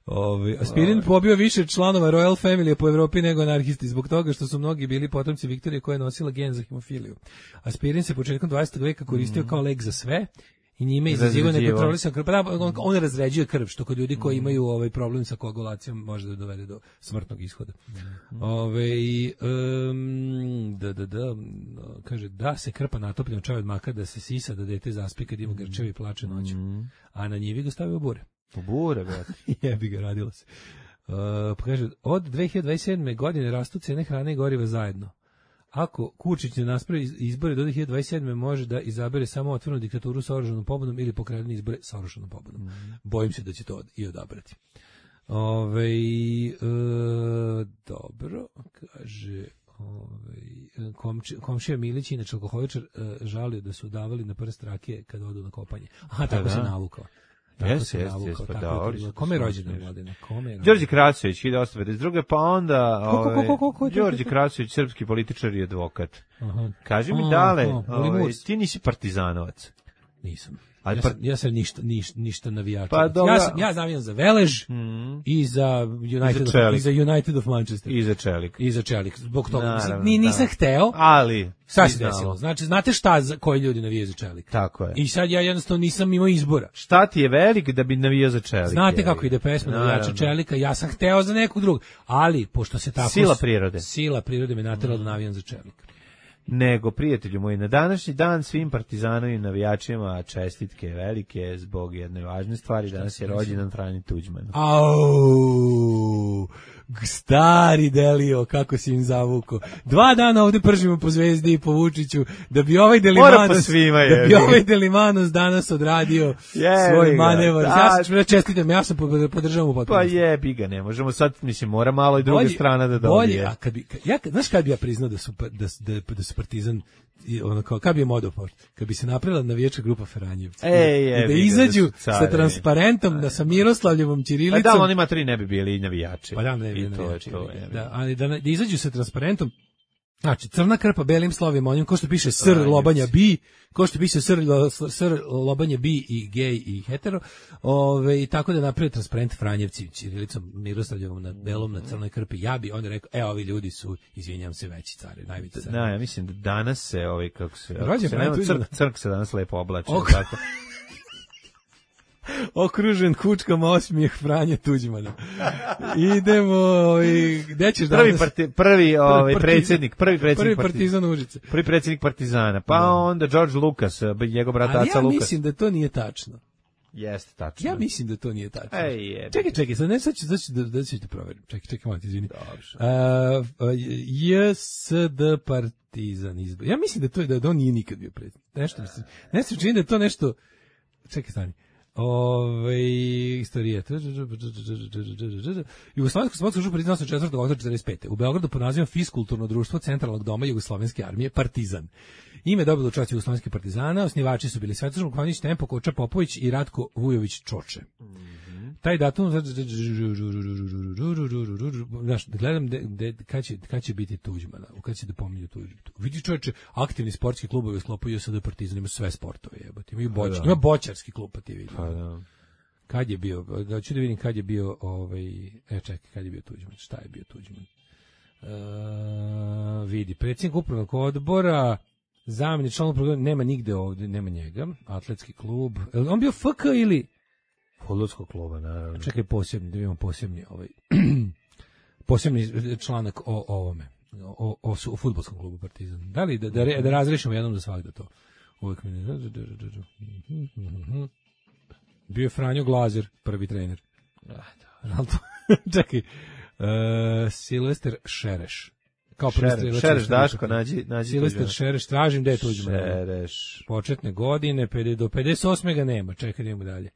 Ovaj Aspirin pobio više članova Royal Family po Evropi nego anarhisti zbog toga što su mnogi bili potomci Viktorije koja je nosila gen za hemofiliju. Aspirin se početkom dvadesetog veka koristio mm. kao lek za sve i njime izazivao nekontrolisan krv. Pa on, on razređuje krv, što kod ljudi koji imaju ovaj problem sa koagulacijom može da dovede do smrtnog ishoda. Mm. Ovaj um, da da da kaže da se krpa natopljena čaj od maka, da se sisa, da dete zaspi kad ima grčevi i plače noću. Mm. A na njivi ga stavio bure. U bure, brate. Jebi ga, radilo se. Uh, pa kaže, od dve hiljade dvadeset sedme. godine rastu cene hrane i goriva zajedno. Ako Kučić ne naspravi izbore do dve hiljade dvadeset sedme. može da izabere samo otvorenu diktaturu sa oružanom pobudom ili pokretne izbore sa oružanom pobudom. Mm. Bojim se da će to i odabrati. Ove, e, dobro, kaže... Ovaj komši, komšija Milić, inače alkoholičar, žalio da su davali na prst rakije kad odu na kopanje. Aha, tako se navukao. Jeste, jeste, jeste, pa da. Kome je rođendan, Mladine? Kome je Đorđe Krasović, hiljadu osamsto pedeset druge. Pa onda ovaj, Đorđe Krasović, srpski političar i advokat. Aha. Kaži mi, Dale, ovaj, ti nisi partizanovac. Nisam. Ali ja, par... sam, ja sam ništa, ništa, ništa navijača. Pa ja sam ja navijam za Velež mm. i za United, I za, of, i za United of Manchester. I za Čelik. I za Čelik. Zbog toga ni nisam da. hteo. Ali šta se desilo? Znači, znate šta za koji ljudi navijaju za Čelik? Tako je. I sad ja jednostavno nisam imao izbora. Šta ti je velik da bi navijao za Čelik? Znate je, kako ide pesma navijača Čelika? Ja sam hteo za nekog drugog, ali pošto se tako sila prirode. Sila prirode me naterala mm. da navijam za Čelik. Nego, prijatelju moji, na današnji dan svim partizanovim navijačima čestitke velike zbog jedne važne stvari. Danas je rođendan Franje Tuđmana. Au, stari Delio, kako si im zavuko. Dva dana ovde pržimo po Zvezdi i po Vučiću, da bi ovaj Delimanos, svima, da bi ovaj Delimanos danas odradio je, svoj manevar. Ja sam čestitam, ja sam podržavam u potpunosti. Pa jebi ga, ne možemo sad, mislim, mora malo i druga bolje, strana da dobije. Bolje, a kad bi, ja, znaš kad bi ja priznao da su, da, da, da su Partizan, i ono kao, kad bi je modoport, kad bi se napravila navijačka grupa Feranjevci, e, i da izađu da sa transparentom, da sa Miroslavljevom ćirilicom. A da, oni materi ne bi bili navijači. Pa da, ne bi navijači. To je, da, ali da, da izađu sa transparentom, znači, crna krpa belim slovima, onim ko što piše sr lobanja bi, ko što piše sr, sr lobanja bi i gej i hetero, ove, i tako da napravi transparent Franjevci ćirilicom Miroslavljevom na belom na crnoj krpi. Ja bi onda rekao, e, ovi ljudi su, izvinjam se, veći cari, najveći cari. Da, ja mislim da danas se, ovaj, kako se, se nema, crk, crk se danas lepo oblače. Tako. Okružen kučkama osmijeh Franje Tuđmana. Idemo, ovaj, gde ćeš danas? Prvi, parti, prvi ovaj, predsjednik, prvi predsjednik prvi partizan Užice. Prvi predsjednik Partizana, pa da. Onda George Lucas, njegov brat Aca Lucas. Ali ja mislim da to nije tačno. Jeste tačno. Ja mislim da to nije tačno. Ej, je. Čekaj, čekaj, sad ne, sad ću, sad ću da, da ću te proverim. Čekaj, čekaj, malo ti izvini. Uh, J S D Partizan izbor. Ja mislim da to je da on nije nikad bio predsjednik. Nešto mislim. Ne se čini da je to nešto. Čekaj, stani. Ove istorije. Jugoslovensko sportsko društvo priznalo se četvrtog oktobra četrdeset pete. U Beogradu pod nazivom Fiskulturno društvo Centralnog doma Jugoslovenske armije Partizan. Ime dobilo čast Jugoslovenskih partizana, osnivači su bili Svetoslav Vukmanović Tempo, Koča Popović i Ratko Vujović Čoče. Taj datum, znaš, gledam de, de, kad, će, kad će biti Tuđmana, kad će da pominju Tuđmana. Vidi čovječe, aktivni sportski klubovi u sklopu J S D Partizan, ima sve sportove, jebati. Imaju boč, ima boćarski klub, pa ti vidi. Kad je bio, da ću da vidim kad je bio, ovaj, e čekaj, kad je bio Tuđman, šta je bio Tuđman? Uh, vidi, predsjednik upravnog odbora, zamjenik član upravnog odbora, nema nigde ovdje, nema njega, atletski klub, on bio F K ili... Fudbalskog kluba, naravno. Čekaj, posebni, da imamo posebni ovaj posebni članak o, o ovome, o, o, o fudbalskom klubu Partizan. Da li da, da, da razrešimo jednom za svakda to? Uvijek mi ne... Bio je Franjo Glazer, prvi trener. Čekaj, uh, Silvester Šereš. Kao Šereš, Šereš Daško, nađi, nađi Silvester Šereš, tražim gde je Tuđman. Šereš. Početne godine, do pedeset osme ga nema, čekaj, idemo dalje.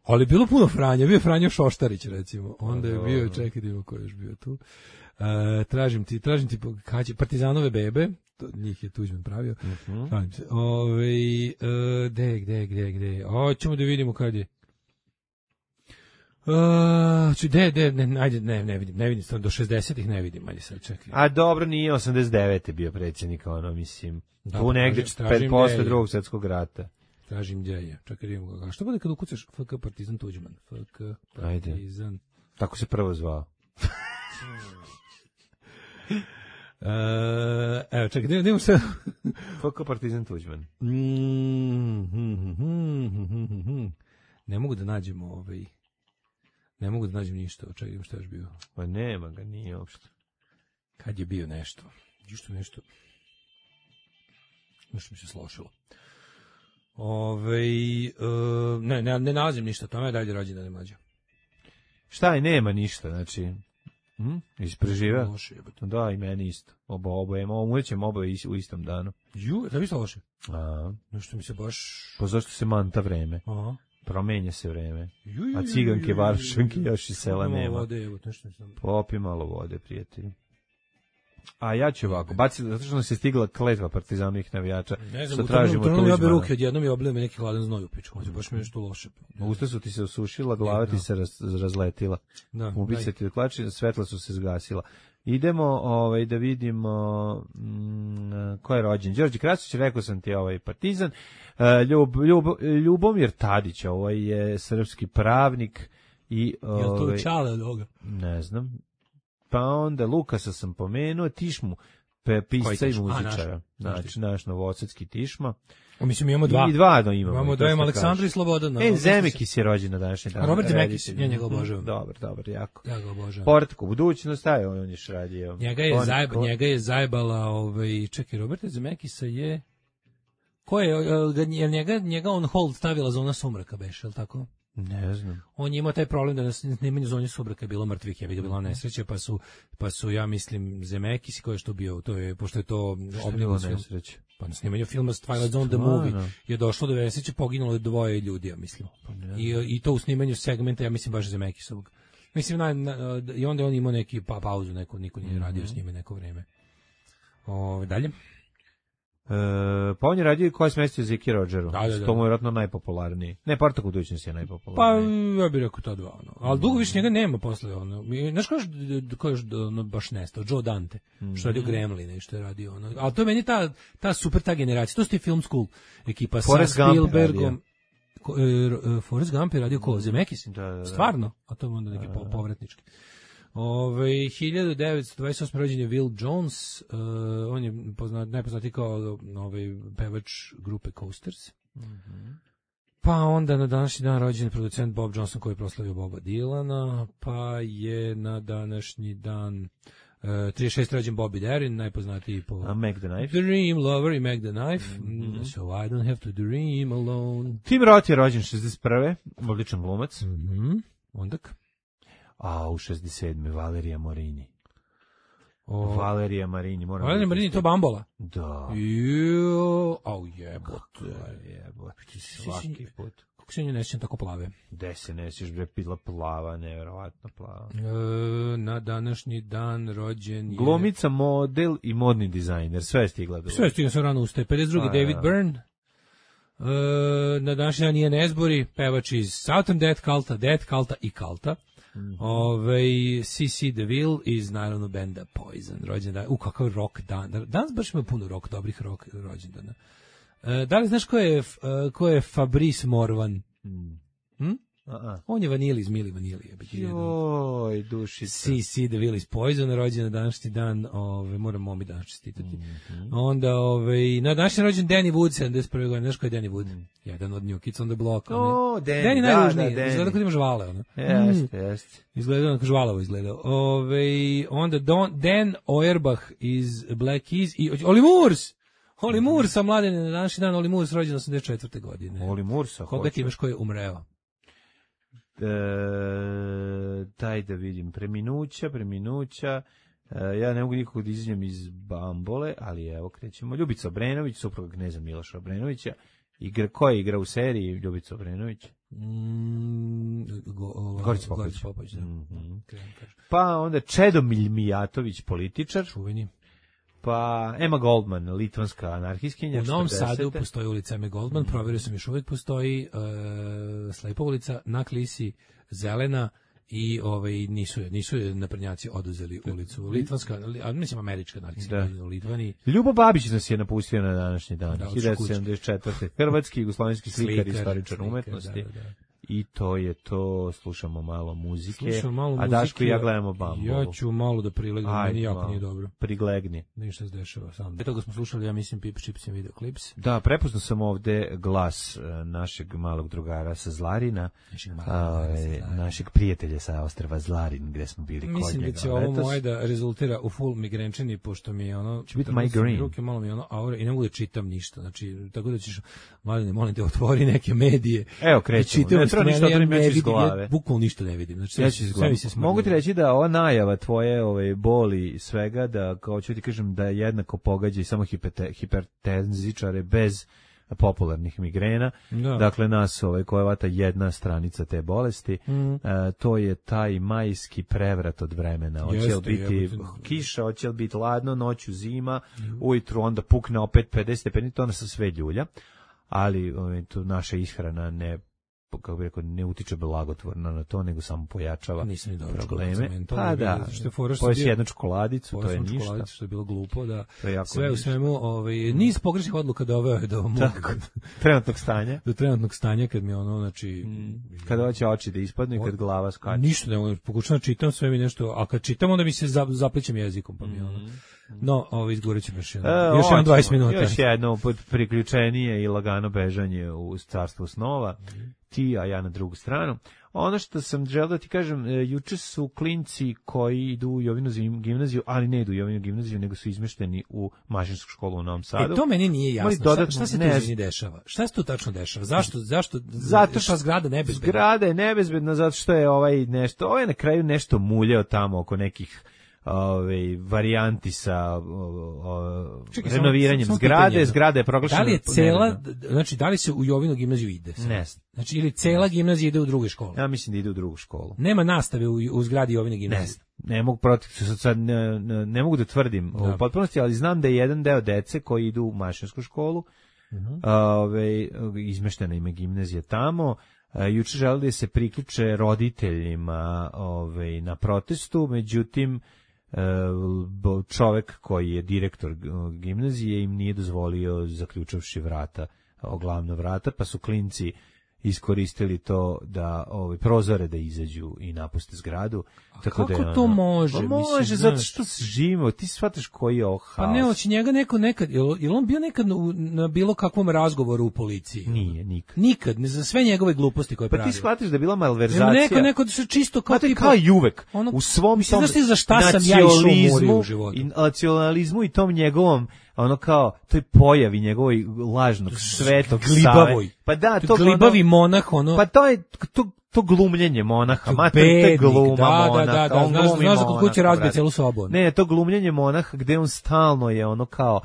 Ali bilo puno Franja, bio je Franjo Šoštarić recimo, onda je bio, čekaj da ko je još bio tu. Uh, tražim ti, tražim ti kad će Partizanove bebe, to njih je Tuđman pravio. Uh-huh. Tražim se. Ovaj uh, gde, gde, gde, gde. Hoćemo da vidimo kad je. Uh, či, de, de, ne, ajde, ne, ne vidim, ne vidim, do šezdesetih ne vidim, ajde sad čekaj. A dobro, nije osamdeset devete bio predsjednik, ono, mislim, da, tu negdje pet posle drugog svjetskog rata. Tražim gdje je, čekaj, vidimo ga. Što bude kad ukucaš F K Partizan Tuđman? F K Partizan. Ajde. Tako se prvo zvao. Uh, evo, čekaj, da idemo šta... F K Partizan Tuđman. Ne mogu da nađem ovaj... Ne mogu da nađem ništa, čekaj, šta je bio. Pa nema ga, nije uopšte. Kad je bio nešto? Išto nešto... Nešto mi se slošilo. Ove, uh, ne, ne, ne nalazim ništa, tome je dalje rođena ne mlađa. Šta je, nema ništa, znači... Hm? Ispreživa? Da, i meni isto. Oba, oba, umrećemo oba u istom danu. Ju, da bi se loše? A. Nešto mi se baš... Pa zašto se manta vreme? Aha. Promenja se vreme. Ju, ju, a ciganke, ju, varšanke još i sela malo nema. Vode, evo, nešto sam... Popi malo vode, prijatelji. A ja ću ovako, baci, zato što nam se stigla kletva partizanovih navijača. Ne znam, u trenutku ja bi ruke odjednom i oblio me neki hladan znoj u pičku, baš mi je nešto loše. Usta su ti se osušila, glava ti se raz, razletila. Da, ubice ti klači, svetla su se zgasila. Idemo ovaj, da vidimo mm, ko je rođen. Đorđe Krasić, rekao sam ti, ovaj partizan. Ljub, Ljub, Ljubomir Tadić, ovaj je srpski pravnik. I, ovaj, je li to Čale od ovoga? Ne znam. Pa onda Lukasa sam pomenuo, Tišmu, pe, pisca i muzičara. Znači, naš novosadski Tišma. O, mislim, imamo dva. I dva no, imamo. Imamo dva, Aleksandra i Slobodan. E, Zemekis je rođen na današnji dan. Robert Zemekis, ja njega obožavam. Dobar, dobar, jako. Ja ga obožavam. Povratak u budućnost, aj, on je radio. Njega je, zajeb, njega je zajebala, ovaj, čekaj, Roberta Zemekisa je... Ko je, je njega, njega on hold stavila Zona sumraka, beš, je li tako? Ne znam. On je imao taj problem da na snimanju Zone sumraka je bilo mrtvih, je bila nesreća, pa su, pa su, ja mislim, Zemekis, ko je što bio, to je, pošto je to obnilo nesreće. Pa na snimanju filma Twilight Zone the Movie je došlo do nesreće, poginulo je dvoje ljudi, ja mislim. Pa I, I to u snimanju segmenta, ja mislim, baš Zemekisovog. Mislim, na, na, i onda on imao neki pa, pauzu, neko, niko nije radio mm-hmm. s njime neko vreme. O, dalje? E, pa on je radio koja se mestio Ziki Rodgeru. Da, da, da. To mu je vjerojatno najpopularniji. Ne, Portak u budućnosti je najpopularniji. Pa, ja bih rekao to dva. Ono. Ali dugo više njega nema posle. Ono. Znaš ko je, ko je ono, baš nestao? Joe Dante. Mm-hmm. Što je radio Gremlina i što je radio. Ono. Ali to je meni ta, ta super ta generacija. To su ti film school ekipa Forrest sa Spielbergom. Ko, e, Forrest Gump je radio ko? Zemekis? Da, da, da. Stvarno? A to je onda neki po, povratnički. Ove, hiljadu devetsto dvadeset osme rođen je Will Jones, uh, on je poznat, najpoznatiji kao ovaj pevač grupe Coasters. Mm-hmm. Pa onda na današnji dan rođen je producent Bob Johnson koji je proslavio Boba Dylana, pa je na današnji dan uh, trideset šest rođen Bobby Darin, najpoznatiji po A Mac the Knife. Dream Lover i Mac the Knife, mm-hmm. So I don't have to dream alone. Tim Roth je rođen šezdeset prve odličan glumac. Mm-hmm. Ondak. A u šezdeset sedme Valerija Morini. O, Valerija Marini, moram. Valerija Marini to Bambola. Da. Jo, au jebote, jebote. Svaki put. Kako se nje nećem tako plave? Gde se nećeš bre bila plava, neverovatno plava. E, na današnji dan rođen je... Glumica, model i modni dizajner, sve je stigla do. Sve je stigla, sve rano ustaje. pedeset drugi David Byrne. E, na današnji dan Ian Astbury, pevač iz Southern Death Culta, Death Culta i Culta. Mm-hmm. Ove, C C DeVille iz naravno benda Poison, rođendan. U, kakav rock dan. Danas baš ima puno rock, dobrih rock rođendana. E, da li znaš ko je, ko je Fabrice Morvan? Mm. Hm? Uh-uh. On je Vanili iz Mili Vanili. Joj, dušica. C C DeVille iz Poison, rođen na današnji dan, ove, moram momi danas čestitati. Mm-hmm. Onda, ove, na današnji rođen Danny Wood, sedamdeset prve godine, znaš ko je Danny Wood? Mm. Jedan od New Kids on the Block. O, oh, Danny, Danny da, najružniji, da, Danny. izgleda kod ima žvale, ono. Jeste, jeste. Izgleda onako žvalavo izgleda. Ove, onda Don, Dan Auerbach iz Black Keys i Oli Moores! Oli Moores, sa mladen na današnji dan, Oli Moores rođen osamdeset četvrte godine. Oli Mooresa, koga ti imaš ko je umreo? E, daj da vidim, preminuća, preminuća, e, ja ne mogu nikog da izđem iz Bambole, ali evo krećemo. Ljubica Obrenović, supruga kneza Miloša Obrenovića, igra, ko je igra u seriji Ljubica Obrenović? Mm, go, o, Gorica Popović. Popović da. Mm-hmm. Pa onda Čedomilj Mijatović, političar. Čuveni. pa Emma Goldman, litvanska anarhistkinja. U Novom četrdesete. Sadu postoji ulica Emma Goldman, provjerio sam, još uvijek postoji uh, Slepa ulica, na Klisi, zelena, i ovaj nisu nisu naprednjaci oduzeli ulicu. Litvanska, a mislim američka anarhistkinja u Litvaniji. Ljubo Babić nas je napustio na današnji dan, da, hiljadu devetsto sedamdeset četvrte. Hrvatski jugoslovenski slikar, istoričar umetnosti. Da, da. I to je to, slušamo malo muzike, slušamo malo a muzike, Daško i ja gledamo Bambu. Ja ću malo da prilegnem, meni jako nije dobro. Priglegni. Ništa se dešava sam. Pre toga smo slušali, ja mislim, Pip Chips video klips. Da, prepoznao sam ovde glas uh, našeg malog drugara sa Zlarina, našeg, uh, Zlarina. našeg prijatelja sa ostrva Zlarin, gde smo bili kod njega. Mislim da će ovo moje da rezultira u full migrenčini, pošto mi je ono... Će biti migraine. Ruke, malo mi je ono aura i ne mogu da čitam ništa. Znači, tako da ćeš, Mladine, molim te, otvori neke medije. Evo, krećemo. Ne treba ništa da mi iz glave. Ja bukvalno ništa ne vidim. Znači, ja ću sve se mogu ti reći da ova najava tvoje ove boli i svega, da kao ću ti kažem da jednako pogađa i samo hipertenzičare bez popularnih migrena. Da. Dakle, nas ovaj, koja vata jedna stranica te bolesti, mm. e, to je taj majski prevrat od vremena. Hoće li biti jebate. kiša, hoće li biti ladno, noću zima, mm. ujutru onda pukne opet pedeset stepeni, to nas sve ljulja, ali ovaj, to naša ishrana ne kako bih rekao, ne utiče blagotvorno na to, nego samo pojačava probleme. Pa da, poješ jednu čokoladicu, to je ništa. Što je bilo glupo, da sve u svemu, ovaj, niz pogrešnih odluka doveo je do mog trenutnog stanja. Do trenutnog stanja, kad mi ono, znači... Kada hoće oči da ispadnu i kad glava skače. Ništa, ne, pokušam čitam sve mi nešto, a kad čitam, onda mi se zaplićem jezikom, pa mi ono... No, ovo izgovorit ćemo još jedno. E, još jedno dvadeset minuta. Još jedno priključenije i lagano bežanje u carstvo snova. Ti, a ja na drugu stranu. Ono što sam želeo da ti kažem, juče su klinci koji idu u Jovinu gimnaziju, ali ne idu u Jovinu gimnaziju, nego su izmešteni u mašinsku školu u Novom Sadu. E, to meni nije jasno. Dodatno, šta, šta se tu izvini dešava? Šta se tu tačno dešava? Zašto? Zašto? Zato što zgrada nebezbedna. Zgrada je nebezbedna zato što je ovaj nešto, ovaj na kraju nešto muljao tamo oko nekih ove varijanti sa o, o, Čekaj, renoviranjem samo, samo zgrade, pitanje, zgrada je proglašena. Da li je cela, znači da li se u Jovinu gimnaziju ide? Sad? Ne. Znači ili cela gimnazija ide u drugu školu? Ja mislim da ide u drugu školu. Nema nastave u, u zgradi Jovine gimnazije. Ne, ne mogu protiv sad ne, ne, ne mogu da tvrdim da. u potpunosti, ali znam da je jedan deo dece koji idu u mašinsku školu, uh-huh. ove izmeštena im je gimnazija tamo. Juče želeli da se priključe roditeljima ove na protestu, međutim čovek koji je direktor gimnazije im nije dozvolio, zaključavši vrata, glavna vrata, pa su klinci iskoristili to da ovaj prozore da izađu i napuste zgradu. A tako kako da je to ono, može? Pa može, mislim, zato što se živimo, ti shvataš koji je ovo haos. Pa ne, hoće njega neko nekad, je on bio nekad na bilo kakvom razgovoru u policiji? Nije, nikad. Nikad, ne za sve njegove gluposti koje pa pravi. Pa ti shvataš da je bila malverzacija. Neko, neko se čisto kao tipa... kao i uvek, ono, u svom mislim, tom znaš za šta sam ja išao u životu. I nacionalizmu i tom njegovom ono kao toj pojavi njegovoj lažnog svetog glibavoj. Pa da, to glibavi ono, monah ono. Pa to je to to glumljenje monaha, mater te gluma da, monaha. Da, da, da, znaš, znaš da kod kuće razbije celu sobu. Ne, to glumljenje monaha gde on stalno je ono kao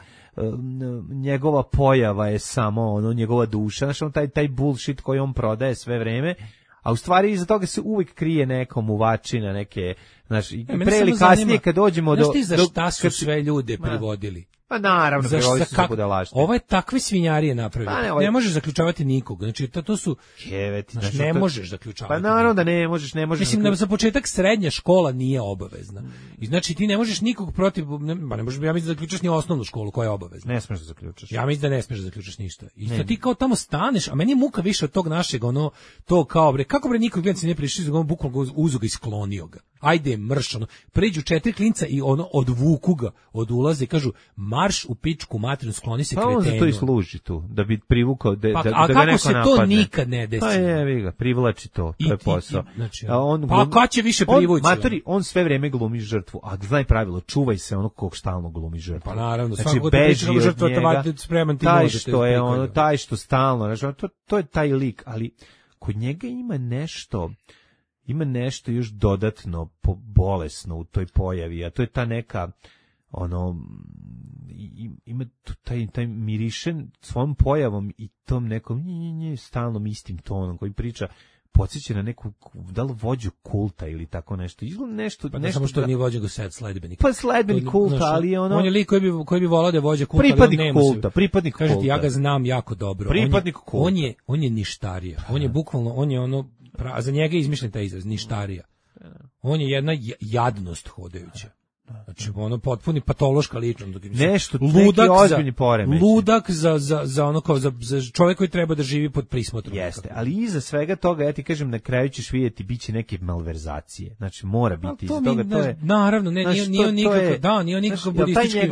njegova pojava je samo ono njegova duša, znači on taj taj bullshit koji on prodaje sve vreme. A u stvari iza toga se uvijek krije neko muvačina, neke, znaš, i pre ili kasnije kad dođemo do... Znaš ti za šta su sve ljude privodili? Pa naravno, prevodi su kak... budalaštine. Ovo je takve svinjarije napravio. Pa ne, ovaj... ne možeš zaključavati nikog. Znači, to, to su... Keveti, znači, ne to... možeš zaključavati. Pa naravno da ne možeš, ne možeš... Mislim, da za početak srednja škola nije obavezna. I znači, ti ne možeš nikog protiv... Ne, ne možeš, ja mislim da zaključaš ni osnovnu školu koja je obavezna. Ne smiješ da zaključaš. Ja mislim da ne smiješ da zaključaš ništa. I sad ti kao tamo staneš, a meni je muka više od tog našeg, ono, to kao, bre, kako bre nikog gledci ne prišli, on bukvalno uzu ga i sklonio ga. Ajde, mrš, ono, pređu četiri klinca i ono, odvuku ga od ulaza i kažu, marš u pičku materinu, skloni se kretenu. Pa on za to i služi tu, da bi privukao, da, pa, da, a da ga neko se napadne. To nikad ne desi? Pa je, vi ga, privlači to, I, to je posao. I, znači, a on, pa glum, kad će više privući? On, matori, on sve vreme glumi žrtvu, a znaj pravilo, čuvaj se ono kog stalno glumi žrtvu. Pa naravno, znači, beži od žrtva, njega, spreman ti taj može, što je ono, taj što stalno, znači, to, to je taj lik, ali kod njega ima nešto... Ima nešto još dodatno bolesno u toj pojavi, a to je ta neka, ono, ima taj, taj mirišen svojom pojavom i tom nekom nje, nje, nje, stalnom istim tonom koji priča, podsjeća na neku, da li vođu kulta ili tako nešto. Izgleda nešto... Pa nešto samo što da, nije vođa go sad sledbenik. Pa sledbenik kulta, znaš, ali je ono... On je lik koji bi, koji bi volao da je vođa kulta, pripadnik ali on nema kulta, pripadnik Kažete, kulta. ja ga znam jako dobro. Pripadnik on je, kulta. On je, on je ništarija. On je bukvalno, on je ono... Pra, a za njega je izmišljen taj izraz, ništarija. On je jedna jadnost hodajuća. Znači, ono potpuni patološka ličnost. Nešto, ludak neki ozbiljni poremeć. Ludak za, za, za ono kao, za, za čovjek koji treba da živi pod prismotrom. Jeste, ali iza svega toga, ja ti kažem, na kraju ćeš vidjeti, bit će neke malverzacije. Znači, mora biti iza toga, to je... Naravno, ne, nije, nije nikako, da, nije nikako budistički...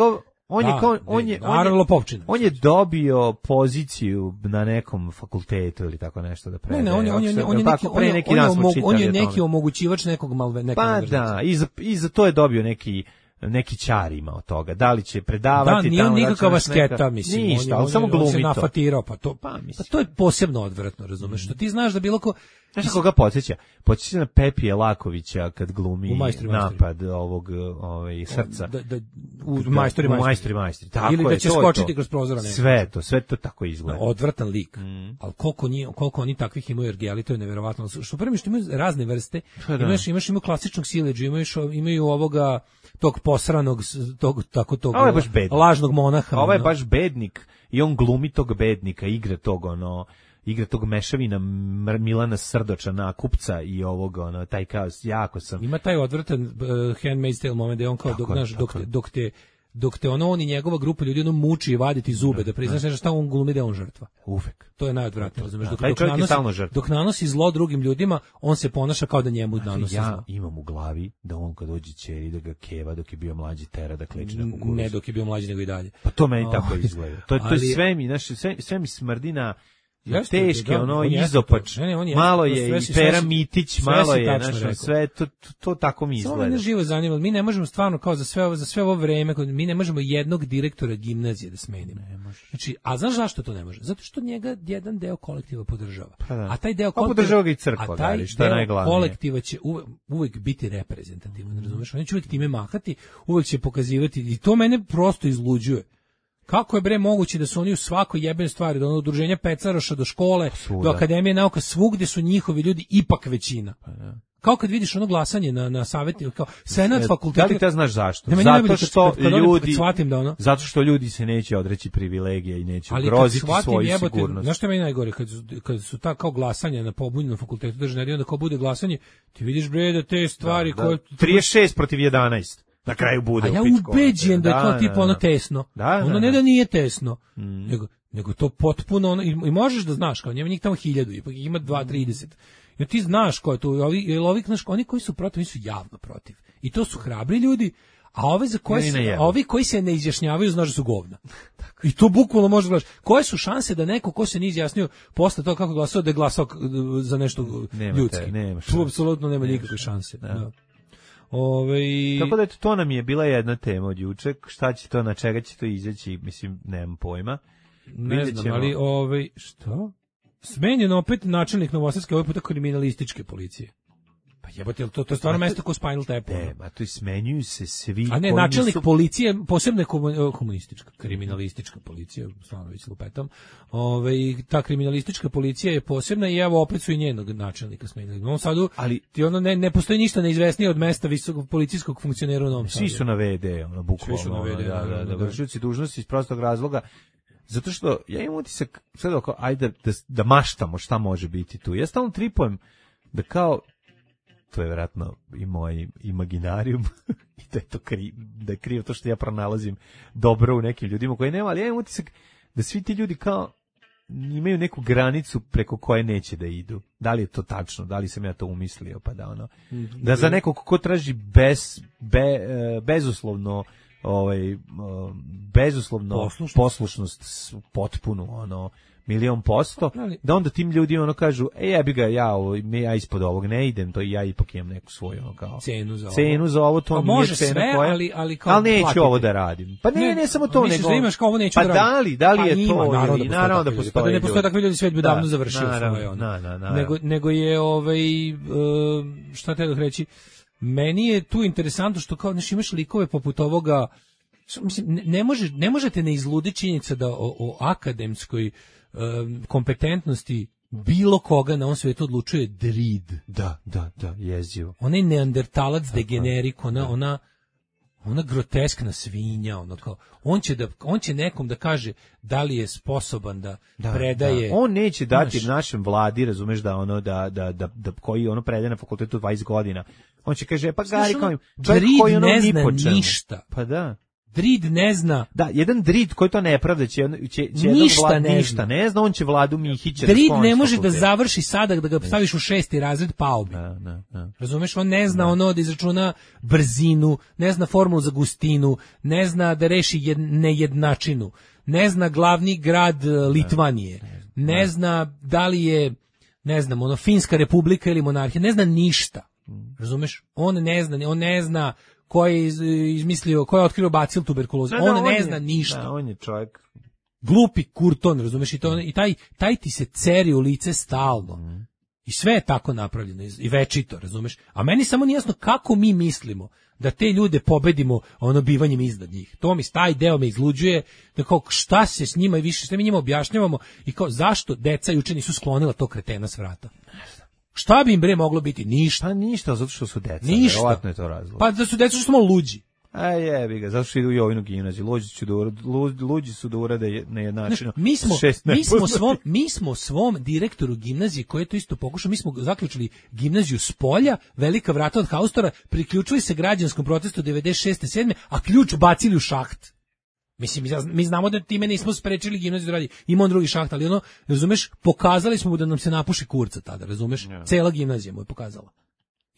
On je, on, on, je, on, je, on je dobio poziciju na nekom fakultetu ili tako nešto da predaje. Ne, ne, on je, on je, on je neki, on je, neki on je, omog, on je neki omogućivač nekog malve, nekog pa da, i za, i za to je dobio neki neki čar ima od toga. Da li će predavati, da, nije nikakva asketa, neka, mislim. Ništa, on, ali on, samo glumi on se to. nafatirao, pa to, pa, pa to je posebno odvratno, razumeš? Što ti znaš da bilo ko... Znaš koga podsjeća? Podsjeća na Pepija Lakovića kad glumi majstori, napad majstori. ovog ovaj, srca. Da, da, u majstori, majstori. majstori, majstori. Tako ili da je, će to skočiti to. kroz prozora. Sve to, sve to tako izgleda. Odvratan lik. Mm. Ali koliko, nije, koliko oni takvih imaju ergeli, to je neverovatno. Što prvi što imaju razne vrste, pa da. imaš, imaš imaju klasičnog sileđa, imaš, imaju ovoga tog posranog, tog, tako tog lažnog monaha. Ovo je baš bednik i on glumi tog bednika, igra tog ono... igra tog mešavina Milana Srdoča na kupca i ovog ono taj kao jako sam ima taj odvratan uh, Handmaid's Tale moment da on kao dok, naš, dok, dok te dok te ono on i njegova grupa ljudi ono muči i vaditi zube da priznaš nešto šta on glumi da je on žrtva. Uvek. To je najodvratnije, razumeš, dok, dok, nanosi, dok nanosi zlo drugim ljudima, on se ponaša kao da njemu znači, nanosi ja zlo. Ja imam u glavi da on kad dođe ćeri da ga keva dok je bio mlađi tera da kleči na kukuruz. Ne dok je bio mlađi nego i dalje. Pa to meni oh, tako izgleda. To, to je sve mi, znaš, sve, sve mi smrdi na Jeste, teške, da, ono, izopač, ne, ne, malo je i Pera Mitić, malo je, znaš, sve, to, to, to tako mi izgleda. Samo mene živo zanima, mi ne možemo stvarno, kao za sve ovo, za sve ovo vreme, mi ne možemo jednog direktora gimnazije da smenimo. Ne može. Znači, a znaš zašto to ne može? Zato što njega jedan deo kolektiva podržava. Pa da. A taj deo kolektiva, podržava ga i crkva, a taj dali, što je najglavnije. Kolektiva će uvek, uvek biti reprezentativan, razumeš? Oni će uvek time mahati, uvek će pokazivati, i to mene prosto izluđuje. Kako je bre moguće da su oni u svakoj jebene stvari, do udruženja pecaroša, do škole, Svuda. do akademije nauka, svugde su njihovi ljudi ipak većina. Pa ja. Kao kad vidiš ono glasanje na na savjetu, kao senat e, fakulteta. Da li te znaš zašto? Nema, zato što kad, kad ljudi shvatim da ono. Zato što ljudi se neće odreći privilegija i neće ugroziti svoju jebote, sigurnost. Znaš što je meni najgore kad su, kad su ta kao glasanja na pobunjenom fakultetu državne, onda kao bude glasanje, ti vidiš bre da te stvari da, koje da. trideset šest protiv jedanaest. Na kraju bude. A ja ubeđujem da je to tipa ono tesno. Da, ono ne da nije tesno, mm. nego, nego to potpuno ono, i, i možeš da znaš, kao njema njih tamo hiljadu, ipak ima dva, trideset. I ti znaš ko je tu, ovi, ovi, znaš, oni koji su protiv, oni su javno protiv. I to su hrabri ljudi, a ove za koje se, a ovi koji se ne izjašnjavaju znaš da su govna. I to bukvalno možeš gledaš. Koje su šanse da neko ko se nije izjasnio posle toga kako glasao da je glasao za nešto nema ljudski? Te, nema tu apsolutno nema nikakve šanse. Da. Da. Ove... Tako da to nam je bila jedna tema od juče, šta će to, na čega će to izaći, mislim, nemam pojma. Ne Vidjet znam, ćemo... ali ovaj, što? Smenjen opet načelnik Novosadske, ovaj puta kriminalističke policije. Pa jebote, to, to je stvarno mesto ko Spinal Tap. Ne, ma to i smenjuju se svi. A ne, načelnik su... policije, posebno komunistička, kriminalistička policija, stvarno već lupetam. Ove, ta kriminalistička policija je posebna i evo opet su i njenog načelnika smenili. U Novom Sadu, ali ti ono ne, ne postoji ništa neizvesnije od mesta visokog policijskog funkcionera u Novom Sadu. Svi su na ve de, ono, bukvalno. Svi su na ve de, da, da, da, da, vršioci dužnosti iz prostog razloga. Zato što ja imam utisak, sad oko, ajde da, da maštamo šta može biti tu. Ja stalno tripujem da kao, to je vjerojatno i moj imaginarijum, i da je to kri, da je krivo to što ja pronalazim dobro u nekim ljudima koji nema, ali ja imam utisak da svi ti ljudi kao imaju neku granicu preko koje neće da idu. Da li je to tačno, da li sam ja to umislio, pa da ono, da za nekog ko traži bez, be, bezuslovno ovaj bezuslovno poslušnost, poslušnost potpuno ono milion posto, da onda tim ljudi ono kažu, ej ja bi ga ja, ovo, ja ispod ovog ne idem, to i ja ipak imam neku svoju ono kao cenu za ovo, cenu za ovo to pa nije može cena sve, koja, ali, ali, kao ali neću platiti. Ovo da radim. Pa ne, ne, ne samo to, nego da imaš kao ovo neću pa da da li, da li je pa ima, to, naravno, ili, naravno da postoji. Pa da ne postoje takvi ljudi, svijet bi da, davno završio naravno, svoje ono. Na, na, na, nego, nego je ovaj, uh, šta te da reći, meni je tu interesantno što kao, znaš, imaš likove poput ovoga. Mislim, ne, može, ne možete ne izluditi činjenica da o, o akademskoj um, kompetentnosti bilo koga na ovom svijetu odlučuje drid. Da, da, da, jezivo. Onaj neandertalac degenerik, ona, ona, ona groteskna svinja, ono kao, on će, da, on će nekom da kaže da li je sposoban da, da predaje. Da. On neće dati naš, našem vladi, razumeš, da ono, da, da, da, da koji ono predaje na fakultetu dvadeset godina. On će kaže, pa Gari, kao im, čovjek koji ono ne ni zna po čemu. ništa. Pa da. Drid ne zna. Da, jedan Drid koji to ne pravda će, će, će ništa, vlad, ne, ništa zna. ne zna, on će Vladu Mihića. Drid da ne može da završi sada, da ga staviš u šesti razred, pao bi. Da, da, da. Razumeš, on ne zna da. ono da izračuna brzinu, ne zna formulu za gustinu, ne zna da reši jed, nejednačinu, ne zna glavni grad Litvanije, ne, ne zna da li je, ne znam, ono, Finska republika ili monarhija, ne zna ništa. Razumeš, on ne zna, on ne zna ko je izmislio, ko je otkrio bacil tuberkulozu. Da, da, on, on ne je, zna ništa. Da, on je čovjek glupi kurton, razumeš, i to i taj taj ti se ceri u lice stalno. Mm. I sve je tako napravljeno i večito, razumeš? A meni samo nije jasno kako mi mislimo da te ljude pobedimo ono bivanjem iznad njih. To mi taj deo me izluđuje, da kao šta se s njima i više sve mi njima objašnjavamo i kao zašto deca juče nisu sklonila to kretena s vrata. Šta bi im bre moglo biti? Ništa. Pa ništa, zato što su deca. Ništa. Verovatno je to razlog. Pa da su deca što smo luđi. A jebi ga, zato što idu u Jovinu gimnaziju. Luđi su da urade, luđi su da urade na jednačinu. Mi smo, mi smo svom, mi smo svom direktoru gimnazije, koji je to isto pokušao, mi smo zaključili gimnaziju s polja, velika vrata od haustora, priključili se građanskom protestu devedeset šeste sedme a ključ bacili u šaht. Mislim, mi znamo da time nismo sprečili gimnaziju da radi. Ima on drugi šaht, ali ono, razumeš, pokazali smo mu da nam se napuši kurca tada, razumeš? Ja. Cela gimnazija mu je pokazala.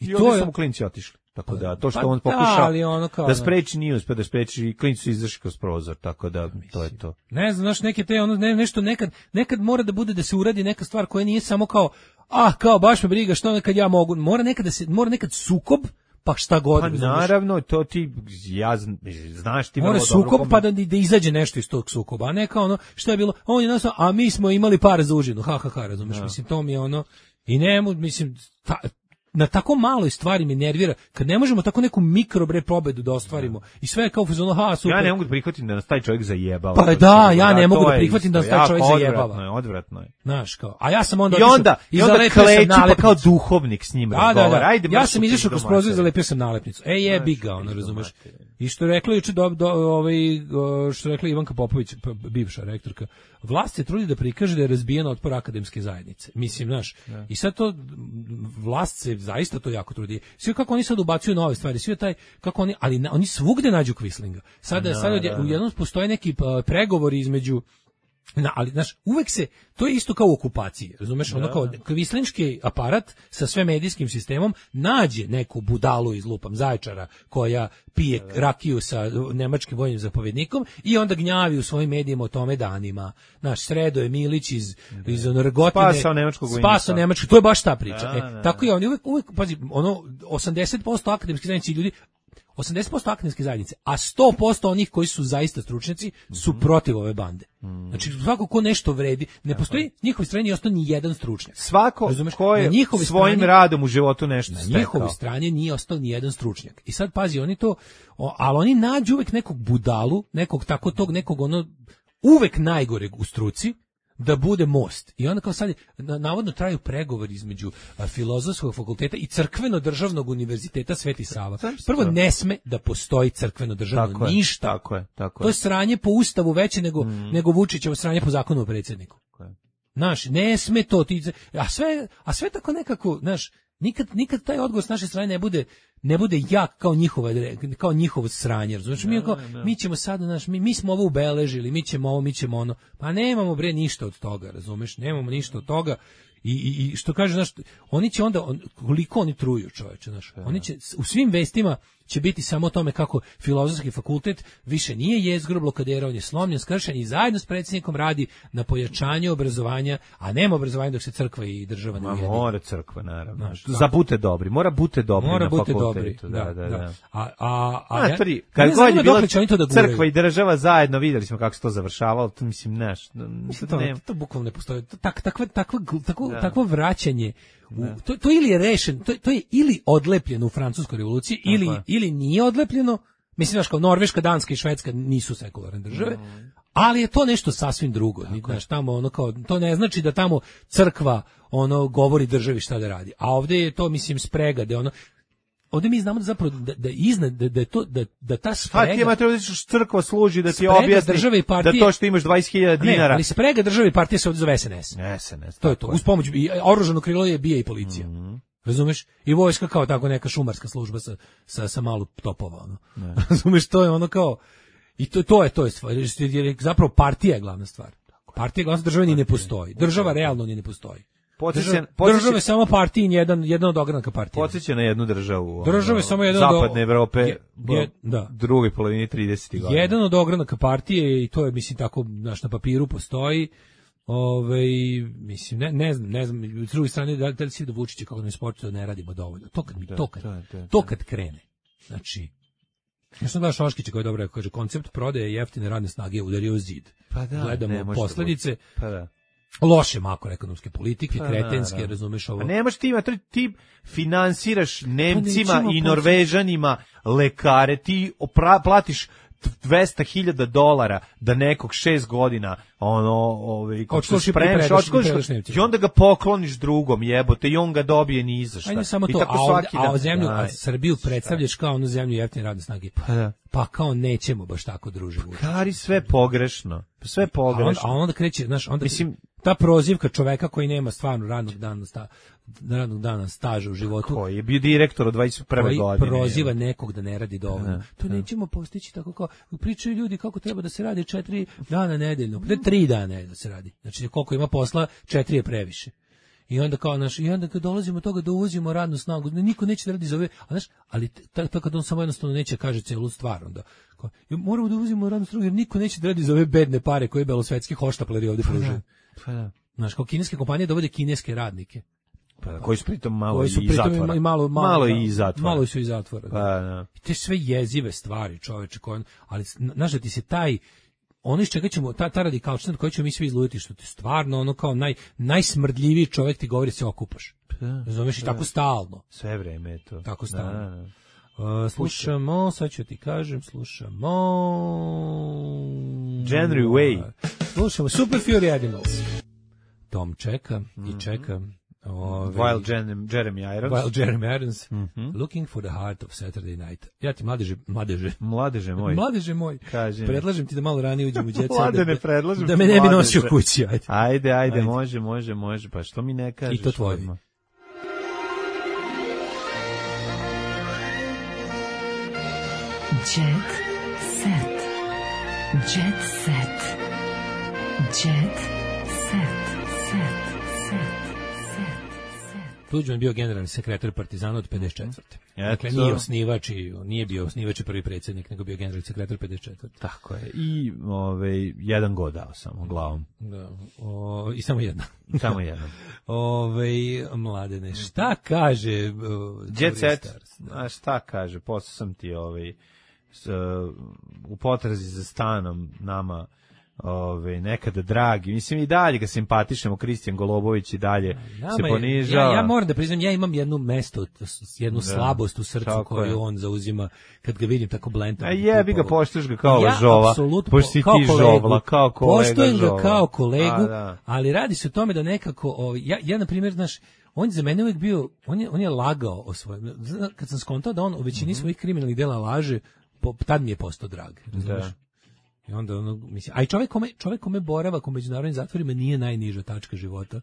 I, I to je... samo klinci otišli. Tako da, to što pa on pokušao da, ono kao, da spreči nije uspio da spreči i klinci su izašli kroz prozor, tako da mislim, to je to. Ne znam, znaš, neke te, ono, ne, nešto nekad, nekad mora da bude da se uradi neka stvar koja nije samo kao, ah, kao baš me briga, što nekad ja mogu, mora nekad da se, mora nekad sukob, pa šta god. Pa naravno, to ti, ja znaš ti mora sukob pa da, da izađe nešto iz tog sukoba, a ne kao ono, što je bilo, on je nas, a mi smo imali par za užinu, ha, ha, ha, razumeš, da. Mislim, to mi je ono, i nemu, mislim, ta, na tako maloj stvari me nervira, kad ne možemo tako neku mikrobre pobedu da ostvarimo, i sve je kao fazon, ha, super. Ja ne mogu da prihvatim da nas taj čovjek zajebava. Pa da, ja ne mogu da prihvatim da nas taj čovjek zajebava. Odvratno je, odvratno je. Znaš, kao, a ja sam onda I onda, i onda kleči pa kao duhovnik s njim razgovara. Da, da, da. Ja sam izašao kroz prozor i zalepio sam nalepnicu. E, jebi ga, ono, razumeš. I što je rekla juče, do, do, ovaj, što je rekla Ivanka Popović, bivša rektorka, vlast se trudi da prikaže da je razbijen otpor akademske zajednice. Mislim, znaš, ja. I sad to, vlast se zaista to jako trudi. Sve kako oni sad ubacuju nove stvari, sve taj, kako oni, ali na, oni svugde nađu Quislinga. Sada, no, sada da, da. U jednom postoje neki uh, pregovori između, na, ali, znaš, uvek se, to je isto kao u okupaciji, razumeš, da. Ono kao kvislinški aparat sa sve medijskim sistemom nađe neku budalu iz lupam Zaječara koja pije da. Rakiju sa nemačkim vojnim zapovjednikom i onda gnjavi u svojim medijima o tome danima. Naš Sredo je Milić iz, da. Iz Onorgotine. Spasao nemačkog vojnika. Spasao nemačkog, to je baš ta priča. Da, e, tako je, oni uvek, uvek, pazi, ono, osamdeset posto akademskih zajednici ljudi, osamdeset posto akademske zajednice, a sto posto onih koji su zaista stručnjaci su mm-hmm. protiv ove bande. Mm. Znači, svako ko nešto vredi, ne postoji na njihovoj strani ni ostao ni jedan stručnjak. Svako razumeš, ko je svojim strani, radom u životu nešto na stekao. Na njihovoj strani nije ostao ni jedan stručnjak. I sad, pazi, oni to, o, ali oni nađu uvek nekog budalu, nekog tako tog, nekog ono, uvek najgoreg u struci, da bude most. I onda kao sad, navodno traju pregovori između a, Filozofskog fakulteta i Crkveno-državnog univerziteta Sveti Sava. Prvo, ne sme da postoji crkveno-državno tako ništa. Je, tako je, tako je. To je sranje po ustavu veće nego, mm. nego Vučićevo sranje po zakonu o predsjedniku. Znaš, ne sme to. Ti, a, sve, a sve tako nekako, znaš, nikad, nikad taj odgovor s naše strane ne bude ne bude jak kao njihova kao njihovo sranje, znači mi kao mi ćemo sad naš mi, mi smo ovo ubeležili, mi ćemo ovo, mi ćemo ono. Pa nemamo bre ništa od toga, razumeš? Nemamo ništa od toga. I, i, i što kaže, znaš, oni će onda, on, koliko oni truju, čoveče, znaš, oni će, u svim vestima će biti samo o tome kako Filozofski fakultet više nije jezgro blokadera, on je slomljen, skršen i zajedno s predsjednikom radi na pojačanju obrazovanja, a nema obrazovanja dok se crkva i država ne ujedine. Mora crkva, naravno. Znaš, za bute dobri, mora bute dobri mora na bute fakultetu. Dobri, da, da, da. da. A, a, a, a tri, kad god je bila crkva i država zajedno, vidjeli smo kako se to završavalo, to mislim, znaš, to, to, to bukvalno ne postoji. Tak, takva, takva, takvo, da. takvo vraćanje, u, to, to ili je rešen, to, to je ili odlepljeno u Francuskoj revoluciji, ili, ili nije odlepljeno. Mislim, znaš, kao Norveška, Danska i Švedska nisu sekularne države, mm. Ali je to nešto sasvim drugo. Znaš, tamo ono kao, to ne znači da tamo crkva ono govori državi šta da radi. A ovde je to, mislim, sprega, da ono, ovde mi znamo da zapravo da, da iznad da, da je to da da ta sprega. Pa ti treba da crkva služi da ti objasni da to što imaš dvadeset hiljada dinara. Ne, ali sprega države i partije se ovde zove S N S. S N S. To je to. Uz pomoć i oružano krilo je bija i policija. Mm-hmm. Razumeš? I vojska kao tako neka šumarska služba sa sa sa malo topova, ono. Razumeš, to je ono kao i to to je to je stvar. Jer zapravo partija je glavna stvar. Partija glavna, država ni ne postoji. Država realno ni ne postoji. Podsjeća, država je samo partijin, jedan, jedan od ogranaka partije. Podsjeća na jednu državu. Država je samo jedan zapadne od Evrope, je, je, da. druge polovine tridesetih godina. Jedan od ogranaka partije i to je, mislim, tako, naš na papiru postoji. Ove, mislim, ne, ne znam, ne znam, s druge strane, da, da li si da Vučića kako ne sportu da ne radimo dovoljno. To kad, da, to kad, da, da, to kad krene. Znači, ja sam gledao Šoškića koji je dobro rekao, kaže, koncept prodaje jeftine radne snage je udario u zid. Pa da, gledamo posledice. Pa da. Loše makroekonomske politike, pa, kretenske, da, da. Razumeš ovo. A nemaš ti ima, ti finansiraš Nemcima pa i Norvežanima lekare, ti opra, platiš dvesta hiljada dolara da nekog šest godina ono ovaj kako se spremaš odškoliš i onda ga pokloniš drugom, jebote, i on ga dobije ni za šta. Ajde samo to, a, svaki a, a zemlju, a Srbiju predstavljaš kao onu zemlju jeftine radne snage. Pa da. Pa kao nećemo baš tako druže. Kari sve pogrešno. Sve pogrešno. A onda, a onda kreće, znaš, onda mislim ta prozivka čoveka koji nema stvarno radnog dana sta, radnog dana staža u životu. Koji je bio direktor od dvadeset prve godine. Koji proziva nekog da ne radi dovoljno. Ne, to ne. Nećemo postići tako kao pričaju ljudi kako treba da se radi četiri dana nedeljno. Da tri dana da se radi. Znači koliko ima posla, četiri je previše. I onda kao naš, i onda kad dolazimo do toga da uvozimo radnu snagu, niko neće da radi za ove, a znaš, ali tako kad on samo jednostavno neće kaže celu stvar, onda kao, moramo da uvozimo radnu snagu jer niko neće da radi za ove bedne pare koje belosvetski hoštapleri ovde pružaju. Pa da. Znaš, kao kineske kompanije dovode kineske radnike. Pa, koji su pritom malo koji su i pritom zatvora. I malo, malo, malo i zatvora. Malo su i zatvora. Pa, da. I te sve jezive stvari, čoveče, koje, ali znaš da ti se taj ono iz čega ćemo, ta, ta radikalčina koji ćemo mi svi izluditi, što ti stvarno ono kao naj, najsmrdljiviji čovjek ti govori se okupaš. Razumeš, i tako stalno. Sve vreme je to. Tako stalno. Da, da. Uh, slušamo, sad ću ti kažem, slušamo... January Way. Slušamo Super Fury Animals. Tom čeka mm-hmm. i čeka. Ove, While Jeremy, Jeremy Irons. While Jeremy Irons. Mm-hmm. Looking for the heart of Saturday night. Ja ti mladeže, mladeže. Mladeže moj. Mladeže moj. Kažem. Predlažem ti da malo ranije uđem u djeca. Mlade da, ne predlažem. Da me ne bi nosio kući. Ajde, ajde, ajde, ajde. može, može, može. Pa što mi ne kažeš? I to tvoje. Jet set. Jet set. Jet set. Set. Tuđman je bio generalni sekretar Partizana od pedeset četvrte Dakle, nije osnivač i nije bio osnivač i prvi predsjednik, nego bio generalni sekretar pedeset četvrte Tako je. I ovaj jedan god dao samo glavom. Da. O, i samo jedna. Samo jedna. Ovaj Mladene, šta kaže uh, Jet Set? A šta kaže? Posle sam ti ovaj s, uh, u potrazi za stanom nama Ove, nekada dragi, mislim i dalje ga simpatišemo, Kristijan Golobović i dalje Nama se ponižava. Ja, ja moram da priznam, ja imam jedno mesto, jednu da, slabost u srcu koju je. On zauzima kad ga vidim tako blentom. A jebi ga, poštuješ ga kao ja, žova, pošto si ti žovla, kao kolega poštujem žova. ga kao kolegu, A, da. ali radi se o tome da nekako, o, ja, ja na primjer, znaš, on je za mene uvijek bio, on je, on je lagao o svojem, kad sam skontao da on u većini mm-hmm. svojih kriminalnih dela laže, po, tad mi je postao drag, razumiješ? I onda ono, mislim, a i čovjek kome, čovjek kome boravak u međunarodnim zatvorima nije najniža tačka života.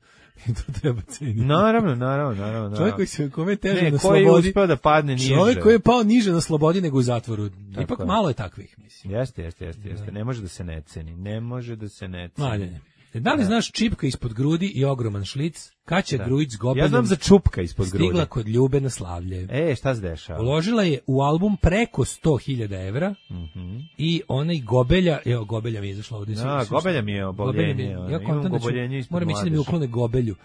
I to treba ceniti. Naravno, naravno, naravno. Čovjek koji se kome teže ne, na koji slobodi. Je uspeo da padne niže. Čovjek koji je pao niže na slobodi nego u zatvoru. Tako Ipak je. Malo je takvih, mislim. Jeste, jeste, jeste, jeste. Ne može da se ne ceni. Ne može da se ne ceni. Maljene. Da li znaš čipka ispod grudi i ogroman šlic? Kaća Grujić s Gobeljom. Ja znam za čupka ispod grudi. Stigla kod Ljube na slavlje. E, šta se dešava? Uložila je u album preko sto hiljada evra mm-hmm. i onaj Gobelja, evo Gobelja mi je izašla ovdje. Da, Gobelja mi je oboljenje. Ja kontam da ću, moram ići da mi uklone Gobelju.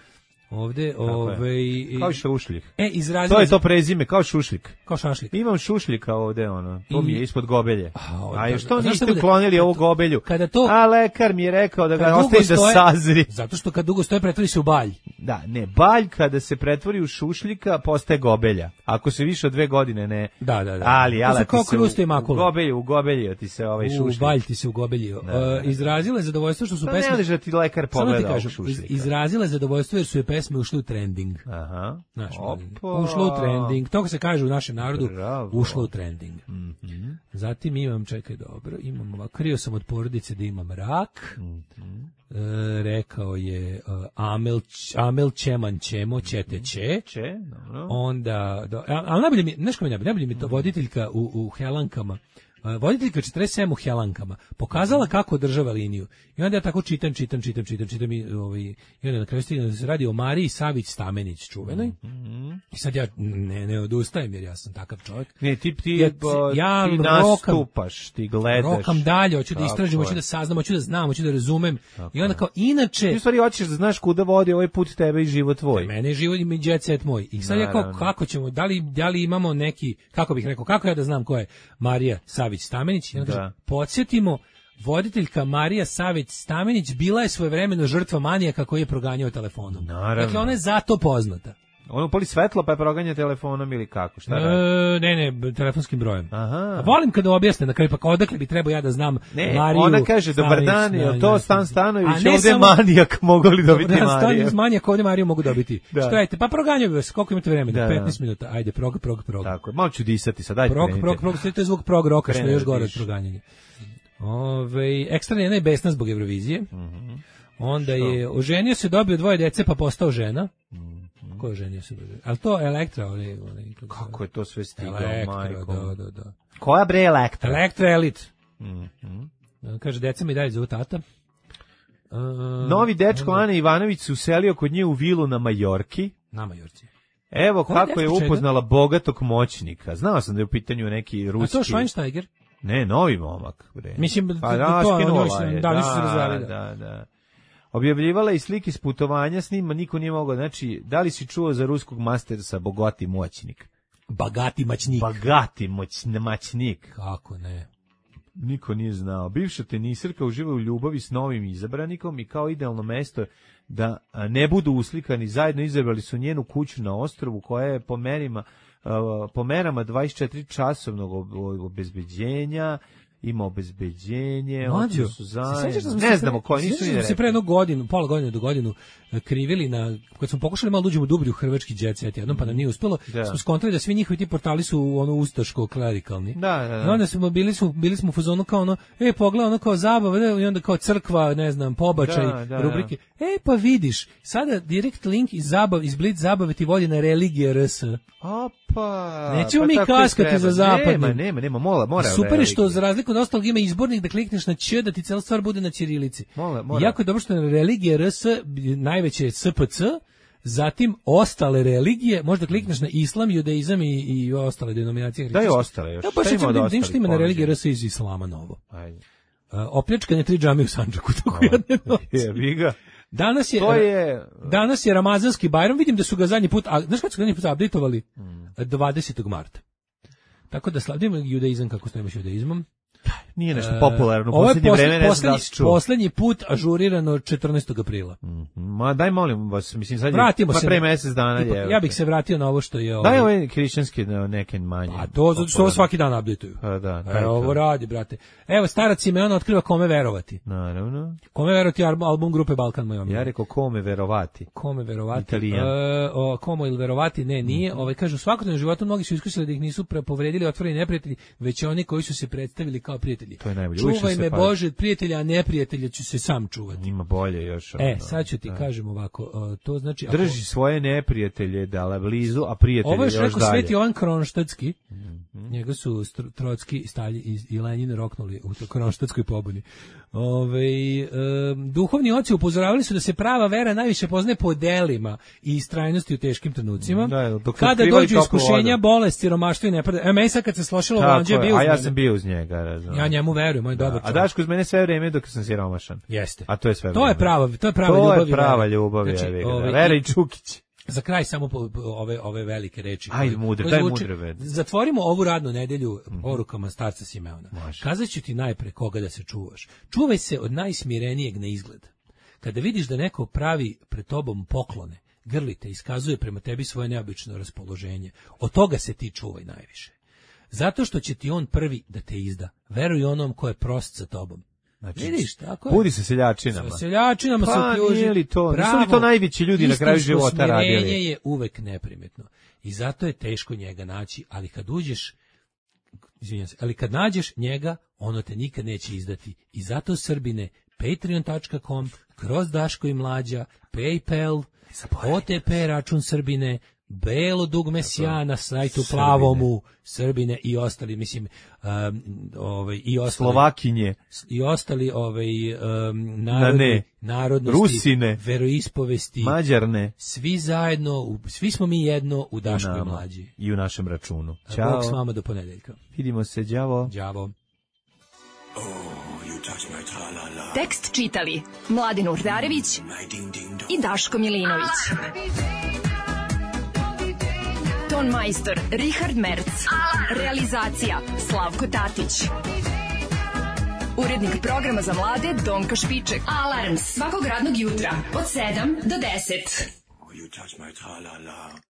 Ovde, ovaj kao šušljik. E, izrazila. To je to prezime, kao šušljik. Kao šašlik. Imam šušljika ovde, ono. To I... mi je ispod gobelje. A, A što niste uklonili ovu gobelju? Kada to, A lekar mi je rekao da ga ostavi da sazri. Zato što kad dugo stoje pretvori se u balj. Da, ne, balj kada se pretvori u šušljika postaje gobelja. Ako se više od dve godine ne. Da, da, da. Ali, ali kao krusto i makula. U gobelju, u gobelju ti se ovaj šušljik. U balj ti se u gobelju. Da, da. Uh, izrazila je zadovoljstvo što su pa pesme. Ne liže ti lekar pogleda ovog šušljika. Iz, izrazila je zadovoljstvo jer su je pesme ušle u trending. Aha. Znaš, ušlo u trending. To se kaže u našem narodu. Bravo. Ušlo u trending. Mm-hmm. Zatim imam, čekaj, dobro, imam ovako, krio sam od porodice da imam rak. Mm-hmm. E, rekao je uh, Amel, Amel Čeman Čemo, Čete Če. Če, dobro. Onda, do, ali najbolje mi, znaš ko mi najbolje, najbolje mi to voditeljka u, u Helankama, uh, voditeljka četrdeset sedam u Helankama, pokazala kako održava liniju. I onda ja tako čitam, čitam, čitam, čitam, čitam i, ovaj, i onda na kraju stigam da se radi o Mariji Savić-Stamenić čuvenoj. Mm-hmm. I sad ja ne, ne odustajem jer ja sam takav čovjek. Ne, ti, ti, ja, bo, ja ti rokam, nastupaš, ti gledaš. Rokam dalje, hoću da istražim, hoću da saznam, hoću da znam, hoću da razumem. Tako. I onda kao, inače... Ti u stvari hoćeš da znaš kuda vodi ovaj put tebe i život tvoj. Mene je život i mi jet set moj. I sad ja kao, kako ćemo, da li, da li imamo neki, kako bih rekao, kako ja da znam ko je Marija Savić-Stamenić? I onda kaže, podsjetimo, voditeljka Marija Savić-Stamenić bila je svojevremeno žrtva manijaka koji je proganjao telefonom. Naravno. Dakle, ona je zato poznata. Ono upali svetlo pa je proganja telefonom ili kako? Šta radi? E, ne, ne, telefonskim brojem. Aha. Volim kada objasne na kraju, pa odakle bi trebao ja da znam ne, Mariju. Ona kaže, dobar dan, je to Stan Stanović, ovde samo, manijak mogu li dobiti Mariju? Mariju? Stan manijak ovde Mariju mogu dobiti. Da. Što ajte, pa proganjaju vas, koliko imate vremena? Da, petnaest minuta, ajde, prog, prog, prog. Tako je, malo ću disati sad, ajde. Prog, prog, prog, sve to je zvuk prog roka, što je još gore od proganjanja. Ove, ekstra njena je besna zbog Eurovizije. Mm-hmm. Onda što? je oženio se, dobio dvoje dece, pa postao žena. Mm-hmm. Ko je oženio se? Ali to Elektra, ali, ali kako je to sve stigao, majko? Da, da, da. Koja bre Elektra? Elektra Elite. Mm-hmm. Kaže, deca mi dalje zovu tata. Uh, Novi dečko onda... Ana Ivanović se uselio kod nje u vilu na Majorki. Na Majorci. Evo Ko kako je upoznala čega? bogatog moćnika. Znao sam da je u pitanju neki ruski. A to Schweinsteiger? Ne, novi momak. Bre. Mislim, pa, da, to, skinula je. da, Da, se razvali, da, da, da. Objavljivala i slike s putovanja s njima, niko nije mogao. Znači, da li si čuo za ruskog mastersa bogati moćnik? Bagati maćnik. Bagati moć, maćnik. Kako ne? Niko nije znao. Bivša tenisirka uživa u ljubavi s novim izabranikom i kao idealno mesto da ne budu uslikani zajedno izabrali su njenu kuću na ostrvu koja je po merima po merama dvadeset četiri časovnog obezbeđenja, ima obezbeđenje, Mlađo, su zajedno. Ne pre, znamo koji, nisu ni rekli. Se pre jednu godinu, pola godine do godinu krivili na, kad smo pokušali malo uđemo dublje u hrvatski jet set jednom, pa nam nije uspelo, da. Smo skontali da svi njihovi ti portali su ono ustaško klerikalni. Da, da, da. I onda smo bili, smo, bili smo u fazonu kao ono, e, pogledaj ono kao zabava, i onda kao crkva, ne znam, pobačaj, da, da, rubrike. Da. E, pa vidiš, sada direkt link iz zabav, iz Blitz zabave ti vodi na religije R S. Opa. Nećemo pa mi kaskati za zapadnim. Nema, nema, nema, mola, mora. Super je što za razliku od ostalog ima izbornik da klikneš na Ć, da ti cela stvar bude na ćirilici. Mola, mora. Jako je dobro što je religija R S, najveće je S P C, zatim ostale religije, možda klikneš na islam, judaizam i, i ostale denominacije. Da je ostale još. Ja baš ćemo da vidim što ima na religiji R S iz islama novo. Ajde. Uh, opljačkanje tri džamije u Sandžaku, tako jedne noći. Je, ga. Danas je, to je danas je Ramazanski Bajram, vidim da su ga zadnji put, a znaš kad su ga zadnji put updateovali? Hmm. dvadesetog marta. Tako da slavimo judaizam kako stojimo s judaizmom. Nije nešto popularno, u posljednje vreme ne znam da se čuo. Poslednji put ažurirano četrnaestog aprila. Mm-hmm. Ma daj molim vas, mislim sad je Vratimo pa se pre mesec dana. Tipa, ja bih se vratio na ovo što je ovo. Daj ovaj hrišćanski neke manje. A to zato što ovo svaki dan updateuju. Pa da, e, ovo radi, brate. Evo starac Simeon otkriva kome verovati. Naravno. Kome verovati album grupe Balkan moj omiljeni. Ja rekao kome verovati. Kome verovati? Italijan. E, o, komo ili verovati? Ne, nije. Mm-hmm. Ovaj kažu svakodnevnom životu mnogi su iskusili da ih nisu povredili otvoreni neprijatelji, već oni koji su se predstavili kao prijatelji. To je najbolje. Čuvaj me Bože od prijatelja, a neprijatelja ću se sam čuvati. Ima bolje još. E, sad ću ti da. kažem ovako, uh, to znači... Drži ako... svoje neprijatelje dale blizu, a prijatelje još dalje. Ovo je što rekao Sveti Jovan Kronštadtski, mm-hmm. njega su Trotski, Stalji i, i Lenin roknuli u to Kronštadskoj pobuni. Ove, um, duhovni oci upozoravali su da se prava vera najviše poznaje po delima i istrajnosti u teškim trenucima. Da, kada dođu iskušenja, bolest, siromaštvo i nepravda. E, meni sad kad se slošilo vanđe bio a ja sam bio uz njega. razumem. Ja njemu verujem, on je dobar čovjek. A Daško uz mene sve vreme dok sam siromašan. Jeste. A to je sve To je prava, to je prava to ljubav. To je prava ljubav, znači, ja ove, Vera i Čukić. Za kraj samo po, po, ove ove velike reči. Ajde, mudre, daj mudre ved. Zatvorimo ovu radnu nedelju porukama starca Simeona. Kazaću ti najpre koga da se čuvaš. Čuvaj se od najsmirenijeg na izgled. Kada vidiš da neko pravi pred tobom poklone, grlite, iskazuje prema tebi svoje neobično raspoloženje. Od toga se ti čuvaj najviše. Zato što će ti on prvi da te izda. Veruj onom ko je prost sa tobom. Znači, vidiš, tako je. Budi se seljačinama. Sa seljačinama pa, se ukljuži. Nije li to? Nisu li to najveći ljudi na kraju života radili? Istinsko smirenje je uvek neprimetno. I zato je teško njega naći, ali kad uđeš, izvinjam se, ali kad nađeš njega, ono te nikad neće izdati. I zato, Srbine, patreon tačka com, kroz Daško i Mlađa, PayPal, O T P račun Srbine, belo dugme sjana na sajtu Srbine. Plavomu, Srbine i ostali, mislim, um, ovaj, i ostali, Slovakinje, i ostali ovaj, um, narodi, narodnosti, Rusine, veroispovesti, Mađarne, svi zajedno, svi smo mi jedno u Daško i Mlađi. I u našem računu. Ćao. Bog s vama do ponedeljka. Vidimo se, đavo. Đavo. Oh, you touch my tra-la-la. Tekst čitali Mladin Urdarević i Daško Milinović. Ton majstor Richard Merc. Realizacija Slavko Tatić. Urednik programa za mlade Donka Špiček. Alarms svakog radnog jutra od sedam do deset. Oh, you touch my tra-la-la.